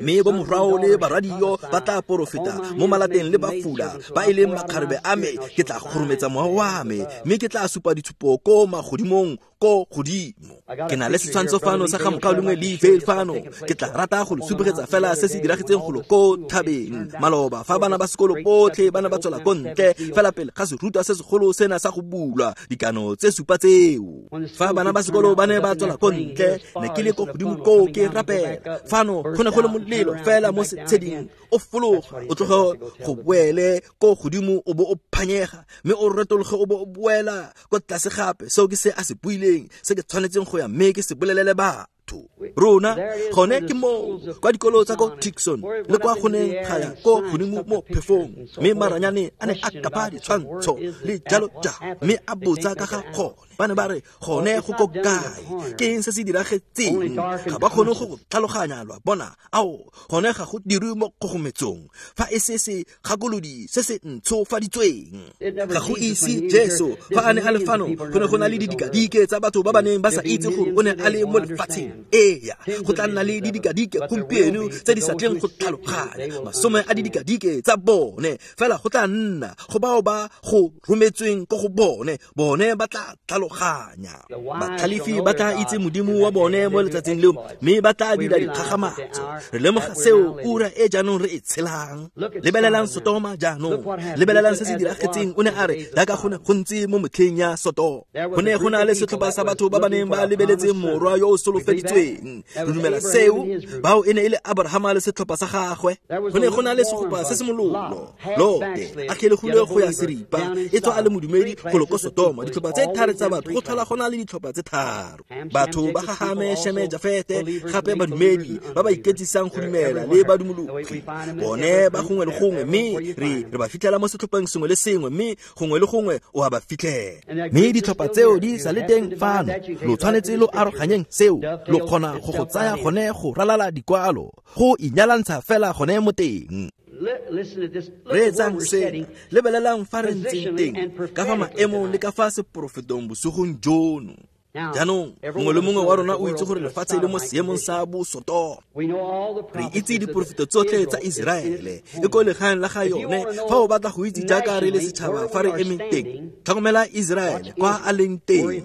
Mme bo morwao le barwadio ba tla porofeta mo malateng le bafula ba e leng makgarebe a me, ke tla gorometsa moya wa me, mme ke tla supa ditshupo ko magodimong ko godimo. Ke na le setshwantsho fano sa ga mokaulengwe Lee Vayle fano. Ke tla rata go le supegetsa fela se se diragetseng golo ko thabeng maloba fa bana ba sekolo botlhe ba ne ba tswela ko ntle fela pele ga serutwa se segolo sena sa go bulwa dikano tse supa tseo. Fa bana ba sekolo ba ne ba tswela ko ntle, ne ke le ko godimo koo ke rapela. Fano go ne go le molelo fela mo setsheding, o fologa o tloge go boele ko godimo o bo o phanyega, mme o retologe o bo o boela ko tlase gape. Seo ke se a se buileng, se ke tshwanetseng go ya mme ke se bolelele batho. Rona gone ke moo kwa dikolo tsa ko Tucson le kwa go neng ga ya ko godimo mo phefong, mme maranyane a ne a kapa ditshwantsho le jalo jalo, mme a botsa ka ga gone. Ba ne ba re gone go ko kae, ke eng se se diragetseng? Ga ba kgone go go tlhaloganya. Lo a bona, ao gone ga go dirwe mo kgogometsong fa e se se gakolodi se se ntshofaditsweng. Ga go ise Jesu fa a ne a le fano, go ne go na le didikadike tsa batho ba ba neng ba sa itse gore o ne a le mo lefatsheng. Eya, go tla nna le didikadike gompieno tse di sa tleng go tlhaloganya, masome a didikadike tsa bone. Fela go tla nna go bao ba go rometsweng ko go bone, bone ba tla tlhaloganya. Batlhalefi ba tla itse Modimo wa bone mo letsatsing leo, mme ba tla dira dikgakgamatso. Re lemoga seo ura e jaanong re e tshelang. Lebelelang Sotoma jaanong, lebelelang se se diragetseng. O ne a re jaaka go ne go ntse mo metlheng ya Sotoma, go ne go na le setlhopha sa batho ba ba neng ba lebeletse morwa yo o solofeditsweng. Re dumela seo. Bao e ne e le Abrahama le setlhopha sa gagwe. Go ne go na le segopa se se mololo, Lote a kgelegile go ya seripa, e tswa a le modumedi golo ko Sotoma. Ditlhopha tse tharo tsa batho, go tlhola go na le ditlhopha tse tharo. Batho ba ga Hame, Sheme, Jafete, gape badumedi ba ba iketsisang go dumela le badumologi. Bone ba gongwe le gongwe, mme re re ba fitlhela mo setlhopheng sengwe le sengwe, mme gongwe le gongwe o a ba fitlhela. Mme ditlhopha tseo di sa le teng fano. Lo tshwanetse lo aroganyeng seo. Lo kgona go go tsaya gone go ralala dikwalo, go inyalantsha fela gone mo teng. Reetsang sena, lebelelang fa re ntseng teng ka fa maemong le ka fa seporofetong bosigong jono. Jaanong mongwe le mongwe wa rona o itse gore lefatshe le mo seemong sa bosotoma. Re itse diporofeto tsotlhe tsa Iseraele e ko legaeng la ga yone. Fa o batla go itse jaaka re le setšhaba fa re emeng teng, tlhokomela Iseraele kwa a leng teng.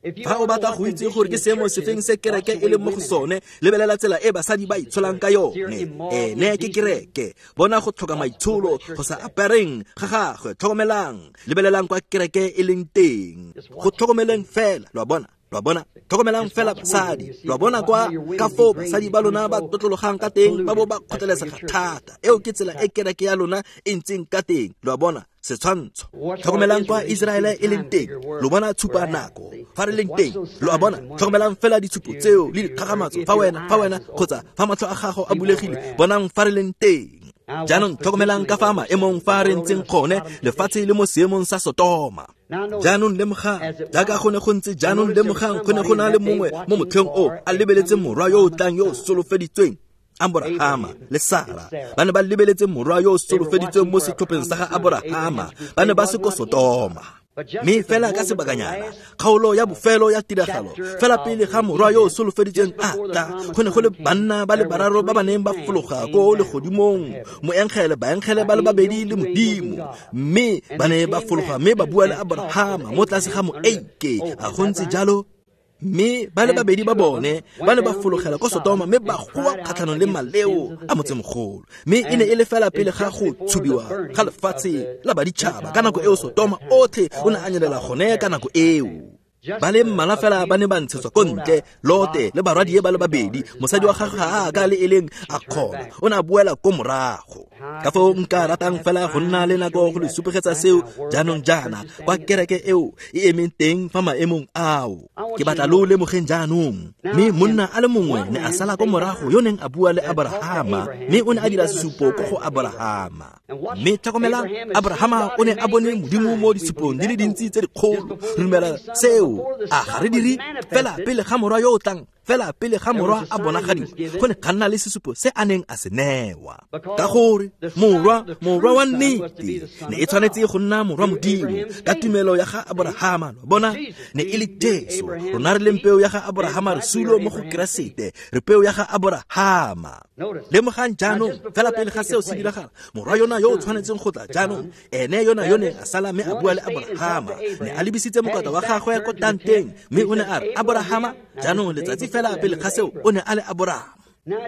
Fa o batla go itse gore ke seemo sefeng se kereke e leng mo go sone, lebelela tsela e basadi ba itsholang ka yone. Ene ke kereke. Bona go tlhoka maitsholo, go sa apereng ga gagwe. Tlhokomelang, lebelelang kwa kereke e leng teng. Go tlhokomeleng fela, lo a bona. Lo a bona, tlhokomelang fela basadi. Lo a bona kwa ka foo basadi ba lona ba tlotlologang ka teng, ba bo ba kgotlelesega thata. Eo ke tsela e kereke ya lona e ntseng ka teng. Lo a bona, setshwantsho. Tlhokomelang kwa Iseraele e leng teng. Lo bona tshupa nako fa re leng teng. Lo a bona, tlhokomelang fela ditshupo tseo le dikgakgamatso fa wena, fa wena kgotsa fa matlho a gago a bulegile, bonang fa re leng teng. Jaanong tlhokomelang ka fa maemong fa re ntseng gone, lefatshe le mo seemong sa Sotoma. Jaanong lemogang, jaaka go ne go ntse jaanong lemogang go ne go na le mongwe mo motlheng o a lebeletse morwa yo o tlang yo o solofeditsweng. Aborahama le Sara ba ne ba lebeletse morwa yo o solofeditsweng mo setlhopheng sa ga Aborahama, ba ne ba se ko Sotoma. Mme fela ka sebakanyana, kgaolo ya bofelo ya tiragalo, fela pele ga morwa yo o solofeditsweng a tla, go ne go le banna ba le bararo ba ba neng ba fologa ko legodimong, moengele, baengele ba le babedi le Modimo, mme ba ne ba fologa mme ba bua le Aborahama mo tlase ga moeike. A go ntse jalo? Mme ba le babedi ba bone ba ne ba fologela ko Sotoma mme ba goa kgatlhanong le maleo a motsemogolo. Mme e ne e le fela pele ga go tshubiwa ga lefatshe la baditšhaba ka nako eo Sotoma otlhe o ne a nyelela gone ka nako eo. Ba le mmalwa fela ba ne ba ntshetswa ko ntle, Lote le barwadie ba le babedi, mosadi wa gagwe ga a ka le e leng a kgona, o ne a boela ko morago. Ka foo nka ratang fela go nna le nako go le supegetsa seo jaanong jaana kwa kereke eo e emeng teng fa maemong ao. Ke batla lo lemogeng jaanong. Mme monna a le mongwe ne a sala ko morago yo neng a bua le Aborahama, mme o ne a dira sesupo ko go Aborahama. Mme tlhokomelang, Aborahama o ne a bone Modimo mo disupong di le dintsi tse dikgolo. Re dumela seo, a ga re dire? Fela pele ga morwa yo o tlang, fela pele ga morwa a bonagadiwa, go ne ga nna le sesupo se a neng a se newa. Ka gore morwa, morwa wa nnete ne e tshwanetse go nna morwa Modimo ka tumelo ya ga Aborahama. Lo bona, ne e le Jesu. Rona re leng peo ya ga Aborahama, re sulo mo go Keresete, re peo ya ga Aborahama. Lemogang jaanong, fela pele ga seo se diragala, morwa yona yo o tshwanetseng go tla jaanong, ene yona yo neng a sala mme a bua le Aborahama, ne a lebisitse mokota wa gagwe ko tanteng, mme o ne a re, Aborahama, jaanong letsatsi fela pele ga seo o ne a le Aborahama.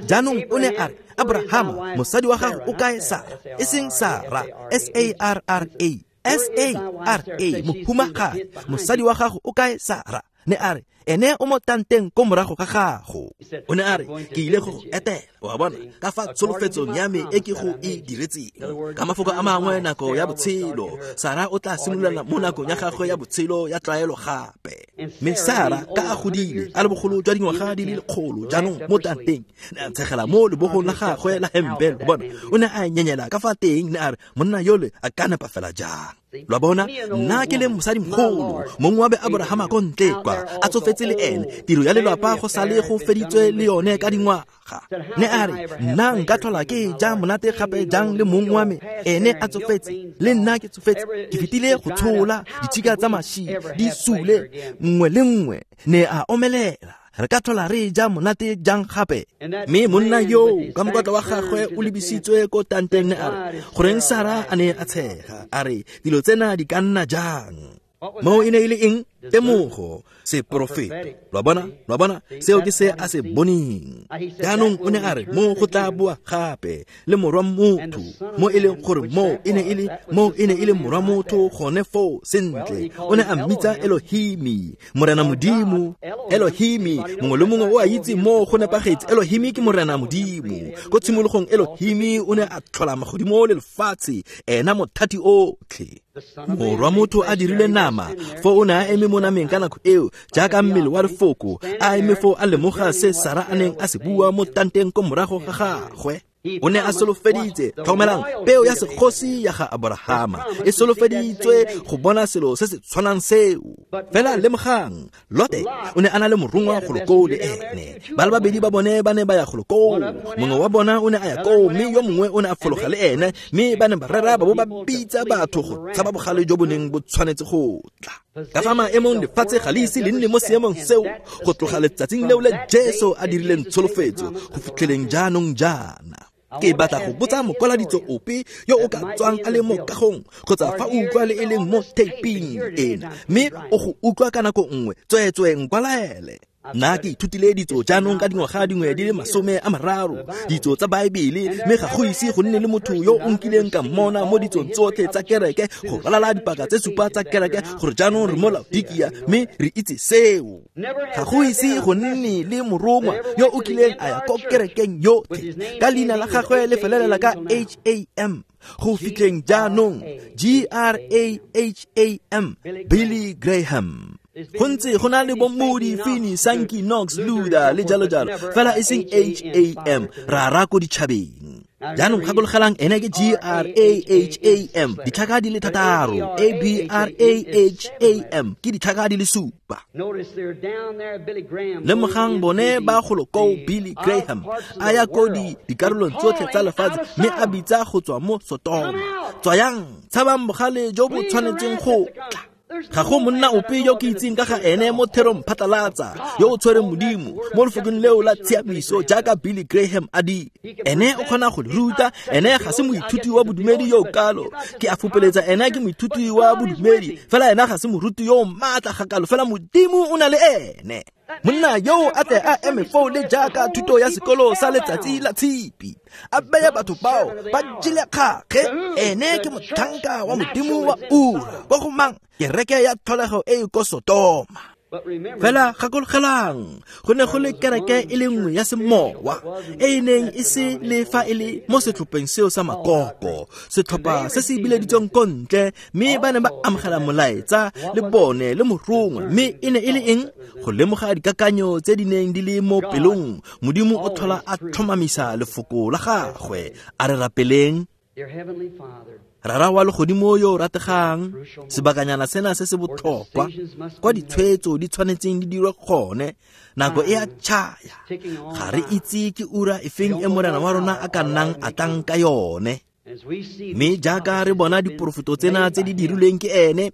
Jaanong o ne a re, Aborahama, mosadi wa gago o kae Sara? E seng Sara, S A R R A, S A R A, mohumagadi, mosadi wa gago o kae Sara? Ne a re, ene o mo tanteng ko morago ga gago. O ne a re, ke ile go go etela, wa bona, ka fa tsholofetsong ya me e ke go e diretseng. Ka mafoko a mangwe, nako ya botshelo, Sara o tla simolola mo nakong ya gagwe ya botshelo ya tlwaelo gape. Mme Sara ka a godile, a le bogolo jwa dingwaga di le lekgolo jaanong mo tanteng, ne a tshegela mo lebogong la gagwe la hempe, lo bona, o ne a nyenyela ka fa teng, ne a re, monna yole a ka nepa fela jang? Lo bona, nna ke le mosadimogolo, mongwe wa be Aborahama ko ntle kwa, a tsofetse le ene, tiro ya lelapa go sale go feditswe le yone ka dingwaga. Ne a re, nna nka tlhola ke ja monate gape jang le mong wa me, ene a tsofetse, le nna ke tsofetse, ke fetile go tshola ditshika tsa mashi di sule nngwe le nngwe, ne a omelela. Re ka tlhola re ja monate jang gape? Mme monna yo ka mokotla wa gagwe o lebisitswe ko tanteng, ne a re, goreng Sara a ne a tshega, a re, dilo tsena di ka nna jang? Moo e ne e le eng? Temogo, seporofeto. Lo bona, lo bona, seo ke se a se boneng. Jaanong o ne a re, mo go tla boa gape le morwa motho, mo e leng gore mo e ne e le, mo e ne e le morwa motho gone foo sentle. O ne a mmitsa Elohimi, Morena Modimo. Elohimi, mongwe le mongwe o a itse mo go nepagetse. Elohimi ke Morena Modimo. Ko tshimologong Elohimi o ne a tlhola magodimo le lefatshe, ena mothati otlhe. Morwa motho a dirile nama, fo o ne a eme mo nameng ka nako eo, jaaka mmele wa lefoko, a eme fo a lemoga se Sara a neng a se bua mo tanteng ko morago ga gagwe. O ne a solofeditse, tlhokomelang, peo ya segosi ya ga Aborahama e solofeditswe go bona selo se se tshwanang seo. Fela lemogang, Lote o ne a na le morongwa golo koo le ene. Ba le babedi ba bone ba ne ba ya golo koo. Mongwe wa bona o ne a ya koo, mme yo mongwe o ne a fologa le ene, mme ba ne ba rera ba bo ba bitsa batho go tshaba bogale jo bo neng bo tshwanetse go tla. Ka fa maemong lefatshe ga le ise le nne mo seemong seo go tloga letsatsing leo le Jesu a dirileng tsholofetso go fitlheleng jaanong jaana. Ke batla go botsa mokwaladitso ope yo o ka tswang a le mo kagong kgotsa fa o utlwa le e leng mo taping ena, mme o go utlwa ka nako nngwe, tsweetswe nkwalaele. Nna ke ithutile ditso jaanong ka dingwaga dingwe di le masome a mararo, ditso tsa Baebele, mme ga go ise go nne le motho yo o nkileng ka mmona mo ditsong tsotlhe tsa kereke go ralala dipaka tse supa tsa kereke gore jaanong re mo Laodikia, mme re itse seo. Ga go ise go nne le morongwa yo o kileng a ya ko kerekeng yotlhe ka leina la gagwe le felelela ka H A M go fitlheng jaanong G R A H A M, Billy Graham. Go ntse go na le bo Moody, Finney, Sankey, Knox, Luther le jalo jalo, fela e seng H A M, ra ra ko ditšhabeng. Jaanong gakologelang ene ke G R A H A M, ditlhaka di le thataro. A B R A H A M ke ditlhaka di le supa. Lemogang bone ba golo koo Billy Graham a ya ko dikarolong tsotlhe tsa lefatshe mme a bitsa go tswa mo Sotoma, tswayang, tshabang bogale jo bo tshwanetseng go tla. Ga go monna ope yo ke itseng ka ga ene mo therong phatlalatsa yo o tshwereng Modimo mo lefokong leo la tshiamiso jaaka Billy Graham a di. Ene o kgona go le ruta, ene ga se moithuti wa bodumedi yo o kalo. Ke a fupeletsa ene ke moithuti wa bodumedi, fela ena ga se moruti yo o maatla ga kalo, fela Modimo o na le ene. Monna yo a tle a eme foo le jaaka thuto ya sekolo sa letsatsi la tshipi, a beye batho bao ba jele kgakge. Ene ke motlhanka wa Modimo wa ura kwa go mang? Kereke ya tlholego e e ko Sotoma. Fela gakologelang, go ne go le kereke e le nngwe ya semowa e e neng e se le fa e le mo setlhopheng seo sa makoko, setlhopha se se bileditsweng ko ntle, mme ba ne ba amogela molaetsa le bone le morongwa. Mme e ne e le eng? Go lemoga dikakanyo tse di neng di le mo pelong. Modimo o tlhola a tlhomamisa lefoko la gagwe. A re rapeleng. Rara wa legodimo yo o rategang, sebakanyana sena se se botlhokwa kwa ditshwetso di tshwanetseng di dirwe gone, nako e a tšhaya. Ga re itse ke ura efeng e Morena wa rona a ka nnang a tlang ka yone. Mme jaaka re bona diporofeto tsena tse di dirilweng ke ene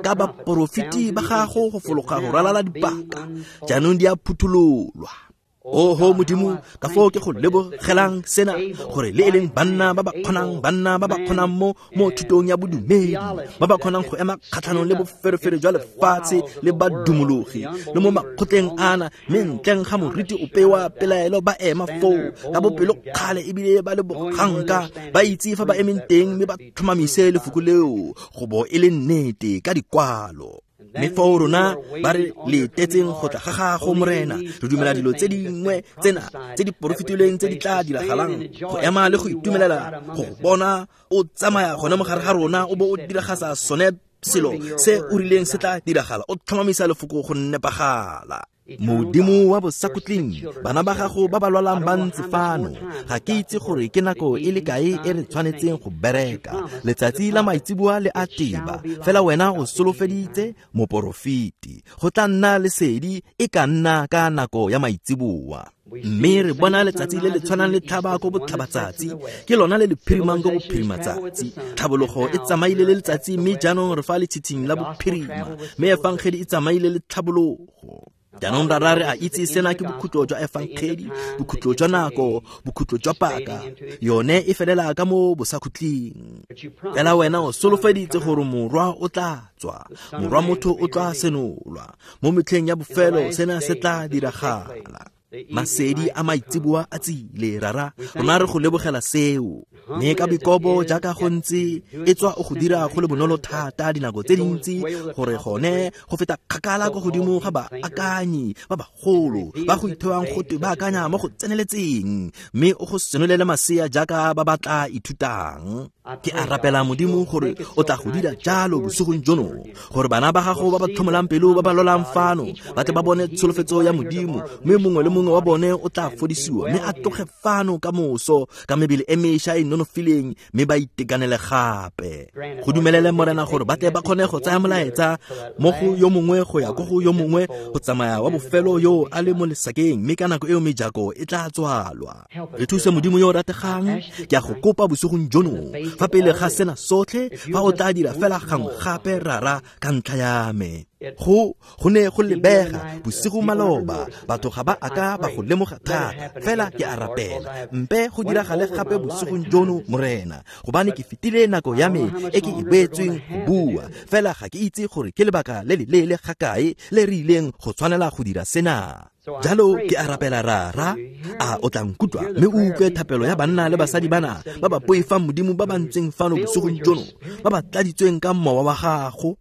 ka baporofeti ba gago go fologa go ralala dipaka, jaanong di a phuthololwa. Oho Modimo, ka foo ke go lebogelang sena, gore le e leng banna ba ba kgonang, banna ba ba kgonang mo mo thutong ya bodumedi, ba ba kgonang go ema kgatlhanong le boferefere jwa lefatshe le badumologi le mo makgotleng ana, mme ntleng ga moriti ope wa pelaelo ba ema foo ka bopelokgale ebile ba le boganka, ba itse fa ba emeng teng mme ba tlhomamise lefoko leo go bo e le nnete ka dikwalo. Mme foo rona ba re letetseng go tla ga gago Morena, re dumela dilo tse dingwe tsena tse di porofetilweng tse di tla diragalang, go ema le go itumelela go go bona o tsamaya gone mo gare ga rona o bo o diragatsa sone selo se o rileng se tla diragala, o tlhomamisa lefoko go nepagala. Modimo wa bosakhutleng, bana ba gago ba ba lwalang ba ntse fano. Ga ke itse gore ke nako e le kae e re tshwanetseng go bereka. Letsatsi la maitseboa le a teba, fela wena o solofeditse moporofeti go tla nna lesedi e ka nna ka nako ya maitseboa. Mme re bona letsatsi le le tshwanang le tlhaba ko botlhabatsatsi, ke lona le le phirimang ko bophirimatsatsi. Tlhabologo e tsamaile le letsatsi, mme jaanong re fa letshitshing la bophirima, mme efangedi e tsamaile le tlhabologo. Jaanong rara re a itse sena ke bokhutlo jwa efangedi, bokhutlo jwa nako, bokhutlo jwa paka. Yone e felela ka mo bosakhutleng. Fela wena o solofeditse gore morwa o tla tswa, morwa motho o tla senolwa. Mo metlheng ya bofelo sena se tla diragala. Masedi a maitseboa a tsile, rara, rona re go lebogela seo. Mme ka boikobo jaaka go ntse e tswa o go dira go le bonolo thata dinako tse dintsi, gore gone go feta kgakala ko godimo ga baakanyi ba bagolo ba go ithewang gote ba akanya mo go tseneletseng, mme o go senolele masea jaaka ba ba tla ithutang. Ke a rapela Modimo gore o tla go dira jalo bosigong jono, gore bana ba gago ba ba tlhomolang pelo ba ba lwalang fano ba tle ba bone tsholofetso ya Modimo, mme mongwe le mongwe wa bone o tla fodisiwa mme a tloge fano ka moso ka mebele e mešwa e nonofileng, mme ba itekanele gape. Go dumelele Morena gore ba tle ba kgone go tsaya molaetsa mo go yo mongwe go ya ko go yo mongwe, go tsamaya wa bofelo yo a le mo lesakeng, mme ka nako eo mejako e tla tswalwa. Re thuse Modimo yo o rategang, ke a go kopa bosigong jono fa pele ga sena sotlhe, fa o tla dira fela gangwe gape rara ka ntlha ya me. Go go ne go lebega bosigo maloba, batho ga ba aka ba go lemoga thata, fela ke a rapela mpe go diragale gape bosigong jono Morena, gobane ke fetile nako ya me e ke e beetsweng go bua, fela ga ke itse gore ke lebaka le le leele ga kae le re ileng go tshwanela go dira sena. Jalo ke a rapela rara, a o tla nkutlwa mme o utlwe thapelo ya banna le basadi bana ba ba poifang Modimo ba ba ntseng fano bosigong jono, ba ba tladitsweng ka mowa wa gago.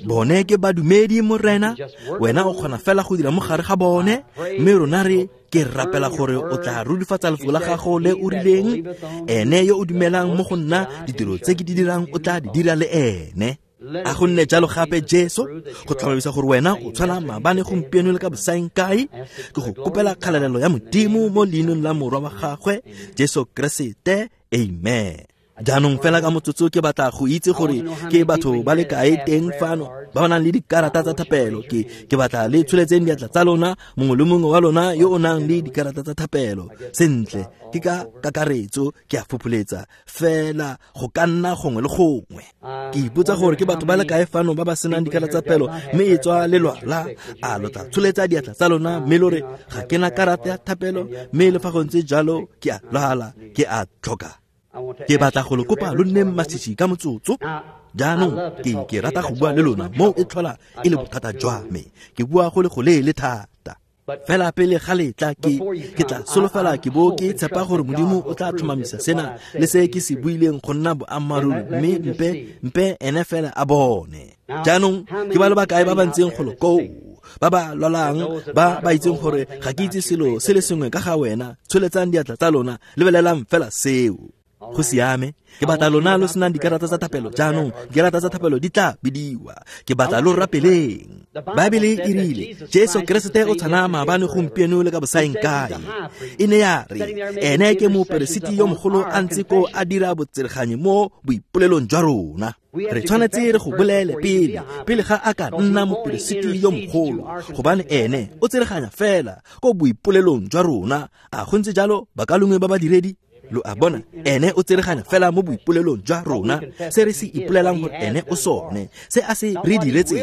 Bone ke badumedi Morena, wena o kgona fela go dira mo gare ga bone, mme rona re ke rapela gore o tla rurifatsa lefoko la gago le o rileng, ene yo o dumelang mo go nna, ditiro tse ke di dirang o tla di dira le ene. A go nne jalo gape Jesu, go tlhomamisa gore wena o tshwana maabane gompieno le ka bosaeng kae. Ke go kopela kgalalelo ya Modimo mo leineng la Morwa wa gagwe Jesu Keresete, amen. Jaanong fela ka motsotso ke batla go itse gore ke batho ba le kae teng fano ba ba nang le dikarata tsa thapelo. Ke ke batla le tsholetseng diatla tsa lona, mongwe le mongwe wa lona yo o nang le dikarata tsa thapelo. Sentle, ke ka kakaretso ke a fopholetsa fela go ka nna gongwe le gongwe. Ke ipotsa gore ke batho ba le kae fano ba ba senang dikarata tsa thapelo mme e tswa le lwala. A lo tla tsholetsa diatla tsa lona mme lo re ga ke na karata ya thapelo, mme le fa go ntse jalo ke a lwala, ke a tlhoka. Ke batla go le kopa lo nne masisi ka motsotso. Jaanong ke ke rata go bua le lona mo e tlhola e le bothata jwa me. Ke bua go le go leele thata. Fela pele ga letla ke ke tla solofela ke bo ke tshepa gore Modimo o tla tlhomamisa sena le se ke se buileng go nna boammaaruri, mme mpe mpe ene fela a bone. Jaanong ke ba le bakae ba ba ntseng golo koo ba ba lwalang, ba ba itseng gore ga ke itse selo se le sengwe ka ga wena, tsholetsang diatla tsa lona, lebelelang fela seo. Go siame. Ke batla lona lo senang dikarata tsa thapelo. Jaanong dikarata tsa thapelo di tla bidiwa. Ke batla lo rapeleng. Baebele e rile Jesu Keresete o tshwana maabane gompieno le ka bosaeng kae. E ne ya re ene ke moperesiti yo mogolo a ntse ko a dira botsereganyi mo boipolelong jwa rona. Re tshwanetse re go bolele pele pele ga a ka nna moperesiti yo mogolo, gobane ene o tsereganya fela ko boipolelong jwa rona. A go ntse jalo bakalongwe ba badiredi? Lo a bona, ene o tsereganya fela mo boipolelong jwa rona, se re se ipolelang gore ene o sone, se a se re diretseng,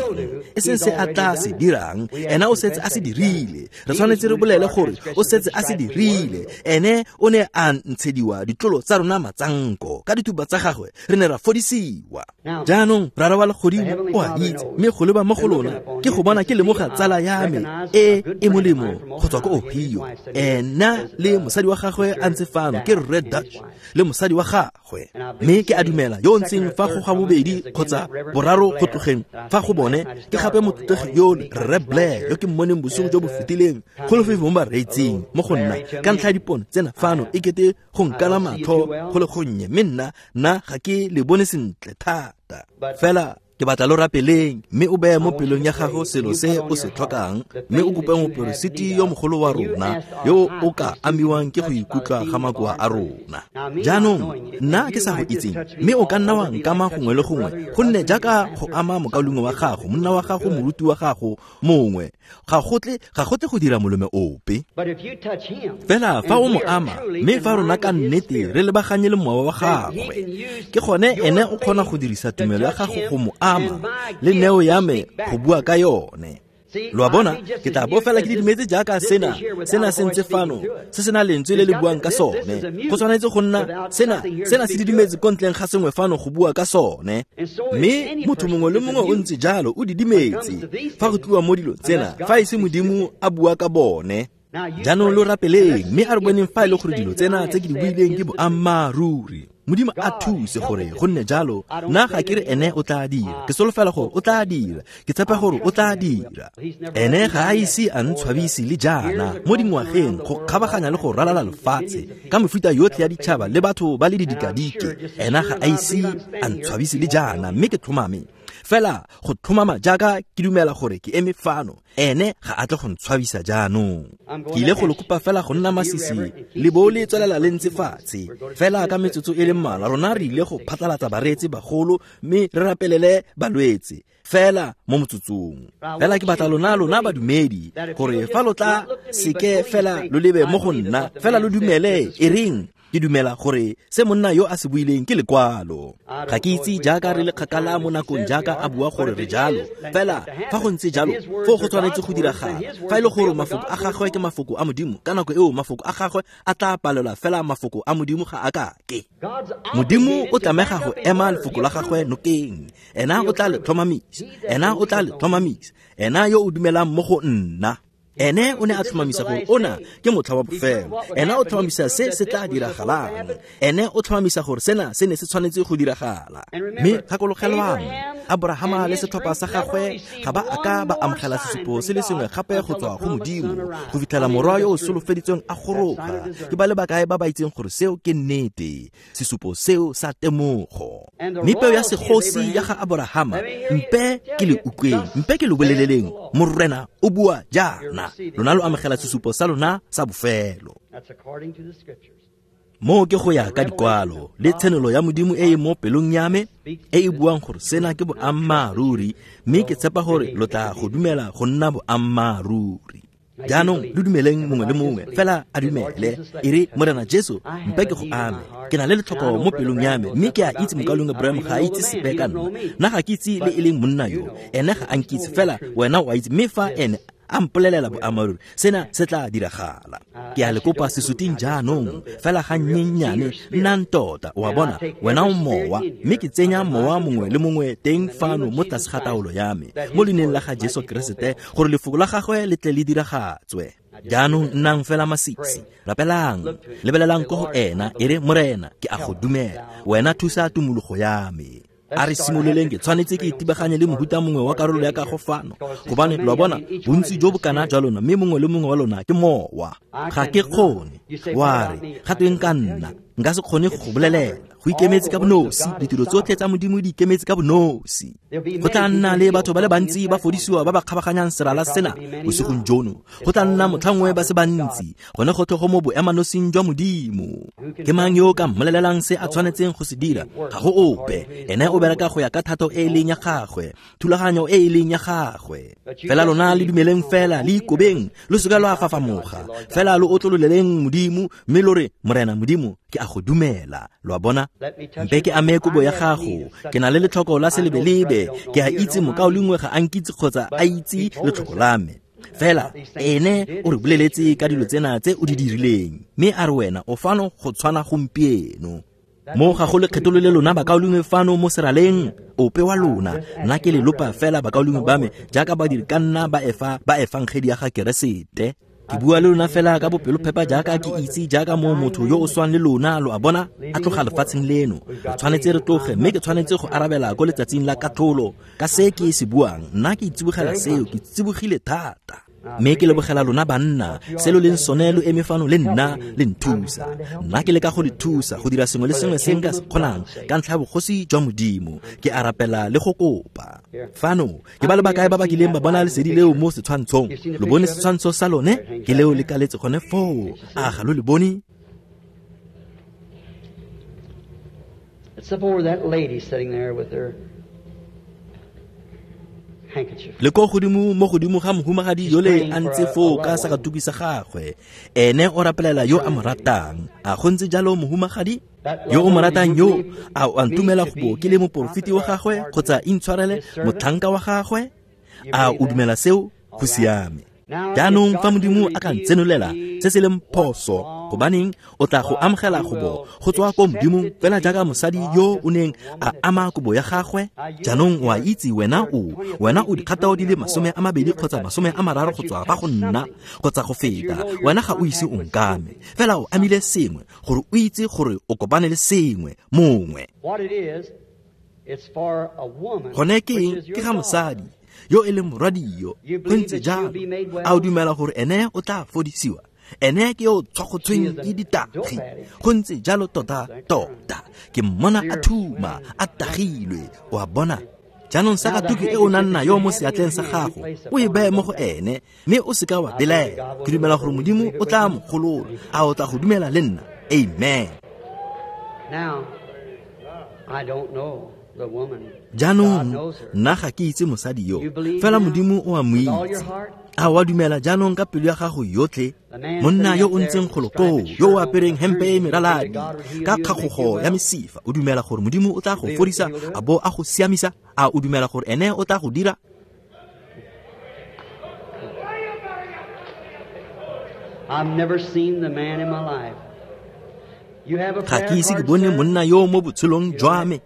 e seng se a tla se dirang, ena o setse a se dirile. Re tshwanetse re bolele gore o setse a se dirile. Ene o ne a ntshediwa ditlolo tsa rona matsanko, ka dituba tsa gagwe re ne ra fodisiwa. Jaanong Rara wa legodimo o a itse, mme go leba mo go lona ke go bona ke lemoga tsala ya me e e molemo go tswa ko Ohio. Ena le mosadi wa gagwe a ntse fano, ke Rre Dutch le mosadi wa gagwe, mme ke a dumela yo o ntseng fa go ga bobedi kgotsa boraro go tlogeng fa go bone ke gape motlotlegi yo Rre Blair yo ke mmoneng bosigo jo bo fetileng go lefefo mo bareetsing mo go nna ka ntlha ya dipono tsena fano e kete go nkala matlho go le gonnye, mme nna nna ga ke le bone sentle thata. Fela ke batla lo rapeleng, mme o beye mo pelong ya gago selo se o se tlhokang, mme o kope moperesiti yo mogolo wa rona yo o ka amiwang ke go ikutlwa ga makoa a rona. Jaanong nna ke sa go itseng, mme o ka nna wa nkama gongwe le gongwe, gonne jaaka go ama mokaulengwe wa gago, monna wa gago, moruti wa gago mongwe, ga go tle ga go tle go dira molome ope. Fela fa o mo ama, mme fa rona ka nnete re lebaganye le mowa wa gagwe, ke gone ene o kgona go dirisa tumelo ya gago go mo ama le neo ya me go bua ka yone. Lo a bona, ke tla bo fela ke didimetse jaaka sena sena se ntse fano, se sena lentswe le le buang ka sone. Go tshwanetse go nna sena sena se didimetse ko ntleng ga sengwe fano go bua ka sone. Mme motho mongwe le mongwe o ntse jalo, o didimetse fa go tliwa mo dilong tsena, fa e se Modimo a bua ka bone. Jaanong lo rapeleng, mme a re boneng fa e le gore dilo tsena tse ke di buileng ke boammaaruri. Modimo a thuse gore go nne jalo. Nna ga ke re ene o tla dira, ke solofela gore o tla dira, ke tshepa gore o tla dira. Ene ga a ise a ntshwabise le jaana mo dingwageng go kgabaganya le go ralala lefatshe ka mefuta yotlhe ya ditšhaba le batho ba le didikadike. Ena ga a ise a ntshwabise le jaana, mme ke tlhomame fela go tlhomama jaaka ke dumela gore ke eme fano, ene ga a tle go ntshwabisa jaanong. Ke ile go le kopa fela go nna masisi le bo le tswelela le ntse fatshe fela ka metsotso e le mmalwa. Rona re ile go phatlalatsa bareetsi bagolo mme re rapelele balwetse fela mo motsotsong. Fela ke batla lona lona badumedi gore fa lo tla seke fela lo lebe mo go nna, fela lo dumele e reng ke dumela gore se monna yo a se buileng ke lekwalo. Ga ke itse jaaka re le kgakala mo nakong jaaka a bua gore re jalo, fela fa go ntse jalo foo go tshwanetse go diragala. Fa e le gore mafoko a gagwe ke mafoko a Modimo, ka nako eo mafoko a gagwe a tla palelwa, fela mafoko a Modimo ga a ka ke. Modimo o tlamega go ema lefoko la gagwe nokeng. Ena o tla le tlhomamisa, ena o tla le tlhomamisa, ena yo o dumelang mo go nna. Ene o ne a tlhomamisa gore ona ke motlha wa bofelo. Ene o tlhomamisa se se tla diragalang. Ene o tlhomamisa gore sena se ne se tshwanetse go diragala. Mme gakologelwang, Abrahama le setlhopha sa gagwe ga ba a ka ba amogela sesupo se le sengwe gape go tswa go Modimo go fitlhela morwa yo o solofeditsweng a goroga. Ke ba le bakae ba ba itseng gore seo ke nnete, sesupo seo sa temogo. Mme peo ya segosi ya ga Abrahama, mpe ke le utlweng, mpe ke lo boleleleng, Morena o bua jaana, lona lo amogela sesupo sa lona sa bofelo. Mo ke go ya ka dikwalo le tshenolo ya Modimo e e mo pelong ya me e e buang gore sena ke boammaaruri, mme ke tshepa gore lo tla go dumela go nna boammaaruri. Jaanong lo dumeleng mongwe le mongwe fela a dumele. E re, Morena Jesu, mpe ke go ame. Ke na le letlhoko mo pelong ya me, mme ke a itse mokaulengwe Branham ga a itse sepe ka nna. Nna ga ke itse le e leng monna yo, ene ga a nkitse, fela wena o a itse. Mme fa ene a mpolelela boammaaruri, sena se tla diragala. Ke a le kopa sesuting jaanong, fela ga nnyennyane, nnang tota. O a bona, wena o mowa, mme ke tsenya mowa mongwe le mongwe teng fano mo tlase ga taolo ya me, mo leineng la ga Jesu Keresete, gore lefoko la gagwe le tle le diragatswe. Jaanong nnang fela masisi, rapelang, lebelelang ko go ena, e re, Morena, ke a go dumela, wena thusa tumologo ya me. A re simololeng, ke tshwanetse ke itibaganye le mohuta mongwe wa karolo ya kago fano, gobane lo a bona, bontsi jo bo kana jwa lona, mme mongwe le mongwe wa lona ke mowa. Ga ke kgone. Wa re, ga tweng ka nna, nka se kgone go go bolelela. Go ikemetse ka bonosi, ditiro tsotlhe tsa Modimo di ikemetse ka bonosi. Go tla nna le batho ba le bantsi ba fodisiwa ba ba kgabaganyang serala sena bosigong jono. Go tla nna motlhangwe ba se bantsi, gone gotlhe go mo boemanosing jwa Modimo. Ke mang yo o ka mmolelelang se a tshwanetseng go se dira? Ga go ope. Ene o bereka go ya ka thato e e leng ya gagwe, thulaganyo e e leng ya gagwe. Fela lona le dumeleng fela, le ikobeng, lo seka lwa fafamoga. Fela lo otlololeleng Modimo, mme lo re, Morena Modimo, ke a go dumela. Lo a bona? Mpe ke ame kobo ya gago, ke na le letlhoko la selebelebe, ke a itse mokaulengwe ga a nkitse kgotsa a itse letlhoko la me. Fela ene o re boleletse ka dilo tsena tse o di dirileng, mme a re wena o fano go tshwana gompieno. Mo ga go lekgetho le lona bakaulengwe fano mo seraleng, ope wa lona, nna ke le lopa fela bakaulengwe ba me jaaka badiri ka nna ba efa ba efangedi ya ga Keresete. Ke bua le lona fela ka bopelophepa jaaka ke itse, jaaka mo motho yo o swang le lona, lo a bona, a tloga lefatsheng leno. Re tshwanetse re tloge, mme ke tshwanetse go arabela ko letsatsing la katlholo ka se ke se buang. Nna ke itsibogela seo, ke tsibogile thata. Mme ke lebogela lona banna, se lo leng sone lo eme fano le nna le nthusa. Nna ke leka go le thusa go dira sengwe le sengwe se nka se kgonang ka ntlha ya bogosi jwa Modimo. Ke a rapela le go kopa. Fano ke ba le bakae ba ba kileng ba bona lesedi leo mo setshwantshong? Lo bone setshwantsho sa lone? Ke leo le kaletse gone foo. A ga lo le bone? It's up over that lady sitting there with her Le ko godimo mo godimo ga mohumagadi yole a ntse foo ka sakatuki sa gagwe. Ene o rapelela yo a mo ratang. A go ntse jalo mohumagadi? Yo o mo ratang yo, a o a ntumela go bo ke le moporofeti wa gagwe kgotsa intshwarele motlhanka wa gagwe? A o dumela seo? Go siame. Jaanong fa Modimo a ka ntsenolela se se leng phoso, gobaneng o tla go amogela go bo go tswa ko Modimong fela jaaka mosadi yo o neng a ama kobo ya gagwe. Jaanong o a itse wena o wena o dikgatao di le masome a mabedi kgotsa masome a mararo go tswa fa go nna kgotsa go feta. Wena ga o ise o nkame, fela o amile sengwe gore o itse gore o kopane le sengwe mongwe. Gone ke eng? Ke ga mosadi yo e leng morwadio. Go ntse jalo. A o dumela gore ene o tla fodisiwa? Ene ke yo tshwagotsweng ke ditagi. Go ntse jalo tota tota. Ke mmona a thuma, a tagilwe. O a bona? Jaanong sakatuki e o nang nayo mo seatleng sa gago, o e beye mo go ene, mme o seka wa belaela. Ke dumela gore Modimo o tla mo golola. A o tla go dumela le nna? Amen. Now, I don't know the woman. Jaanong nna ga ke itse mosadi yo, fela Modimo o a mo itse. A wa dumela jaanong ka pelo ya gago yotlhe? Monna yo o ntseng golo koo, yo o apereng hempe e meraladi ka kgagogo ya mesifa, o dumela gore Modimo o tla go fodisa a bo a go siamisa? A o dumela gore ene o tla go dira? I've never seen the man in my life. You have a Ga ke ise ke bone monna yo mo botshelong jwa me.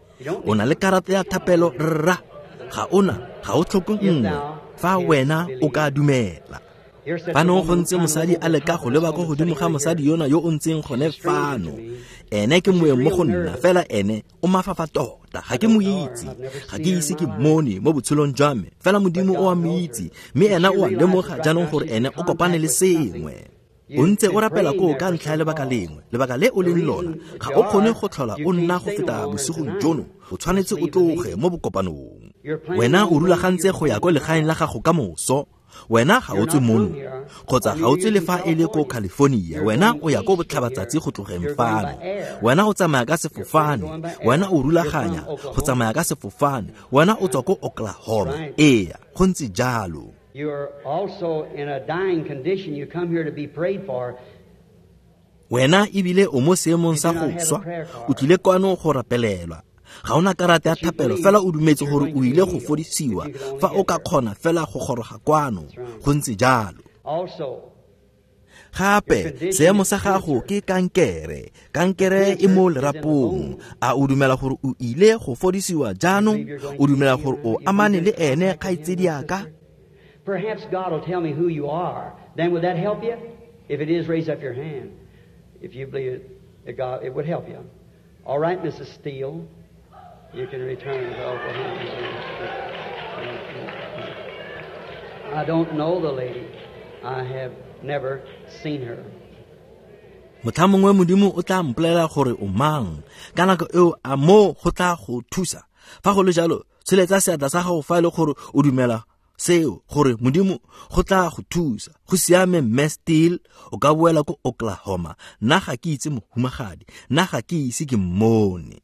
O na le karata ya thapelo, rra? Ga ona, ga o tlhoke nngwe. Fa wena o ka dumela. Fano go ntse mosadi a leka go leba ko godimo ga mosadi yona yo o ntseng gone fano. Ene ke moeng mo go nna, fela ene o mafafa tota. Ga ke mo itse, ga ke ise ke mmone mo botshelong jwa me, fela Modimo o a mo itse, mme ena o a lemoga jaanong gore ene o kopane le sengwe. O ntse o rapela koo ka ntlha ya lebaka lengwe, lebaka le o leng lona, ga o kgone go tlhola o nna go feta bosigong jono, o tshwanetse o tloge mo bokopanong. Wena o rulagantse go ya ko legaeng la gago ka moso. Wena ga o tswe mono, kgotsa ga o tswe le fa e le ko California. Wena o ya ko botlhabatsatsi go tlogeng fano. Wena o tsamaya ka sefofane. Wena o rulaganya go tsamaya ka sefofane. Wena o tswa ko Oklahoma. Ee, go ntse jalo. Wena ebile o mo seemong sa go swa, o tlile kwano go rapelelwa. Ga ona karata ya thapelo, fela o dumetse gore o ile go fodisiwa fa o ka kgona fela go goroga kwano. Go ntse jalo. Gape seemo sa gago ke kankere. Kankere e mo lerapong. A o dumela gore o ile go fodisiwa jaanong? O dumela gore o amane le ene, kgaitsediaka? Perhaps God will tell me who you are. Then would that help you? If it is, raise up your hand. If you believe it, God, it would help you. All right, Missus Steele. You can return to Oklahoma. I don't know the lady. I have never seen her. Motlha mongwe Modimo o tla mpolelela gore o mang. Ka nako eo a mo go tla go thusa. Fa go le jalo, tsholetsa seatla sa gago fa e le gore o dumela seo, gore Modimo go tla go thusa. Go siame, Mme Steele, o ka boela ko Oklahoma. Nna ga ke itse mohumagadi, nna ga ke ise ke mmone.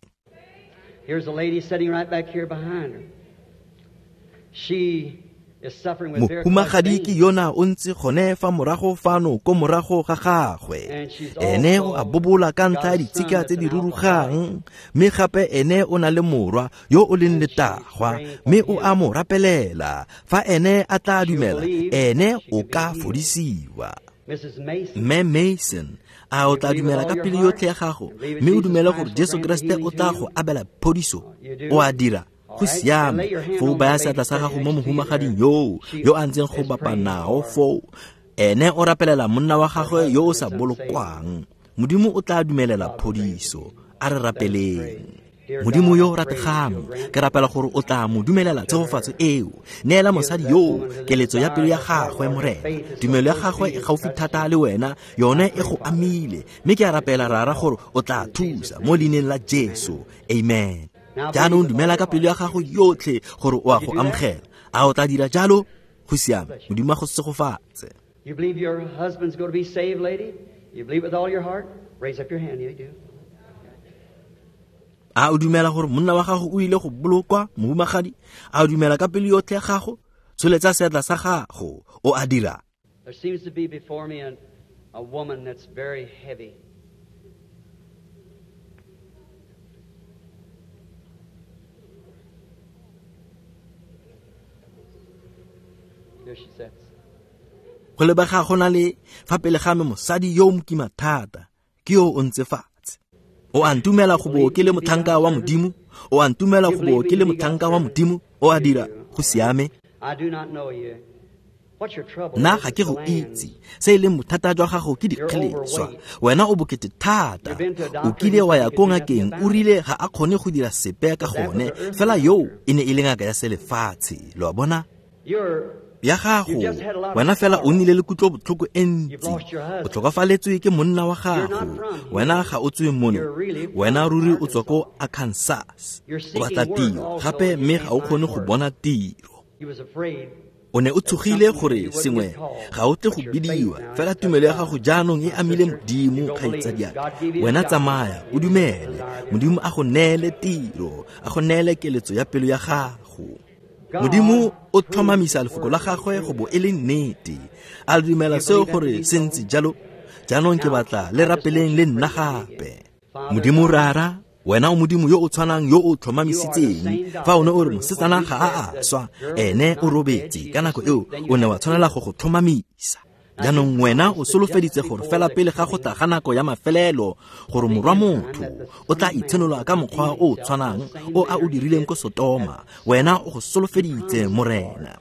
Here's a lady sitting right back here behind her. She is suffering with varicose Mohumagadi ke veins. yona o ntse gone fa morago fano ko morago ga gagwe. And she's Ene o also a bobola ka ntlha ya got a son ditshika that's tse di an rurugang, alcoholic. mme gape ene o na le morwa yo o leng And she's letagwa, praying for mme o him. a mo rapelela. Fa ene a tla She'll dumela, believe ene she o can be ka healed. fodisiwa. Missus Mason, Mme Mason, a o tla you believe with dumela all ka your pelo heart yotlhe ya gago, and believe that mme o Jesus dumele Christ gore will Jesu grant the Kreste o healing tla to go you? abela phodiso? You do? O a dira? All Go right. Then siame. lay your hand Foo on the baya lady seatla sa sitting gago mo next to you mohumagading there. yoo She yo a ntseng go is bapa praying nao for foo. Ene o rapelela monna wa her gagwe yo o husband sa that's unsaved. bolokwang. Modimo o tla dumelela God will grant it. phodiso. A re Let us pray. rapeleng. Dear Modimo God, yo o I pray that rategang, you'll grant ke rapela gore o tla mo dumelela to tshegofatso her. eo. Neela Give mosadi that yoo woman the keletso ya desire pelo ya of her heart, gagwe, Lord. Her Morena. faith is so Tumelo ya close to gagwe e you, it gaufi touched thata you. le wena, yone I e pray, go Father, amile. Mme ke a that rapela you will rara help. gore o tla In Jesus' thusa mo name, leineng la amen. Jesu. Amen. Now believe Jaanong with all dumela your ka pelo ya heart. gago yotlhe gore o a Did you go do that? amogela. A o tla dira jalo? Go siame. Bless you. Modimo a go segofatse. You believe your husband's going to be saved, lady? You believe with all your heart? Raise up your hand. You do. A o dumela gore monna wa gago o ile go bolokwa, mohumagadi? A o dumela ka pelo yotlhe ya gago? Tsholetsa seatla sa gago. O a dira? There seems to be before me an, a woman that's very heavy. There she sits. Go lebega go na le fa pele ga me mosadi yo o mokima thata, ke yo o ntse fatshe. O a ntumela You go bo believe ke me le to be God's motlhanka wa servant? Modimo? O a ntumela You go bo believe ke me le to be God's motlhanka wa servant? Modimo? O a You dira? do. Go All right. siame. I do not know you. What's your trouble Nna is? ga It's ke go glands. itse. Se e leng bothata jwa gago ke You're dikgeleswa. overweight. Wena o bokete thata. You've been to a O doctor and kile he wa said ya he ko could do nothing ngakeng, o about it. rile ga a kgone go dira sepe ka But that was gone. the earthly Fela yoo doctor. e ne e le ngaka ya selefatshe. Lo a bona? You're Ya you've gago, just had a lot of wena fela o sorrow. nnile le kutlobotlhoko e You've ntsi. lost your O husband. tlhokafaletswe ke monna wa You're not gago. from here. Wena ga o tswe mono. You're really from Wena ruri o tswa ko Arkansas. Arkansas. You're O batla seeking work tiro also gape and you mme can't ga o find kgone go work. bona tiro. You was afraid O ne o that tshogile something that gore you wouldn't sengwe get called. ga o tle go But your faith bidiwa, now fela has touched tumelo ya God. gago jaanong e My amile sister, you Modimo, go believe. kgaitsadiaka. God gave you the Wena job. tsamaya, o You give you the dumele. desire of your Modimo heart. a go neele tiro, a go neele keletso ya pelo ya gago. Modimo God o proves tlhomamisa His lefoko la word to be gagwe go true. bo e le nnete. A dumela You seo believe that to gore be se so? ntse jalo? Jaanong ke Now, batla le I just want rapeleng you le to nna pray with me again. gape. Father Modimo God, rara, wena o Modimo yo o tshwanang yo o you are the tlhomamisitseng. same Fa God o ne that o re proved when mosetsana we ga a said a the swa, girl is ene o not dead, robetse. she's Ka nako asleep, eo then o you ne had wa to tshwanela prove go it. go tlhomamisa. Now you Jaanong wena o promised that just solofeditse gore before fela the pele ga go coming tla ga nako ya mafelelo gore the morwa end time motho that the o tla Son of Man itshenola would ka mokgwa reveal o o himself in tshwanang the same o a o manner he dirileng did ko at Sotoma. Wena o go You solofeditse promised, Lord. Morena.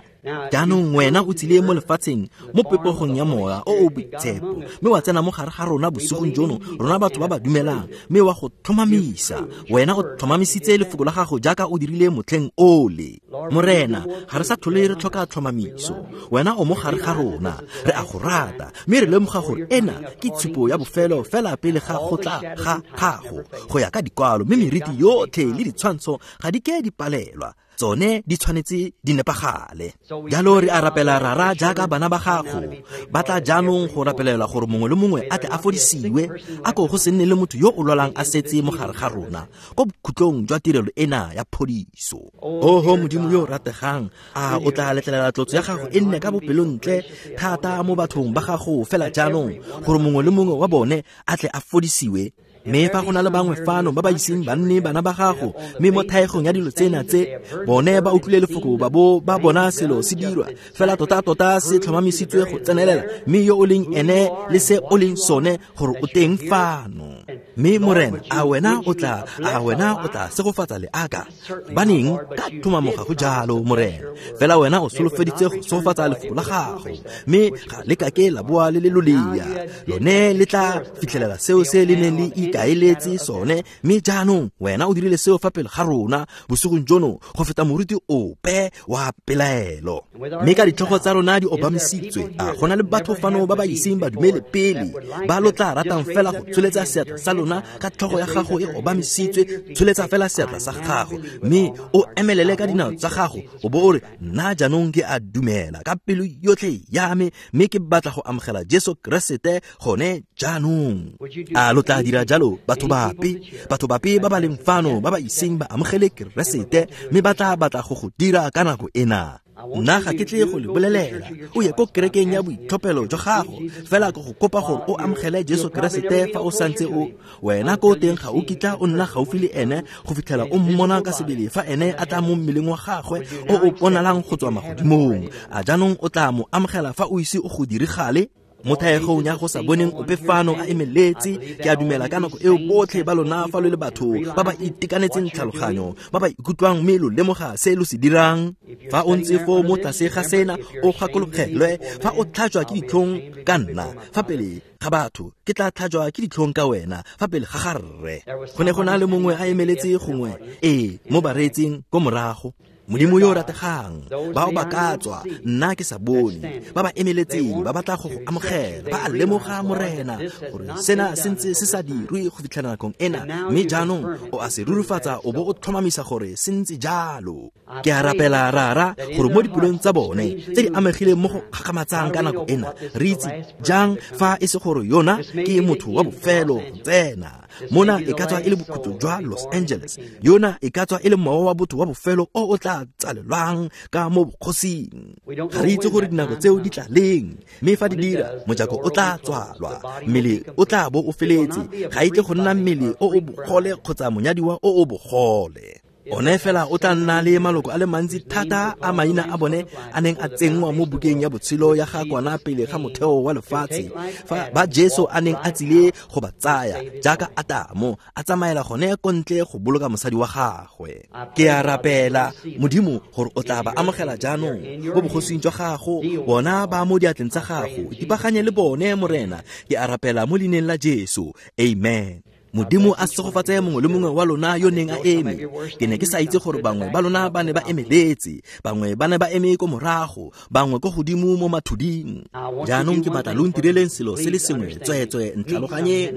Jaanong wena o tsile mo lefatsheng mo popegong ya Mowa o o Boitshepo, mme wa tsena mo gare ga rona bosigong jono, rona batho ba ba dumelang, mme wa go tlhomamisa. Wena o tlhomamisitse lefoko la gago jaaka o dirile motlheng ole. Morena, ga re sa tlhole re tlhoka tlhomamiso. Wena o mo gare ga rona, re a go rata, mme re lemoga gore ena ke tshupo ya bofelo fela pele ga go tla ga gago go ya ka dikwalo, mme meriti yotlhe le ditshwantsho ga di ke di palelwa, tsone di tshwanetse di nepagale. Jalo re a rapela Rara jaaka bana ba gago ba tla jaanong go rapelela gore mongwe le mongwe a tle a fodisiwe, a ko go se nne le motho yo o lwalang a setse mo gare ga rona ko bokhutlong jwa tirelo ena ya phodiso. Oho Modimo yo o rategang, a o tla letlelela tlotso ya gago e nne ka bopelontle thata mo bathong ba gago fela jaanong, gore mongwe le mongwe wa bone a tle a fodisiwe. Mme fa go na le bangwe fano ba ba iseng ba nne bana ba gago, mme mo thaegong ya dilo tsena tse bone ba utlwile lefoko ba bo ba bona selo se dirwa fela tota-tota se tlhomamisitswe go tsenelela, mme yo o leng ene le se o leng sone gore o teng fano. Mme Morena, a wena o tla a wena o tla segofatsa leaka baneng ka tlhomamo ga go jalo, Morena. Fela wena o solofeditse go segofatsa lefoko la gago, mme ga le kake la boa le le lolea, lone le tla fitlhelela seo se le neng le ikaeletse sone. Mme jaanong wena o dirile seo fa pele ga rona bosigong jono go feta moruti ope wa pelaelo. Mme ka ditlhogo tsa rona di obamisitswe, a go na le batho fano ba ba iseng ba dumele pele, ba lo tla ratang fela go tsholetsa seatla sa lona ka tlhogo ya gago e obamisitswe, tsholetsa fela seatla sa gago mme o emelele ka dinao tsa gago o bo o re, nna jaanong ke a dumela ka pelo yotlhe ya me, mme ke batla go amogela Jesu Keresete gone jaanong. A lo tla dira jalo batho bape, batho bape ba ba leng fano ba ba iseng ba amogele Keresete, mme ba tla batla go go dira ka nako ena? Nna ga ke tle go le bolelela o ye ko kerekeng ya boitlhophelo jwa gago, fela ke go kopa gore o amogele Jesu Keresete fa o santse o wena ko teng ga o kitla o nna gaufi le ene go fitlhela o mmona ka sebele fa ene a tla mo mmeleng wa gagwe o o bonalang go tswa magodimong. A jaanong o tla mo amogela fa o ise o go dirigale? Mo thaegong ya go sa boneng ope fano a emeletse, ke a dumela ka nako eo botlhe ba lona fa lo le batho ba ba itekanetseng tlhaloganyo, ba ba ikutlwang mme lo lemoga se lo se dirang. Fa o ntse foo mo tlase ga sena o gakologelwe, fa o tlhajwa ke ditlhong ka nna fa pele ga batho, ke tla tlhajwa ke ditlhong ka wena fa pele ga ga rre. Go ne go na le mongwe a emeletse gongwe ee mo bareetsing ko morago. Modimo yo o rategang, bao ba ka tswa nna ke sa bone, ba ba emeletseng ba batla go go amogela, ba a lemoga Morena gore sena se ntse se sa dirwe go fitlhela nakong ena, mme jaanong o a se rurifatsa o bo o tlhomamisa gore se ntse jalo. Ke a rapela Rara gore mo dipelong tsa bone tse di amegileng mo go kgakgamatsang ka nako ena, re itse jang fa e se gore yona ke motho wa bofelo go tsena mona e ka tswa e le bokhutlo jwa Los Angeles, yona e ka tswa e le mowa wa botho wa bofelo o o tla tsalelwang ka mo bokgosing. Ga re itse gore dinako tseo di tla leng, mme fa di dira mojako o tla tswalwa, mmele o tla bo o feletse, ga e tle go nna mmele o o bogole kgotsa monyadiwa o o bogole. One fela o tla nna le maloko a le mantsi thata a maina a bone a neng a tsenngwa mo bukeng ya botshelo ya ga kwana pele ga motheo wa lefatshe, fa ba Jesu a neng a tsile go ba tsaya jaaka Atamo a tsamaela gone ko ntle go boloka mosadi wa gagwe. Ke a rapela Modimo gore o tla ba amogela jaanong mo bogosing jwa gago, bona ba mo diatleng tsa gago, ipaganye le bone Morena. Ke a rapela mo leineng la Jesu, amen. Modimo a segofatse mongwe le mongwe wa lona yo neng a eme. Ke ne ke sa itse gore bangwe ba lona ba ne ba emeletse, bangwe ba ne ba eme ko morago, bangwe ko godimo mo mathuding. Jaanong ke batla lo ntireleng selo se le sengwe, tsweetswe ntlhaloganyeng.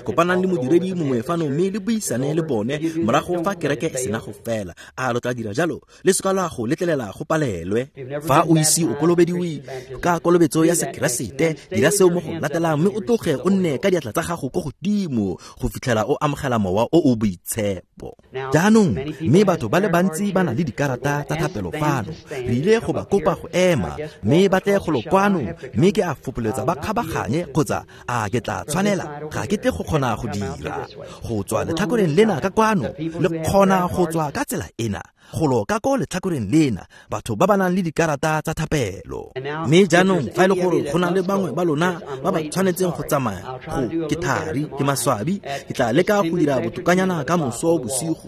Kopanang le modiredi mongwe fano mme le buisane le bone morago fa kereke e sena go fela. A lo tla dira jalo? Le seka lwa go letlelela go palelwe. Fa o ise o kolobediwe ka kolobetso ya Sekeresete, dira seo mo go latelang mme o tloge o nne ka diatla tsa gago ko godimo go fitlhela o amogela mowa o o boitshepo. Jaanong mme batho ba le bantsi ba na le dikarata tsa thapelo fano, re ile go ba kopa go ema mme ba tle go lo kwano, mme ke a fopoletsa ba kgabaganye kgotsa a ke tla tshwanela, ga ke tle go kgona go dira go tswa letlhakoreng lena ka kwano, le kgona go tswa ka tsela ena. Golo ka ko letlhakoreng lena, batho ba ba nang le dikarata tsa thapelo. Mme jaanong fa e le gore go na le bangwe ba lona ba ba tshwanetseng go tsamaya, go ke thari, ke maswabi, ke tla leka go dira botokanyana ka moso bosigo.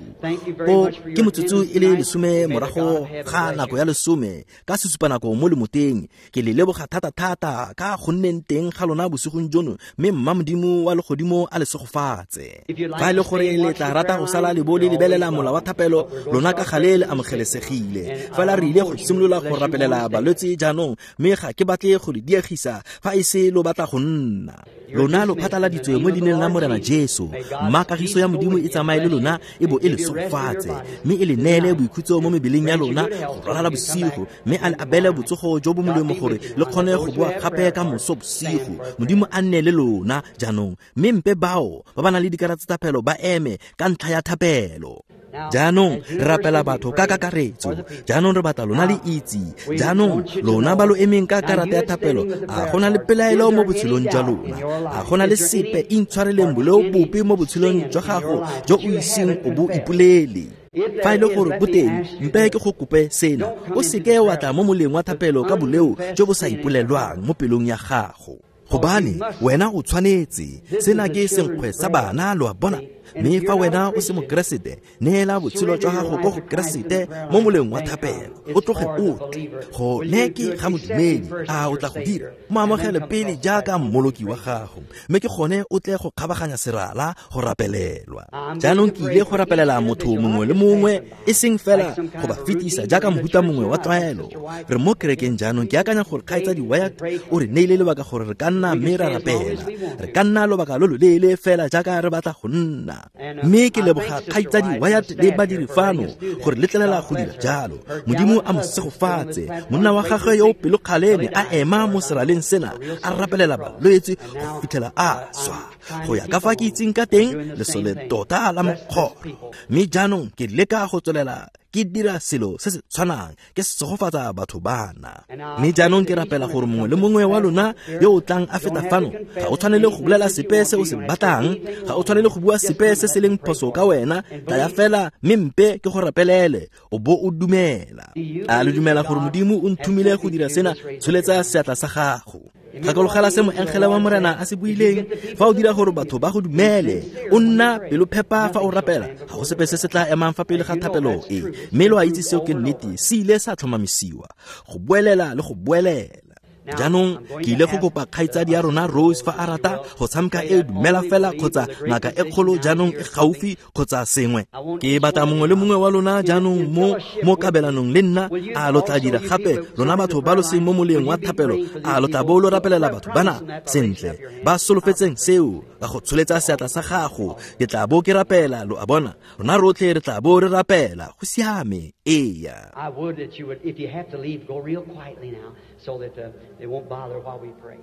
Ko ke motsotso e le lesome morago ga nako ya lesome ka sesupanako mo lemoteng. Ke le leboga thata-thata ka go nneng teng ga lona bosigong jono, mme mma Modimo wa legodimo a le segofatse. Fa e le gore le tla rata go sala le bo le lebelela mola wa thapelo, lona ka gale le amogelesegile. Fela re ile go simolola go rapelela balwetse jaanong, mme ga ke batle go le diegisa fa e se lo batla go nna. Lona lo phatlaladitswe mo leineng la Morena Jesu. Mma kagiso ya Modimo e tsamaye le lona e bo e le segofatse, mme e le neele boikhutso mo mebeleng ya lona go ralala bosigo, mme a le abele botsogo jo bo molemo gore le kgone go boa gape ka moso bosigo. Modimo a nne le lona jaanong, mme mpe bao ba ba nang le dikarata tsa thapelo ba eme ka ntlha ya thapelo. Jaanong re rapela batho ka kakaretso. Jaanong re batla lona le itse. Jaanong lona ba lo emeng ka karata ya thapelo, a go na le pelaelo mo botshelong jwa lona? A go na le sepe intshwareleng boleo bope mo botshelong jwa gago jo o iseng o bo ipolele? Fa e le gore bo teng, mpe ke go kope sena: o seke wa tla mo moleng wa thapelo ka boleo jo bo sa ipolelwang mo pelong ya gago, gobane wena o tshwanetse. Sena ke senkgwe sa bana, lo a bona. Mme fa wena o se mokeresete, neela botshelo jwa gago ko go Keresete mo moleng wa thapelo, o tloge o tle. Go ne ke ga modumedi, a o tla go dira? Mo amogele pele jaaka mmoloki wa gago, mme ke gone o tle go kgabaganya serala go rapelelwa. Jaanong ke ile go rapelela motho mongwe le mongwe, e seng fela go ba fetisa jaaka mohuta mongwe wa tlwaelo. Re mo kerekeng jaanong. Ke akanya gore kgaitsadi Wyatt o re neile lebaka gore re ka nna mme ra rapela. Re ka nna lobaka lo loleele fela jaaka re batla go nna. Mme ke leboga kgaitsadi Wyatt le badiri fano gore letlelela go dira jalo. Modimo a mo segofatse. Monna wa gagwe yo o pelokgale ne a ema mo seraleng sena a rapelela balwetse go fitlhela a swa. Go ya ka fa ke itseng ka teng, lesole tota la mokgoro. Mme jaanong ke leka go tswelela ke dira selo se se tshwanang, ke segofatsa batho bana. Mme jaanong ke rapela gore mongwe le mongwe wa lona yo o tlang a feta fano, ga o tshwanele go bolela sepe se o se batlang, ga o tshwanele go bua sepe se se leng phoso ka wena. Tlaya fela mme mpe ke go rapelele, o bo o dumela. A le dumela gore Modimo o nthomile go dira sena? Tsholetsa seatla sa gago. Gakologela se moengele wa Morena a se buileng. Fa o dira gore batho ba go dumele, o nna pelophepa fa o rapela, ga go sepe se se tla emang fa pele ga thapelo e. Mme lo a itse seo ke nnete, se ile sa tlhomamisiwa go boelela le go boelela. Jaanong ke ile go kopa kgaitsadi ya rona Rose fa a rata go tshameka e dumela fela kgotsa ngaka e kgolo jaanong e gaufi kgotsa sengwe. Ke batla mongwe le mongwe wa lona jaanong mo mo kabelanong le nna. A lo tla dira gape lona batho ba lo seng mo moleng wa thapelo? A lo tla bo lo rapelela batho bana sentle ba solofetseng seo ka go tsholetsa seatla sa gago? Ke tla bo ke rapela, lo a bona. Rona rotlhe re tla bo re rapela. Go siame. Eya. I would that you would, if you have to leave, go real quietly now so that uh, they won't bother while we pray.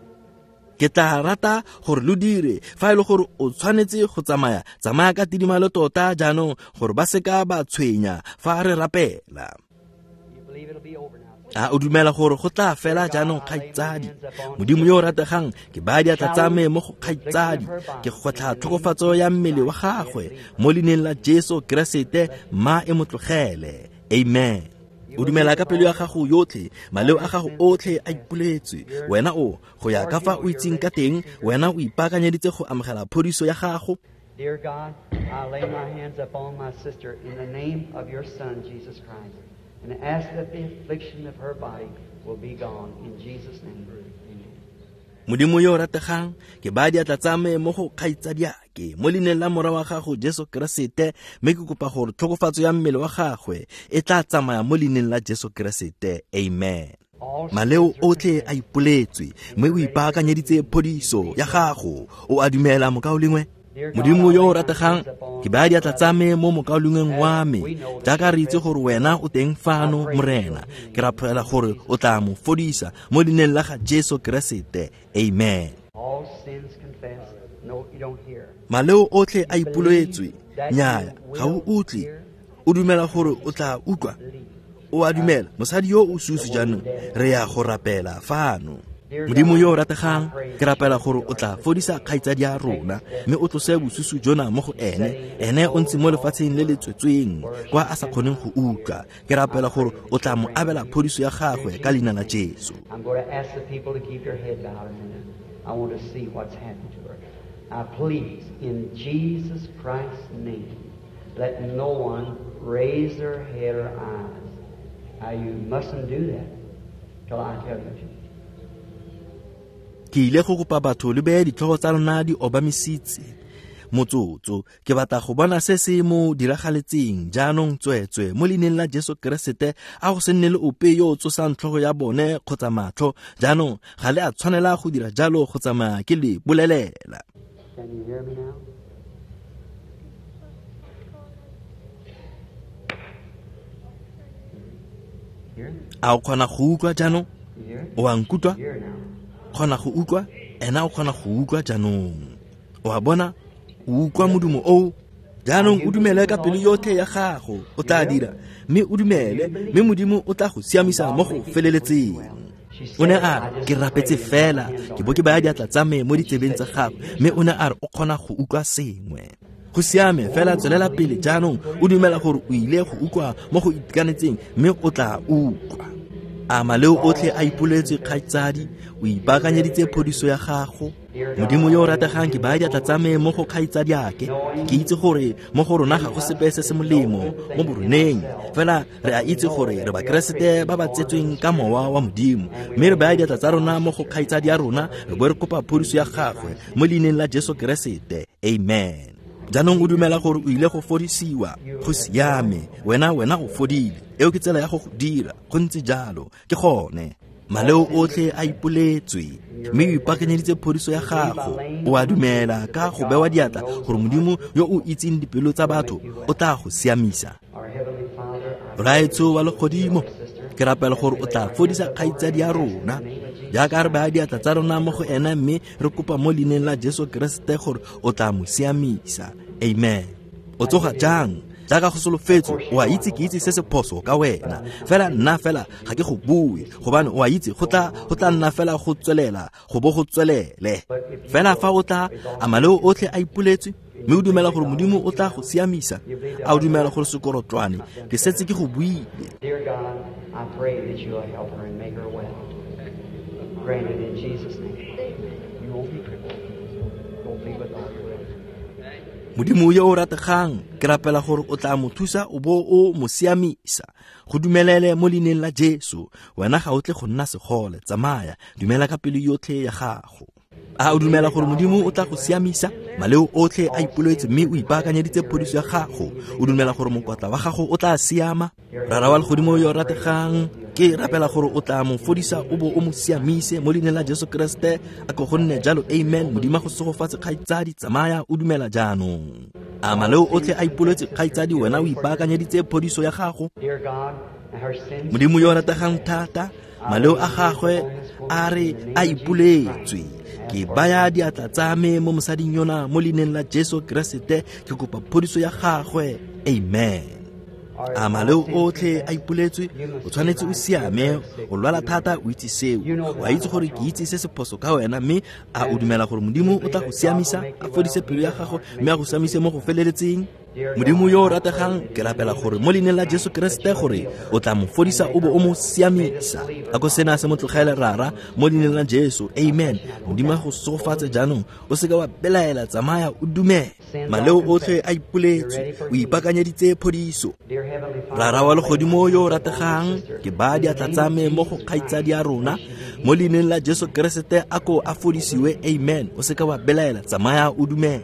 Ke tla rata gore lo dire fa e le gore o tshwanetse go tsamaya, tsamaya ka tidimalo tota jaanong gore ba seka ba tshwenya fa re rapela. You believe it'll be over now. A o dumela gore go tla fela jaanong, kgaitsadi? Modimo yo o rategang, ke baya diatla tsa me mo go kgaitsadi, ke gwetlha tlhokofatso ya mmele wa gagwe mo leineng la Jesu Keresete, mma e mo tlogele. Amen. O dumela ka pelo ya gago yotlhe, maleo a gago otlhe a ipoletswe. Wena o go ya ka fa o itseng ka teng, wena o ipaakanyeditse go amogela phodiso ya gago. Dear God, I lay my hands upon my sister in the name of your Son, Jesus Christ, and ask that the affliction of her body will be gone. In Jesus' name, amen. Modimo yo o rategang, ke baya diatla tsa me mo go kgaitsadiake mo leineng la Morwa wa gago Jesu Keresete, mme ke kopa gore tlhokofatso ya mmele wa gagwe e tla tsamaya mo leineng la Jesu Keresete. Amen. Maleo otlhe a ipoletswe, mme o ipaakanyeditse phodiso ya gago. O a dumela, mokaulengwe? Modimo yo o rategang, ke baya diatla tsa me mo mokaulengweng wa me, jaaka re itse gore wena o teng fano, Morena. Ke rapela gore o tla mo fodisa mo leineng la ga Jesu Keresete. Amen. All sins confessed. No, you don't hear. Maleo otlhe a ipoletswe. Nnyaya, ga o utlwe. O dumela gore o tla utlwa? O a dumela? Mosadi yo o susu jaanong, re ya go rapela fano. Modimo yo o rategang, ke rapela gore o tla fodisa kgaitsadi ya rona mme o tlose bosusu jona mo go ene. Ene o ntse mo lefatsheng le le tswetsweng kwa a sa kgoneng go utlwa. Ke rapela gore o tla mo abela phodiso ya gagwe ka leina la Jesu. I'm going to ask the people to keep their head bowed a minute. I want to see what's happened to her. Now please, in Jesus Christ's name, let no one raise their head or eyes. Now you mustn't do that till I tell you to. Ke ile go kopa batho le beye ditlhogo tsa lona di obamisitse motsotso. Ke batla go bona se se mo diragaletseng jaanong tsweetswe mo leineng la Jesu Keresete. A go se nne le ope yo o tsosang tlhogo ya bone kgotsa matlho. Jaanong ga le a tshwanela go dira jalo go tsamaya ke le bolelela. Can you hear me now? A o kgona go utlwa jaanong? O a nkutlwa? Kgona go utlwa? Ena o kgona go utlwa jaanong. O a bona? O utlwa modumo oo? Jaanong o dumele ka pelo yotlhe ya gago, o tla dira, mme o dumele, mme Modimo o tla go siamisa mo go feleletseng. O ne a re, ke rapetse fela, ke bo ke baya diatla tsa me mo ditsebeng tsa gagwe, mme o ne a re o kgona go utlwa sengwe. Go siame fela, tswelela pele jaanong, o dumela gore o ile go utlwa mo go itekanetseng, mme o tla utlwa. A maleo otlhe a ipoletswe kgaitsadi, o ipaakanyeditse phodiso ya gago. Modimo yo o rategang, ke baya diatla tsa me mo go kgaitsadiake. Ke itse gore mo go rona ga go sepe se se molemo mo boroneng, fela re a itse gore re Bakeresete ba ba tsetsweng ka mowa wa Modimo, mme re baya diatla tsa rona mo go kgaitsadi ya rona, re bo re kopa phodiso ya gagwe mo leineng la Jesu Keresete. Amen. Jaanong o dumela gore o ile go fodisiwa. Go siame, wena wena o fodile. Eo ke tsela ya go go dira, go ntse jalo, ke gone. Maleo otlhe a ipoletswe, mme o ipaakanyeditse phodiso ya gago. O a dumela ka go bewa diatla gore Modimo yo o itseng dipelo tsa batho o tla go siamisa. Rraetsho wa legodimo, ke rapela gore o tla fodisa kgaitsadi ya rona jaaka re baya diatla tsa rona mo go ena, mme re kopa mo leineng la Jesu Keresete gore o tla mo siamisa. Amen. O tsoga jang? Jaaka go solofetswe, o a itse ke itse se se phoso ka wena, fela nna fela ga ke go bue, gobane o a itse go tla go tla nna fela go tswelela go bo go tswelele. Fela fa o tla, a maleo otlhe a ipoletswe, mme o dumela gore Modimo o tla go siamisa. A o dumela gore sekorotlwane ke setse ke go buile? Dear God, I pray that you'll help her and make her well. Grant it in Jesus' name. You won't be crippled. Don't be with all your rest. Modimo yo o rategang, ke rapela gore o tla mo thusa o bo o mo siamisa. Go dumelele mo leineng la Jesu. Wena ga o tle go nna segole, tsamaya, dumela ka pelo yotlhe ya gago. A o dumela gore Modimo o tla go siamisa? Maleo otlhe a ipoletse mme o ipaakanyeditse phodiso ya gago. O dumela gore mokwatla wa gago o tla siama? Rara wa legodimo yo o rategang, ke rapela gore o tla mo fodisa o bo o mo siamise mo leineng la Jesu Keresete. A ko go nne jalo. Amen. Modimo a go segofatse kgaitsadi, tsamaya o dumela jaanong. A maleo otlhe a ipoletse kgaitsadi, wena o ipaakanyeditse phodiso ya gago. Modimo yo o rategang thata, maleo a gagwe a re a ipoletswe. Ke baya diatla tsa me mo mosading yona mo leineng la Jesu Keresete, ke kopa phodiso ya gagwe. Amen. A maleo otlhe a ipoletswe, o tshwanetse o siame, o lwala thata, o itse seo. O a itse gore ke itse se se phoso ka wena, mme a o dumela gore Modimo o tla go siamisa, a fodise pelo ya gago, mme a go siamise mo go feleletseng? Modimo yo o rategang, ke rapela gore mo leineng la Jesu Keresete gore o tla mo fodisa o bo o mo siamisa. A ko sena se mo tlogele Rara mo leineng la Jesu. Amen. Modimo a go segofatse jaanong, o seka wa belaela, tsamaya o dumele. Maleo otlhe a ipoletswe, o ipaakanyeditse phodiso. Rara wa legodimo yo o rategang, ke baya diatla tsa me mo go kgaitsadi ya rona mo leineng la Jesu Keresete, a ko a fodisiwe. Amen. O seka wa belaela, tsamaya o dumela.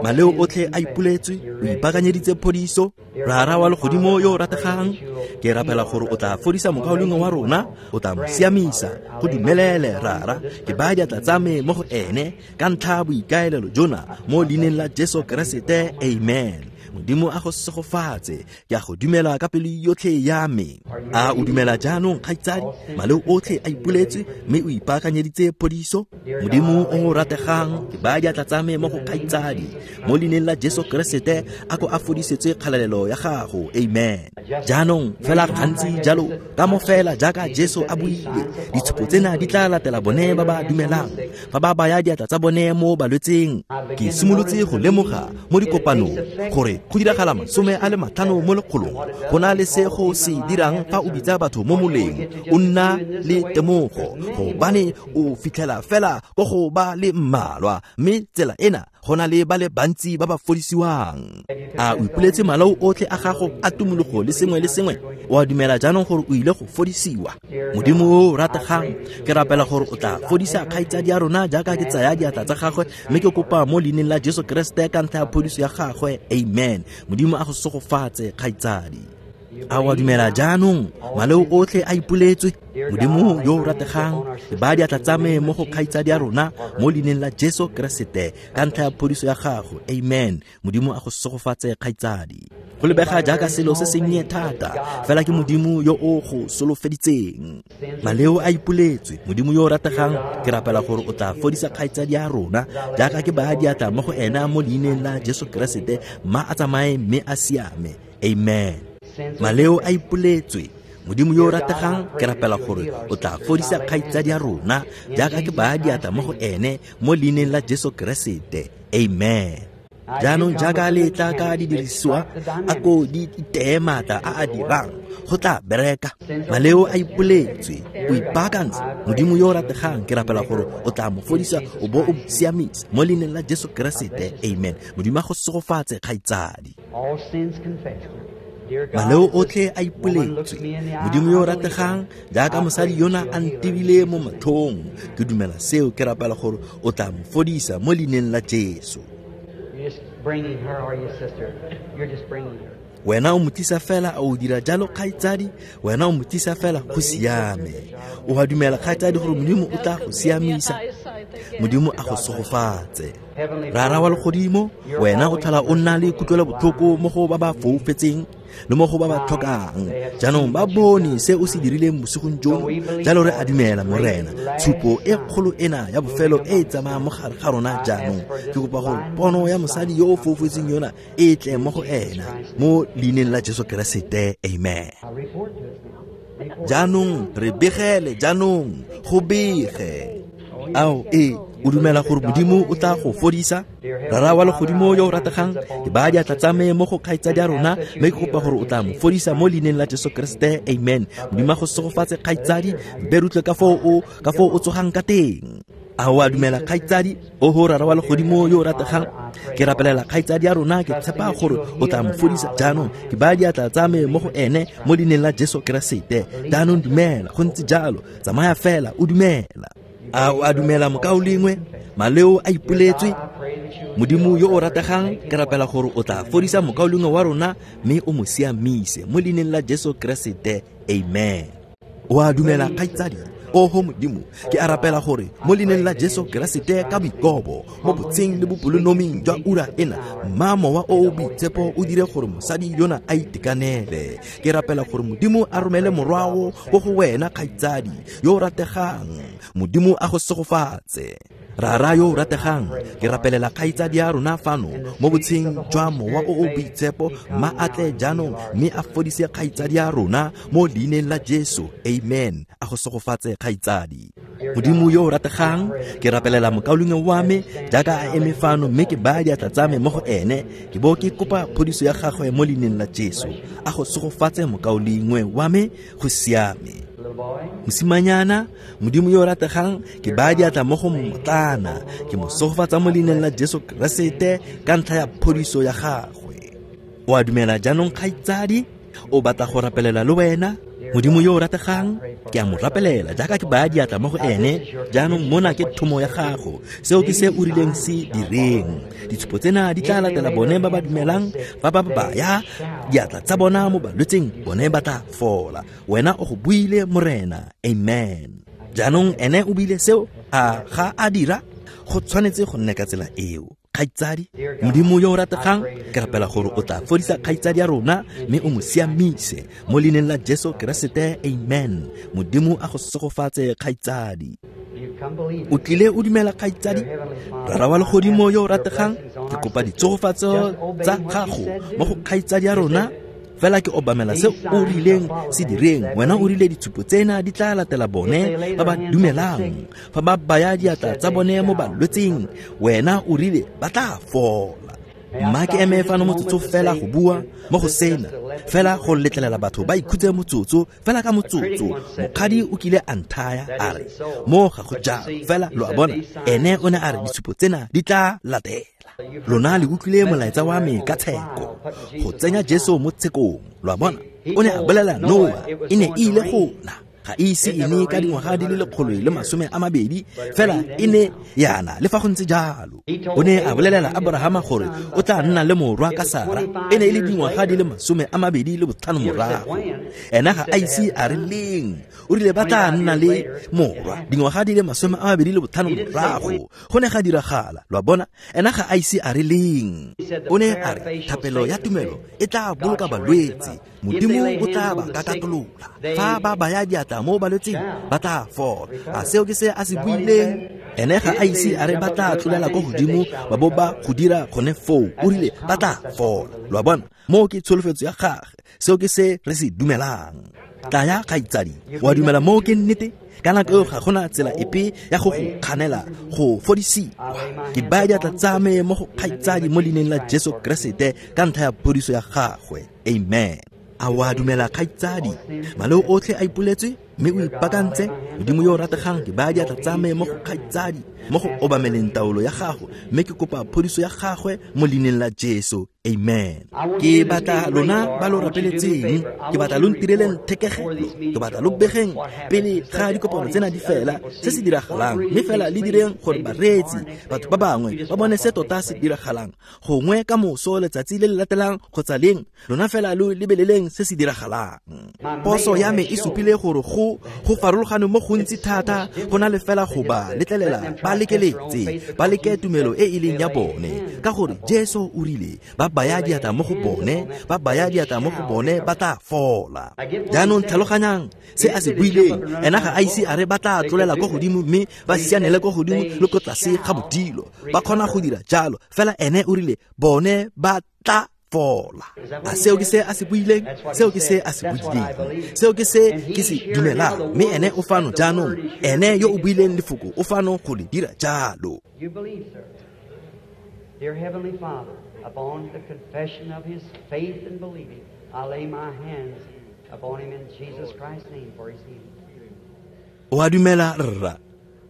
Maleo otlhe a ipoletswe, o ipaakanyeditse phodiso. Rara wa legodimo yo o rategang, ke rapela gore o tla fodisa mokaulengwe wa rona, o tla mo siamisa. Go dumelele Rara, ke baya diatla tsa me mo go ene ka ntlha ya boikaelelo jona mo leineng la Jesu Keresete. Amen. Modimo a go segofatse. Ke a go dumela ka pelo yotlhe ya me. A o dumela jaanong, kgaitsadi? Maleo otlhe a ipoletswe mme o ipaakanyeditse phodiso. Modimo o o rategang, ke baya diatla tsa me mo go kgaitsadi. Mo leineng la Jesu Keresete, a ko a fodisetswe kgalalelo ya gago. Amen. Jaanong fela gantsi jalo, ka mo fela jaaka Jesu a buile, ditshupo tsena di tla latela bone ba ba dumelang, fa ba baya diatla tsa bone mo balwetseng. Ke simolotse go lemoga mo dikopanong gore go diragala masome a le matlhano mo lekgolong go na le se go se dirang fa o bitsa batho mo moleng. O nna le temogo gobane o fitlhela fela ko go ba le mmalwa, mme tsela ena go na le ba le bantsi ba ba fodisiwang. A o ipoletse malao otlhe a gago a tumologo le sengwe le sengwe? O a dumela jaanong gore o ile go fodisiwa? Modimo o rategang, ke rapela gore o tla fodisa kgaitsadi ya rona jaaka ke tsaya diatla tsa gagwe, mme ke kopa mo leineng la Jesu Keresete ka ntlha ya phodiso ya gagwe. Amen. Modimo a go segofatse, kgaitsadi. A o a dumela jaanong maleo otlhe a ipoletswe? Modimo yo o rategang, ke baya diatla tsa me mo go kgaitsadi ya rona mo leineng la Jesu Keresete ka ntlha ya phodiso ya gago. Amen. Modimo a go segofatse, kgaitsadi. Go lebega jaaka selo se sennye thata, fela ke Modimo yo o go solofeditseng. Maleo a ipoletswe. Modimo yo o rategang, ke rapela gore o tla fodisa kgaitsadi ya rona jaaka ke baya diatla mo go ena mo leineng la Jesu Keresete, mma a tsamaye mme a siame. Amen. Maleo a ipoletswe. Modimo yo o rategang, ke rapela gore o tla fodisa kgaitsadi ya rona jaaka ke baya diatla mo go ene mo leineng la Jesu Keresete. Amen. Jaanong jaaka le tla ka didirisiwa, a ko di iteye maatla a a dirang, go tla bereka. Maleo a ipoletswe. O ipaakantse. Modimo yo o rategang, ke rapela gore o tla mo fodisa o bo o siamisa mo leineng la Jesu Keresete. Amen. Modimo a go segofatse, kgaitsadi. All sins confessed. Maleo otlhe a ipoletswe. Modimo yo o rategang, jaaka mosadi yona a ntebile mo matlhong, ke dumela seo, ke rapela gore o tla mo fodisa mo leineng la Jesu. You're just bringing her, or your sister. You're just bringing her. Wena o mo tlisa fela, a o dira jalo, kgaitsadi? Wena o mo tlisa fela, go siame. O a dumela, kgaitsadi, gore Modimo o tla go siamisa? Modimo a go segofatse. Rara wa legodimo, wena o tlhola o nna le kutlwelobotlhoko mo go ba ba foufetseng le mo go ba ba tlhokang. Jaanong ba bone se o se dirileng bosigong jono, jalo re a dumela, Morena, tshupo e kgolo ena ya bofelo e e tsamayang mo gare ga rona jaanong. Ke kopa gore pono ya mosadi yo o foufetseng yona e tle mo go ena mo leineng la Jesu Keresete. Amen. Jaanong re begele, jaanong go bege. Ao, ee, o dumela gore Modimo o tla go fodisa? Rara wa legodimo yo o rategang, ke baya diatla tsa me mo go kgaitsadi ya rona, mme ke kopa gore o tla mo fodisa mo leineng la Jesu Keresete. Amen. Modimo a go segofatse, kgaitsadi. Mpe re utlwe ka foo o ka foo o tsogang ka teng. A o a dumela, kgaitsadi? Oho, Rara wa legodimo yo o rategang, ke rapelela kgaitsadi ya rona, ke tshepa gore o tla mo fodisa jaanong. Ke baya diatla tsa me mo go ene mo leineng la Jesu Keresete. Jaanong dumela, go ntse jalo. Tsamaya fela o dumela. A o a dumela, mokaulengwe? Maleo a ipoletswe. Modimo yo o rategang, ke rapela gore o tla fodisa mokaulengwe wa rona mme o mo siamise mo leineng la Jesu Keresete. Amen. O a dumela, kgaitsadi? Oho Modimo, ke a rapela gore mo leineng la Jesu Keresete, ka boikobo mo botsheng le bopelonoming jwa ura ena, mma mowa o o boitshepo o dire gore mosadi yona a itekanele. Ke rapela gore Modimo a romele morwao ko go wena, kgaitsadi yo o rategang. Modimo a go segofatse. Rara yo o rategang, ke rapelela kgaitsadi ya rona fano mo botsheng jwa mowa o o boitshepo, mma a tle jaanong mme a fodise kgaitsadi ya rona mo leineng la Jesu. Amen. A go segofatse, kgaitsadi. Modimo yo o rategang, ke rapelela mokaulengwe wa me jaaka a eme fano, mme ke baya diatla tsa me mo go ene, ke bo ke kopa phodiso ya gagwe mo leineng la Jesu. A go segofatse, mokaulengwe wa me, go siame. Mosimanyana, Modimo yo o rategang, ke baya diatla mo go mmotlana, ke mo segofatsa mo leineng la Jesu Keresete ka ntlha ya phodiso ya gagwe. O a dumela jaanong, kgaitsadi? O batla go rapelela le wena? Modimo yo o rategang, ke a mo rapelela jaaka ke baya diatla mo go ene. Jaanong mona ke thomo ya gago, seo ke se o rileng se direng. Ditshupo tsena di tla latela bone ba ba dumelang, fa ba baya diatla tsa bona mo balwetseng, bone ba tla fola. Wena o go buile, Morena. Amen. Jaanong ene o buile seo, a ga a dira? Go tshwanetse go nne ka tsela eo. Kgaitsadi, Modimo yo o rategang, ke rapela gore o tla fodisa kgaitsadi ya rona mme o mo siamise mo leineng la Jesu Keresete, amen. Modimo a go segofatse kgaitsadi. O tlile o dumela kgaitsadi? Rara wa legodimo yo o rategang, ke kopa ditsogofatso tsa gago mo go kgaitsadi ya rona. Fela ke obamela se o rileng se direng. Wena o rile ditshupo tsena di tla latela bone ba ba dumelang. Fa ba baya diatla tsa bone mo balwetseng, wena o rile ba tla fola. Mma ke eme fano motsotso fela go bua mo go sena, fela go letlelela batho ba ikhutse motsotso fela ka motsotso. Mokgadi o kile a nthaya a re mo ga go jalo, fela lo a bona ene o ne a re ditshupo tsena di tla latela. Lona le utlwile molaetsa wa me ka tsheko, go tsenya Jesu mo tshekong. Lo a bona, o ne a bolela Noa e ne e ile go na, ga e ise e ne ka dingwaga di le lekgolo le masome a mabedi, fela e ne yana le fa go ntse jalo. O ne a bolelela Abrahama gore o tla nna le morwa ka Sara, e ne e le dingwaga di le masome a mabedi le botlhano morago. Ena ga a ise a re leng, o rile ba tla nna le morwa dingwaga di le masome a mabedi le botlhano morago. Go ne ga diragala, lo a bona, ena ga a ise a re leng. O ne a re thapelo ya tumelo e tla boloka balwetse, Modimo o tla ba kakatolola. Fa ba baya diatla mo balwetseng ba tla fola. A seo ke se a se buileng? Ene ga a ise a re ba tla tlolela ko godimo ba bo ba go dira gone foo. O rile ba tla fola. Lo a bona, moo ke tsholofetso ya gagwe, seo ke se re se dumelang. Tlaya kgaitsadi, wa dumela moo ke nnete? Ka nako eo ga gona tsela epe ya go go kganela go fodisiwa. Ke baya diatla tsa me mo go kgaitsadi mo leineng la Jesu Keresete ka ntlha ya phodiso ya gagwe, amen. A wa dumela kgaitsadi? Maleo otlhe a ipoletswe mme o ipaakantse. Modimo yo o rategang, ke baya diatla tsa me mo go kgaitsadi mo go obameleng taolo ya gago, mme ke kopa phodiso ya gagwe mo leineng la Jesu, amen. Ke batla lona ba lo rapeletseng, ke batla lo ntireleng thekegelo, ke batla lo begeng pele ga dikopano tsena di fela se se diragalang, mme fela le direng gore bareetsi, batho ba bangwe ba bone se tota se diragalang. Gongwe ka moso letsatsi le le latelang kgotsa leng, lona fela lo lebeleleng se se diragalang. Poso ya me e supile gore go go farologane mo gontsi thata go na le fela go ba letlelela ba lekeletse, ba leke tumelo e e leng ya bone, ka gore Jesu o rile ba baya diatla mo go bone, ba baya diatla mo go bone ba tla fola. Jaanong tlhaloganyang se a se buileng. Ena ga a ise a re ba tla tlolela ko godimo mme ba sianele ko godimo le ko tlase ga bodilo. Ba kgona go dira jalo, fela ene o rile bone ba tla fola. A seo ke se a se buileng? Seo ke se a se buileng. Seo ke se ke se dumelang. Mme ene o fano jaanong, ene yo o buileng lefoko o fano go le dira jalo. You believe, sir. Dear Heavenly Father, upon the confession of his faith and believing, I lay my hands upon him in Jesus Christ's name for his healing. O a dumela rra,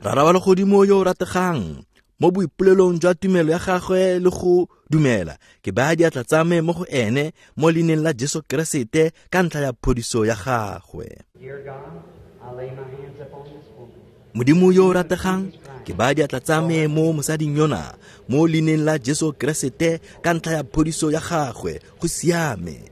Rara wa legodimo yo o rategang, mo boipolelong jwa tumelo ya gagwe le go dumela, ke baya diatla tsa me mo go ene mo leineng la Jesu Keresete ka ntlha ya phodiso ya gagwe. Dear God, I lay my hands upon this woman. Modimo yo o rategang, ke baya diatla tsa me mo mosading yona mo leineng la Jesu Keresete ka ntlha ya phodiso ya gagwe. Go siame.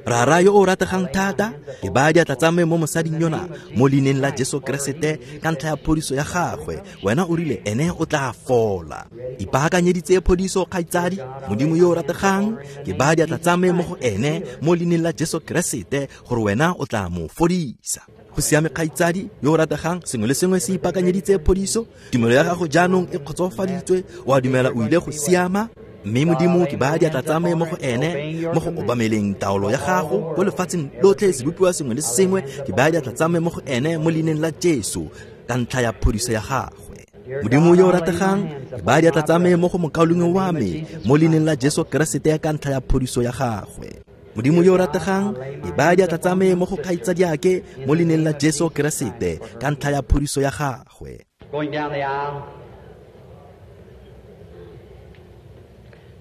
Rara yo o rategang thata, ke baya diatla tsa me mo mosading yona mo leineng la Jesu Keresete ka ntlha ya phodiso ya gagwe. Wena o rile ene o tla fola. Ipaakanyeditse phodiso kgaitsadi. Modimo yo o rategang, ke baya diatla tsa me mo go ene mo leineng la Jesu Keresete gore wena o tla mo fodisa. Go siame kgaitsadi yo o rategang, sengwe le sengwe se ipaakanyeditse phodiso. Tumelo ya gago jaanong e kgotsofaditswe, o a dumela o ile go siama. Mme Modimo, ke baya diatla tsa me mo go ene mo go obameleng taolo ya gago ko lefatsheng lotlhe, sebopiwa sengwe le sengwe. Ke baya diatla tsa me mo go ene mo leineng la Jesu ka ntlha ya phodiso ya gagwe. Modimo yo o rategang, ke baya diatla tsa me mo go mokaulengwe wa me mo leineng la Jesu Keresete ka ntlha ya phodiso ya gagwe. Modimo yo o rategang, ke baya diatla tsa me mo go kgaitsadiake mo leineng la Jesu Keresete ka ntlha ya phodiso ya gagwe. Going down the aisle,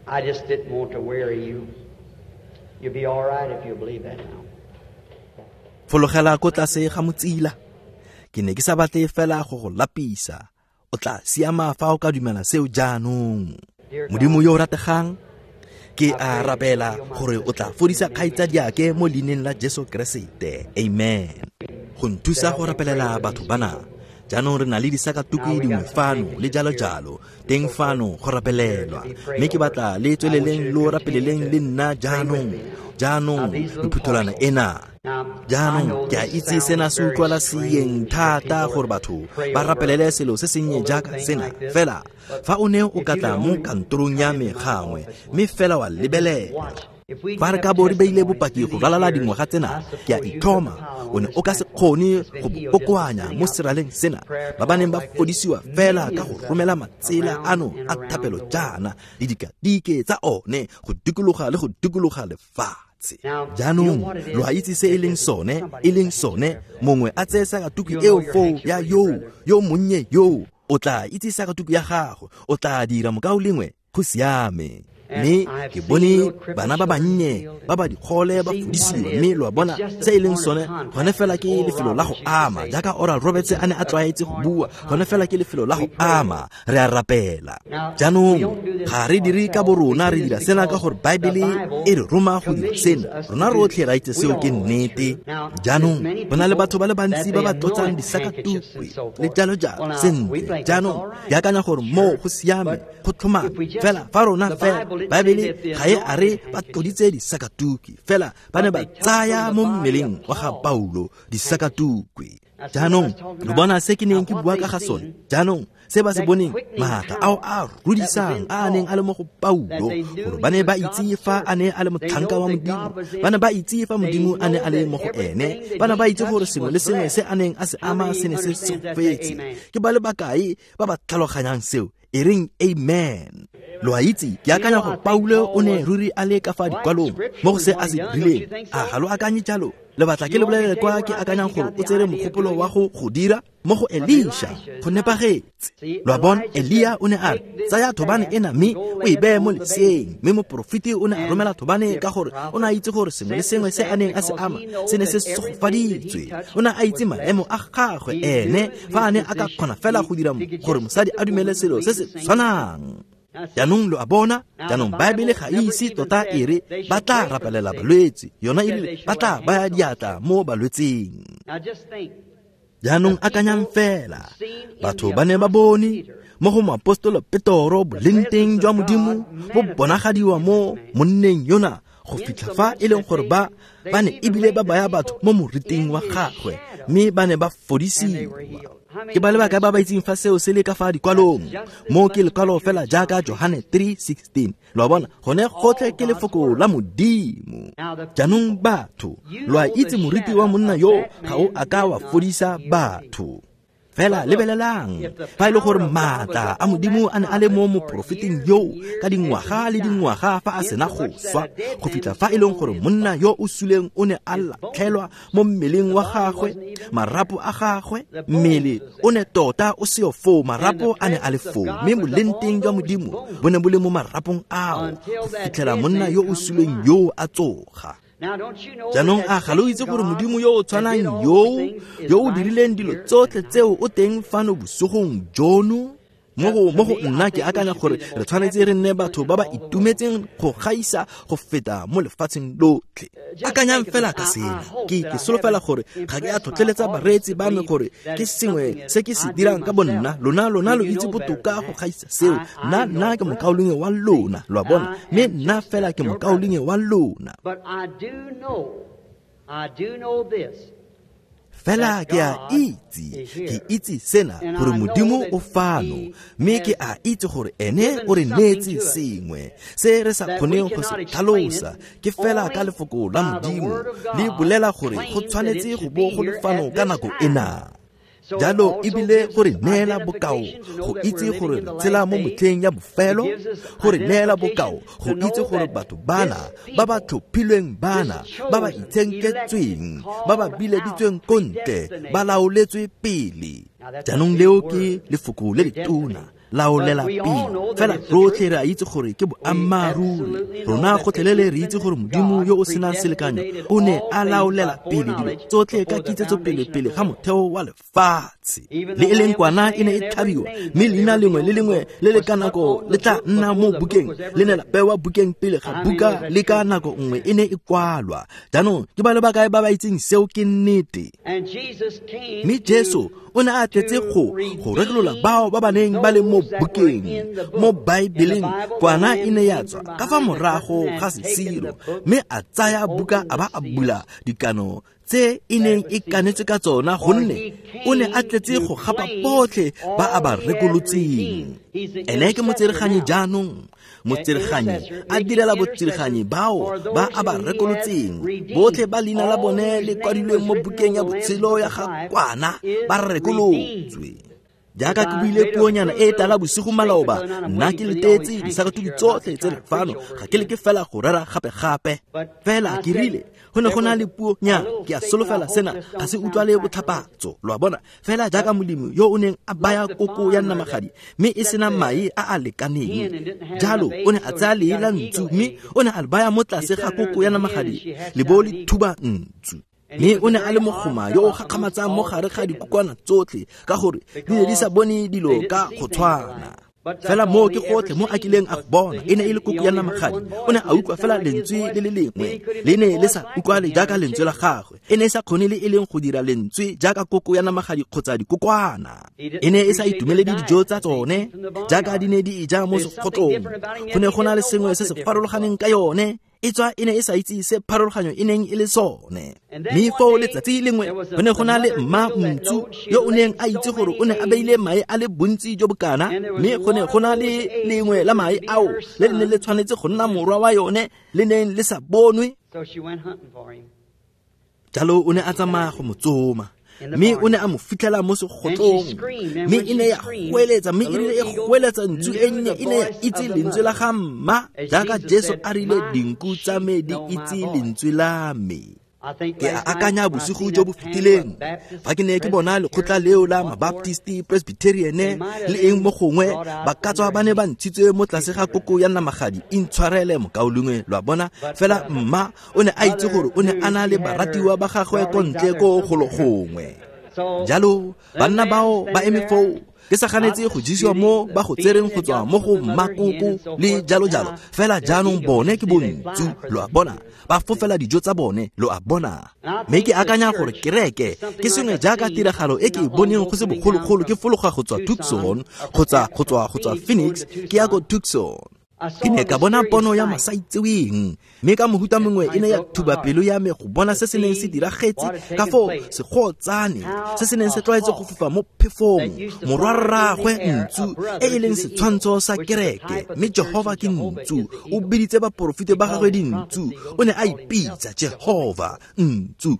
I just didn't want to weary you. You'll be all right if you believe that now. Fologela ko tlase ga motsila. Ke ne ke sa batle fela go go lapisa. O tla siama fa o ka dumela seo jaanong. Modimo yo o rategang, ke a rapela gore o tla fodisa kgaitsadiake mo leineng la Jesu Keresete, amen. Go nthusa go rapelela batho bana, Jaanong re na le disakatuku dingwe fano le jalo jalo teng fano go rapelelwa, mme ke batla le tsweleleng lo rapeleleng le nna jaanong. Jaanong diphutholwana ena. Jaanong ke a itse sena se utlwala seeng thata gore batho ba rapelele selo se sennye jaaka sena, fela fa o ne o ka tla mo kantorong ya me gangwe mme fela wa lebelela, fa re ka bo re beile bopaki go ralala dingwaga tsena, ke a itlhoma o ne o ka se kgone go bo kokoanya mo seraleng sena, ba ba neng ba fodisiwa fela ka go romela matsela ano a thapelo jaana le dikadike tsa one go dikologa le go dikologa lefatshe. Jaanong lo a itse se e leng sone, e leng sone mongwe a tseye sakatuku eo foo ya yoo yo monnye yoo, o tla itse sakatuku ya gago, o tla dira mokaulengwe, go siame. Mme ke bone bana ba bannye ba ba dikgole ba fodisiwa, mme lo a bona se e leng sone, gone fela ke lefelo la go ama, jaaka Oral Roberts a ne a tlwaetse go bua, gone fela ke lefelo la go ama, re a rapela. Jaanong ga re dire ka borona, re dira sena ka gore Baebele e re roma go dira sena, rona rotlhe ra itse seo ke nnete. Jaanong go na le batho ba le bantsi ba ba tlotsang disakatukwe le jalo jalo. Sentle, jaanong ke akanya gore moo go siame, go tlhomame, fela fa rona fela Baebele ga e a re ba tloditse disakatuki, fela ba ne ba tsaya mo mmeleng wa ga Paulo disakatukwe. Jaanong lo bona se ke neng ke bua ka ga sone. Jaanong se ba se boneng, maatla ao a rudisang a a neng a le mo go Paulo, gore ba ne ba itse fa a ne a le motlhanka wa Modimo, ba ne ba itse fa Modimo a ne a le mo go ene, ba ne ba itse gore sengwe le sengwe se a neng a se ama se ne se segofetse. Ke ba le bakae ba ba tlhaloganyang seo? E reng amen. Lo a itse, ke akanya gore Paulo o ne ruri a le ka fa dikwalong mo go se a se dirileng. A ga lo akanye jalo? Le batla ke le bolelele kwa ke akanyang gore o tsere mogopolo wa go go dira mo go Elisha, go nepagetse. Lo a bona, Elia o ne a re, tsaya thobane ena mme o e beye mo leseeng, mme moporofeti o ne a romela thobane ka gore o ne a itse gore sengwe le sengwe se a neng a se ama se ne se segofaditswe. O ne a itse maemo a gagwe ene, fa a ne a ka kgona fela go dira gore mosadi a dumele selo se se tshwanang. Jaanong lo a bona, jaanong Baebele ga e ise tota e re ba tla rapelela balwetse, yona e rile ba tla baya diatla mo balwetseng. Jaanong akanyang fela, batho ba ne ba bone mo go moapostolo Petoro boleng teng jwa Modimo bo bonagadiwa mo monneng yona go fitlha fa e leng gore ba ba ne ebile ba baya batho mo moriting wa gagwe, mme ba ne ba fodisiwa. Ke ba le bakae ba ba itseng fa seo se le ka fa dikwalong? Mo ke lekwalo fela jaaka Johane three sixteen. Lo a bona, gone gotlhe ke lefoko la Modimo. Jaanong batho, lo a itse moriti wa monna yo ga o a ka wa fodisa batho. Fela lebelelang, fa e le gore maatla a Modimo a ne a le mo moporofeteng yoo ka dingwaga le dingwaga fa a sena go swa, go fitlha fa e leng gore monna yo o suleng o ne a latlhelwa mo mmeleng wa gagwe, marapo a gagwe, mmele o ne tota o seo foo, marapo a ne a le foo, mme boleng teng jwa Modimo bo ne bo le mo marapong ao go fitlhela monna yo o suleng yoo a tsoga. Jaanong a ga lo itse gore Modimo yo o tshwanang yoo, yo o dirileng dilo tsotlhe tseo o teng fano bosigong jono? Mo go mo go nna ke akanya gore re tshwanetse re nne batho ba ba itumetseng go gaisa go feta mo lefatsheng lotlhe. Akanyang fela ka sena, ke ke solofela gore ga ke a tlhotlheletsa bareetsi ba me gore ke sengwe se ke se dirang ka bonna, lona lona lo itse botoka go gaisa seo. Nna nna ke mokaulengwe wa lona, lo a bona, mme nna fela ke mokaulengwe wa lona. But I do know, I do know this. Fela ke a itse, ke itse sena gore Modimo o fano, mme ke a itse gore ene o re neetse sengwe se re sa kgoneng go se tlhalosa. Ke fela ka lefoko la Modimo le bolela gore go tshwanetse go bo go le fano ka nako ena. Jalo ebile gore neela bokao go itse gore re tshela mo motlheng ya bofelo, gore neela bokao go itse gore batho bana ba ba tlhophilweng bana ba ba itshenketsweng ba ba bileditsweng ko ntle ba laoletswe pele. Jaanong leo ke lefoko le letona, laolela pele. Fela rotlhe re a itse gore ke boammaaruri. Rona gotlhelele re itse gore Modimo yo o senang selekanyo o ne a laolela pele dilo tsotlhe ka kitsetso pele pele ga motheo wa lefatshe. lefatshe. Le e leng kwana e ne e tlhabiwa, mme leina lengwe le lengwe le le ka nako le tla nna mo bukeng, le ne la bewa bukeng pele ga buka le ka nako nngwe e ne e kwalwa. Jaanong ke ba le bakae ba ba itseng seo ke nnete? Mme Jesu o ne a tletse go go rekolola bao ba ba neng ba le mo bukeng, mo Baebeleng. Kwana e ne ya tswa ka fa morago ga sesiro, mme a tsaya buka a ba a bula dikano tse e neng e kanetswe ka tsona, gonne o ne a tletse go gapa botlhe ba a ba rekolotseng. Ene ke motsereganyi jaanong, motsereganyi a direla botsereganyi bao ba a ba rekolotseng, botlhe ba leina la bone le kwadilweng mo bukeng ya botshelo ya ga kwana ba rekolotswe. Jaaka ke buile puonyana e tala bosigo maloba, nna ke letetse disakatuku tsotlhe tse le fano, ga ke leke fela go rera gape-gape. Fela ke rile go ne go na le puonyana, ke a solofela sena ga se utlwale botlhapatso, lo a bona. Fela jaaka molemi yo o neng a baya koko ya namagadi mme e sena mae a a lekaneng, jalo o ne a tsaya lee la ntsu mme o ne a le baya mo tlase ga koko ya namagadi, le bo le thuba ntsu. Mme o ne a le mogoma yo o gakgamatsang mo gare ga dikokwana tsotlhe, ka gore di ne di sa bone dilo ka go tshwana. Fela moo ke gotlhe mo a kileng a go bona, e ne e le koko ya namagadi. O ne a utlwa fela lentswe le le lengwe, le ne le sa utlwale jaaka lentswe la gagwe. E ne e sa kgone le e leng go dira lentswe jaaka koko ya namagadi kgotsa dikokwana. E ne e sa itumelele dijo tsa tsone jaaka di ne di e ja mo segotlong. Go ne go na le sengwe se se farologaneng ka yone, e tswa e ne e sa itse se pharologanyo e neng e le sone. Mme foo letsatsi lengwe go ne go na le mma ntsu yo o neng a itse gore o ne a beile mae a le bontsi jo bokana, mme go ne go na le lengwe la mae ao le le neng le tshwanetse go nna morwa wa yone le neng le sa bonwe. Jalo o ne a tsamaya go mo tsoma, mme o ne a mo fitlhela mo segotlong, mme e ne ya goeletsa, mme e rile e goeletsa ntsu e nnye e ne ya itse lentswe la ga mma, jaaka Jesu a rile dinku tsa me di itse lentswe la me. Ke a akanya bosigo jo bo fetileng fa ke ne ke bona lekgotla leo la Mabaptisti, Presbyterian le eng mo gongwe, ba ka tswa ba ne ba ntshitswe mo tlase ga koko ya namagadi. Intshwarele mokaulengwe, lo a bona. Fela mma o ne a itse gore o ne a na le baratiwa ba gagwe ko ntle ko golo gongwe. Jalo banna bao ba eme foo, ke sa ganetse go jesiwa mo ba go tsereng go tswa mo go mmakoko le jalo jalo. Fela jaanong bone ke bontsu, lo a bona, ba fofela dijo tsa bone, lo a bona. Mme ke akanya gore kereke ke sengwe jaaka tiragalo e ke e boneng go se bogologolo ke fologa go tswa Tucson kgotsa go tswa go tswa Phoenix ke ya ko Tucson. Ke ne ka bona pono ya masaitseweng, mme ka mohuta mongwe e ne ya thuba pelo ya me go bona se se neng se diragetse ka foo segotsane se se neng se tlwaetse go fofa mo phefong, morwarraagwe ntsu e e leng setshwantsho sa kereke. Mme Jehova ke ntsu, o biditse baporofete ba gagwe dintsu, o ne a ipitsa Jehova ntsu.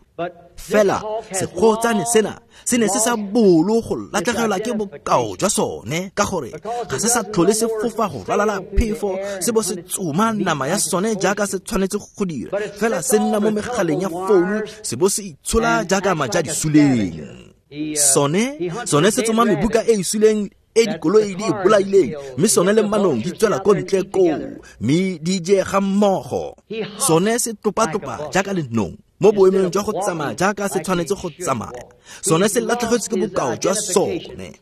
Fela segotsane sena se ne se sa bolo go latlhegelwa ke bokao jwa sone, ka gore ga se sa tlhole se fofa go ralala phefo se bo se tsoma nama ya sone jaaka se tshwanetse go dira. Fela se nna mo megaleng ya founu se bo se itshola jaaka maja di suleng. Sone sone se tsoma mebuka e e suleng e dikoloi di e bolaileng, mme sone le manong di tswela ko ntle koo mme di je ga mmogo. Sone se tlopa-tlopa jaaka lenong mo boemong jwa go tsamaya jaaka se tshwanetse go tsamaya. Sone se latlhegetswe ke bokao jwa sone.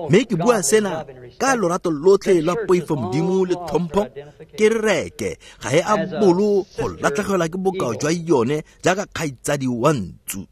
Mme ke bua sena ka lorato lotlhe lwa poifo Modimo le tlhompho, kereke ga e a bolo go latlhegelwa ke bokao jwa yone jaaka kgaitsadi wa ntsu.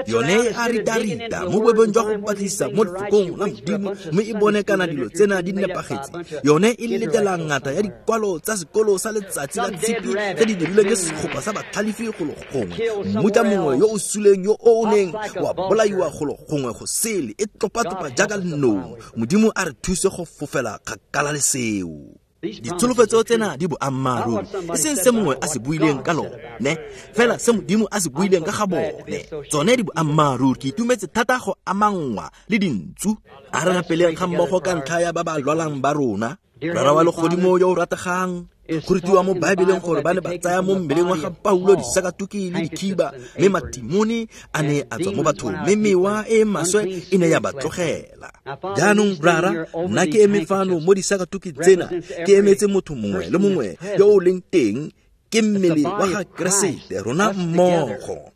Yone a rita-rita mo boemong jwa go batlisisa mo lefokong la Modimo mme e bone kana dilo tsena di nepagetse. Yone e letela ngata ya dikwalo tsa sekolo sa letsatsi la tshipi tse di dirilweng ke segopa sa batlhalefi golo gongwe, mmuta mongwe yo o suleng yo o neng wa bolaiwa golo gongwe go sele, e tlopa-tlopa jaaka lenong. Modimo a re thuse go fofela kgakala le seo. Ditsholofetso tsena di boammaaruri, e seng se mongwe a se buileng ka lone, fela se Modimo a se buileng ka ga bone. Tsone di boammaaruri. Ke itumetse thata go amanngwa le dintsu. A re rapeleng ga mmogo ka ntlha ya ba ba lwalang ba rona. Rara wa legodimo yo o rategang, go rutiwa mo Baebeleng gore ba ne ba tsaya mo mmeleng wa ga Paulo disakatuki le dikhiba, mme matimone a ne a tswa mo bathong, mme mewa e maswe e ne ya ba tlogela. Jaanong Rara, nna ke eme fano mo disakatuki tsena, ke emetse motho mongwe le mongwe yo o leng teng, ke mmele wa ga Keresete, rona mmogo.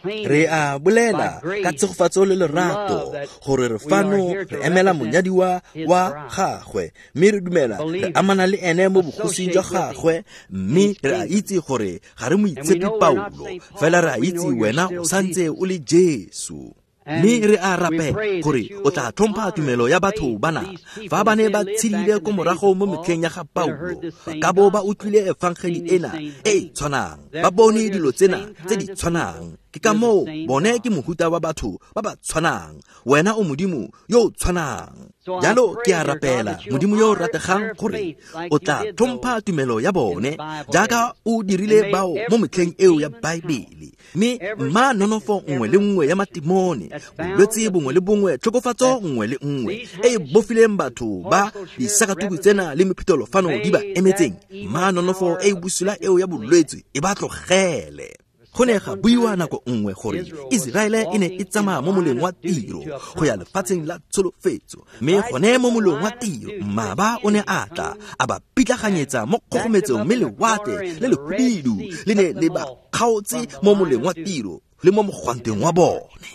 Re a bolela ka tshegofatso le lerato gore re fano re emela monyadiwa wa gagwe, mme re dumela re amana le ene mo bogosing jwa gagwe, mme re a itse gore ga re moitshepi Paulo, fela re a itse wena o santse o le Jesu. Mme re a rapela gore o tla tlhompha tumelo ya batho bana fa ba ne ba tshedile ko morago mo metlheng ya ga Paulo, ba ka bo ba utlwile efangeli ena e e tshwanang, ba bone dilo tsena tse di tshwanang. Ke ka moo bone ke mohuta wa batho ba ba tshwanang, wena o Modimo yo o tshwanang. Jalo ke a rapela Modimo yo o rategang gore o tla tlhompha tumelo ya bone jaaka o dirile bao mo metlheng eo ya Baebele, mme mma nonofo nngwe le nngwe ya matimone, bolwetse bongwe le bongwe, tlhokofatso nngwe le nngwe e e bofileng batho ba disakatuku tsena le mephutelo fano di ba emetseng, mma nonofo e e bosula eo ya bolwetse e ba tlogele. Go ne ga buiwa nako nngwe gore Iseraele e ne e tsamaya mo moleng wa tiro go ya lefatsheng la tsholofetso, mme gone mo moleng wa tiro mmaba o ne a tla a ba pitlaganyetsa mo kgogometsong, mme lewatle le lehubidu le ne le ba kgaotse mo moleng wa tiro le mo mogwanteng wa bone.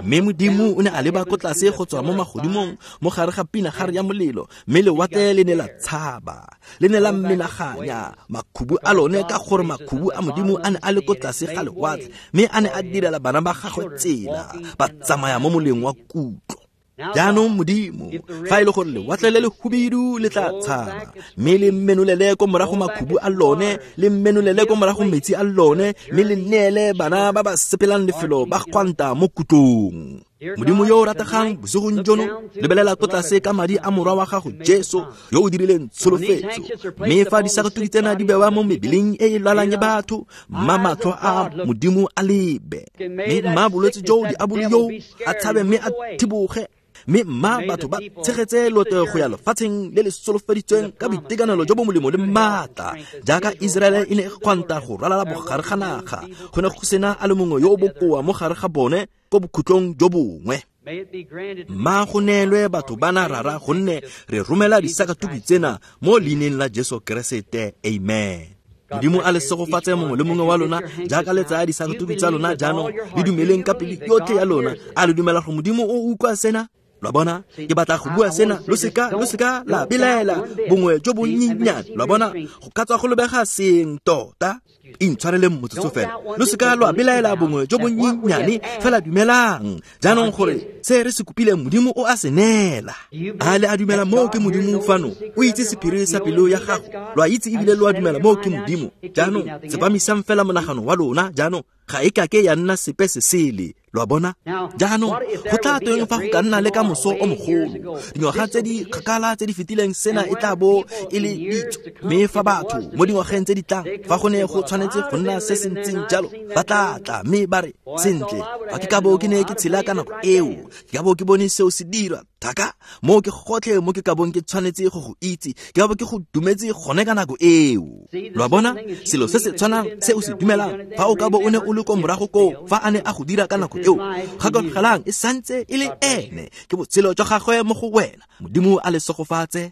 Mme Modimo o ne a leba ko tlase go tswa mo magodimong mo gare ga pinagare ya molelo, mme lewatle le ne la tshaba, le ne la menaganya makhubu a lone, ka gore makhubu a Modimo a ne a le ko tlase ga lewatle, mme a ne a direla bana ba gagwe tsela, ba tsamaya mo moleng wa kutlo. Jaanong Modimo, fa e le gore lewatle le le hubidu le tla tshaba, mme le menolele ko morago makhubu a lone, le menolele ko morago metsi a lone, mme le neele bana ba ba sepelang lefelo ba gwanta mo kutlong. Modimo yo o rategang, bosigong jono lebelela ko tlase ka madi a morwa wa gago Jesu yo o dirileng tsholofetso, mme fa disakatuku tsena di bewa mo mebeleng e e lwalang ya batho, mma matlho a Modimo a lebe, mme mma bolwetse jo diabolo yo a tshabe mme a thiboge, mme mma batho ba tshegetse loto go ya lefatsheng le le solofeditsweng ka boitekanelo jo bo molemo le maatla, jaaka Iseraele e ne e gwanta go ralala bogare ga naga, go ne go sena a le mongwe yo o bokoa mo gare ga bone ko bokhutlong jo bongwe. Mma go neelwe batho bana rara, gonne re romela disakatuku tsena mo leineng la Jesu Keresete, amen. Modimo a le segofatse mongwe le mongwe wa lona jaaka le tsaya disakatuku tsa lona jaanong, le dumeleng ka pelo yotlhe ya lona. A le dumela gore Modimo o utlwa sena? Lo a bona, ke batla go bua sena, lo seka lo seka la belaela bongwe jo bonnyenyane. Lo a bona, go ka tswa go lebega seng tota. Intshwareleng motsotso fela, lo seka lwa belaela bongwe jo bonnyenyane, fela dumelang jaanong gore se re se kopileng Modimo o a se neela. A le a dumela moo ke Modimo fano, o itse sephiri sa pelo ya gago, lo a itse ebile lo a dumela moo ke Modimo. Jaanong tsepamisang fela monagano wa lona jaanong, ga e kake ya nna sepe se sele. Lo a bona? Jaanong go tla tweng fa go ka nna le ka moso o mogolo, dingwaga tse di kgakala tse di fetileng sena e tla bo e le ditso, mme fa batho mo dingwageng tse di tlang fa go ne go tshwanetse go nna se se ntseng jalo, ba tla tla mme ba re, sentle, fa ke ka bo ke ne ke tshela ka nako eo, ke ka bo ke bone seo se dirwa thaka, mo ke gotlhe mo ke ka bong ke tshwanetse go go itse, ke ka bo ke go dumetse gone ka nako eo. Lo a bona? Selo se se tshwanang se o se dumelang, fa o ka bo o ne o le ko morago koo fa a ne a go dira ka nako eo, gakologelang e santse e le ene, ke botshelo jwa gagwe mo go wena. Modimo a le segofatse.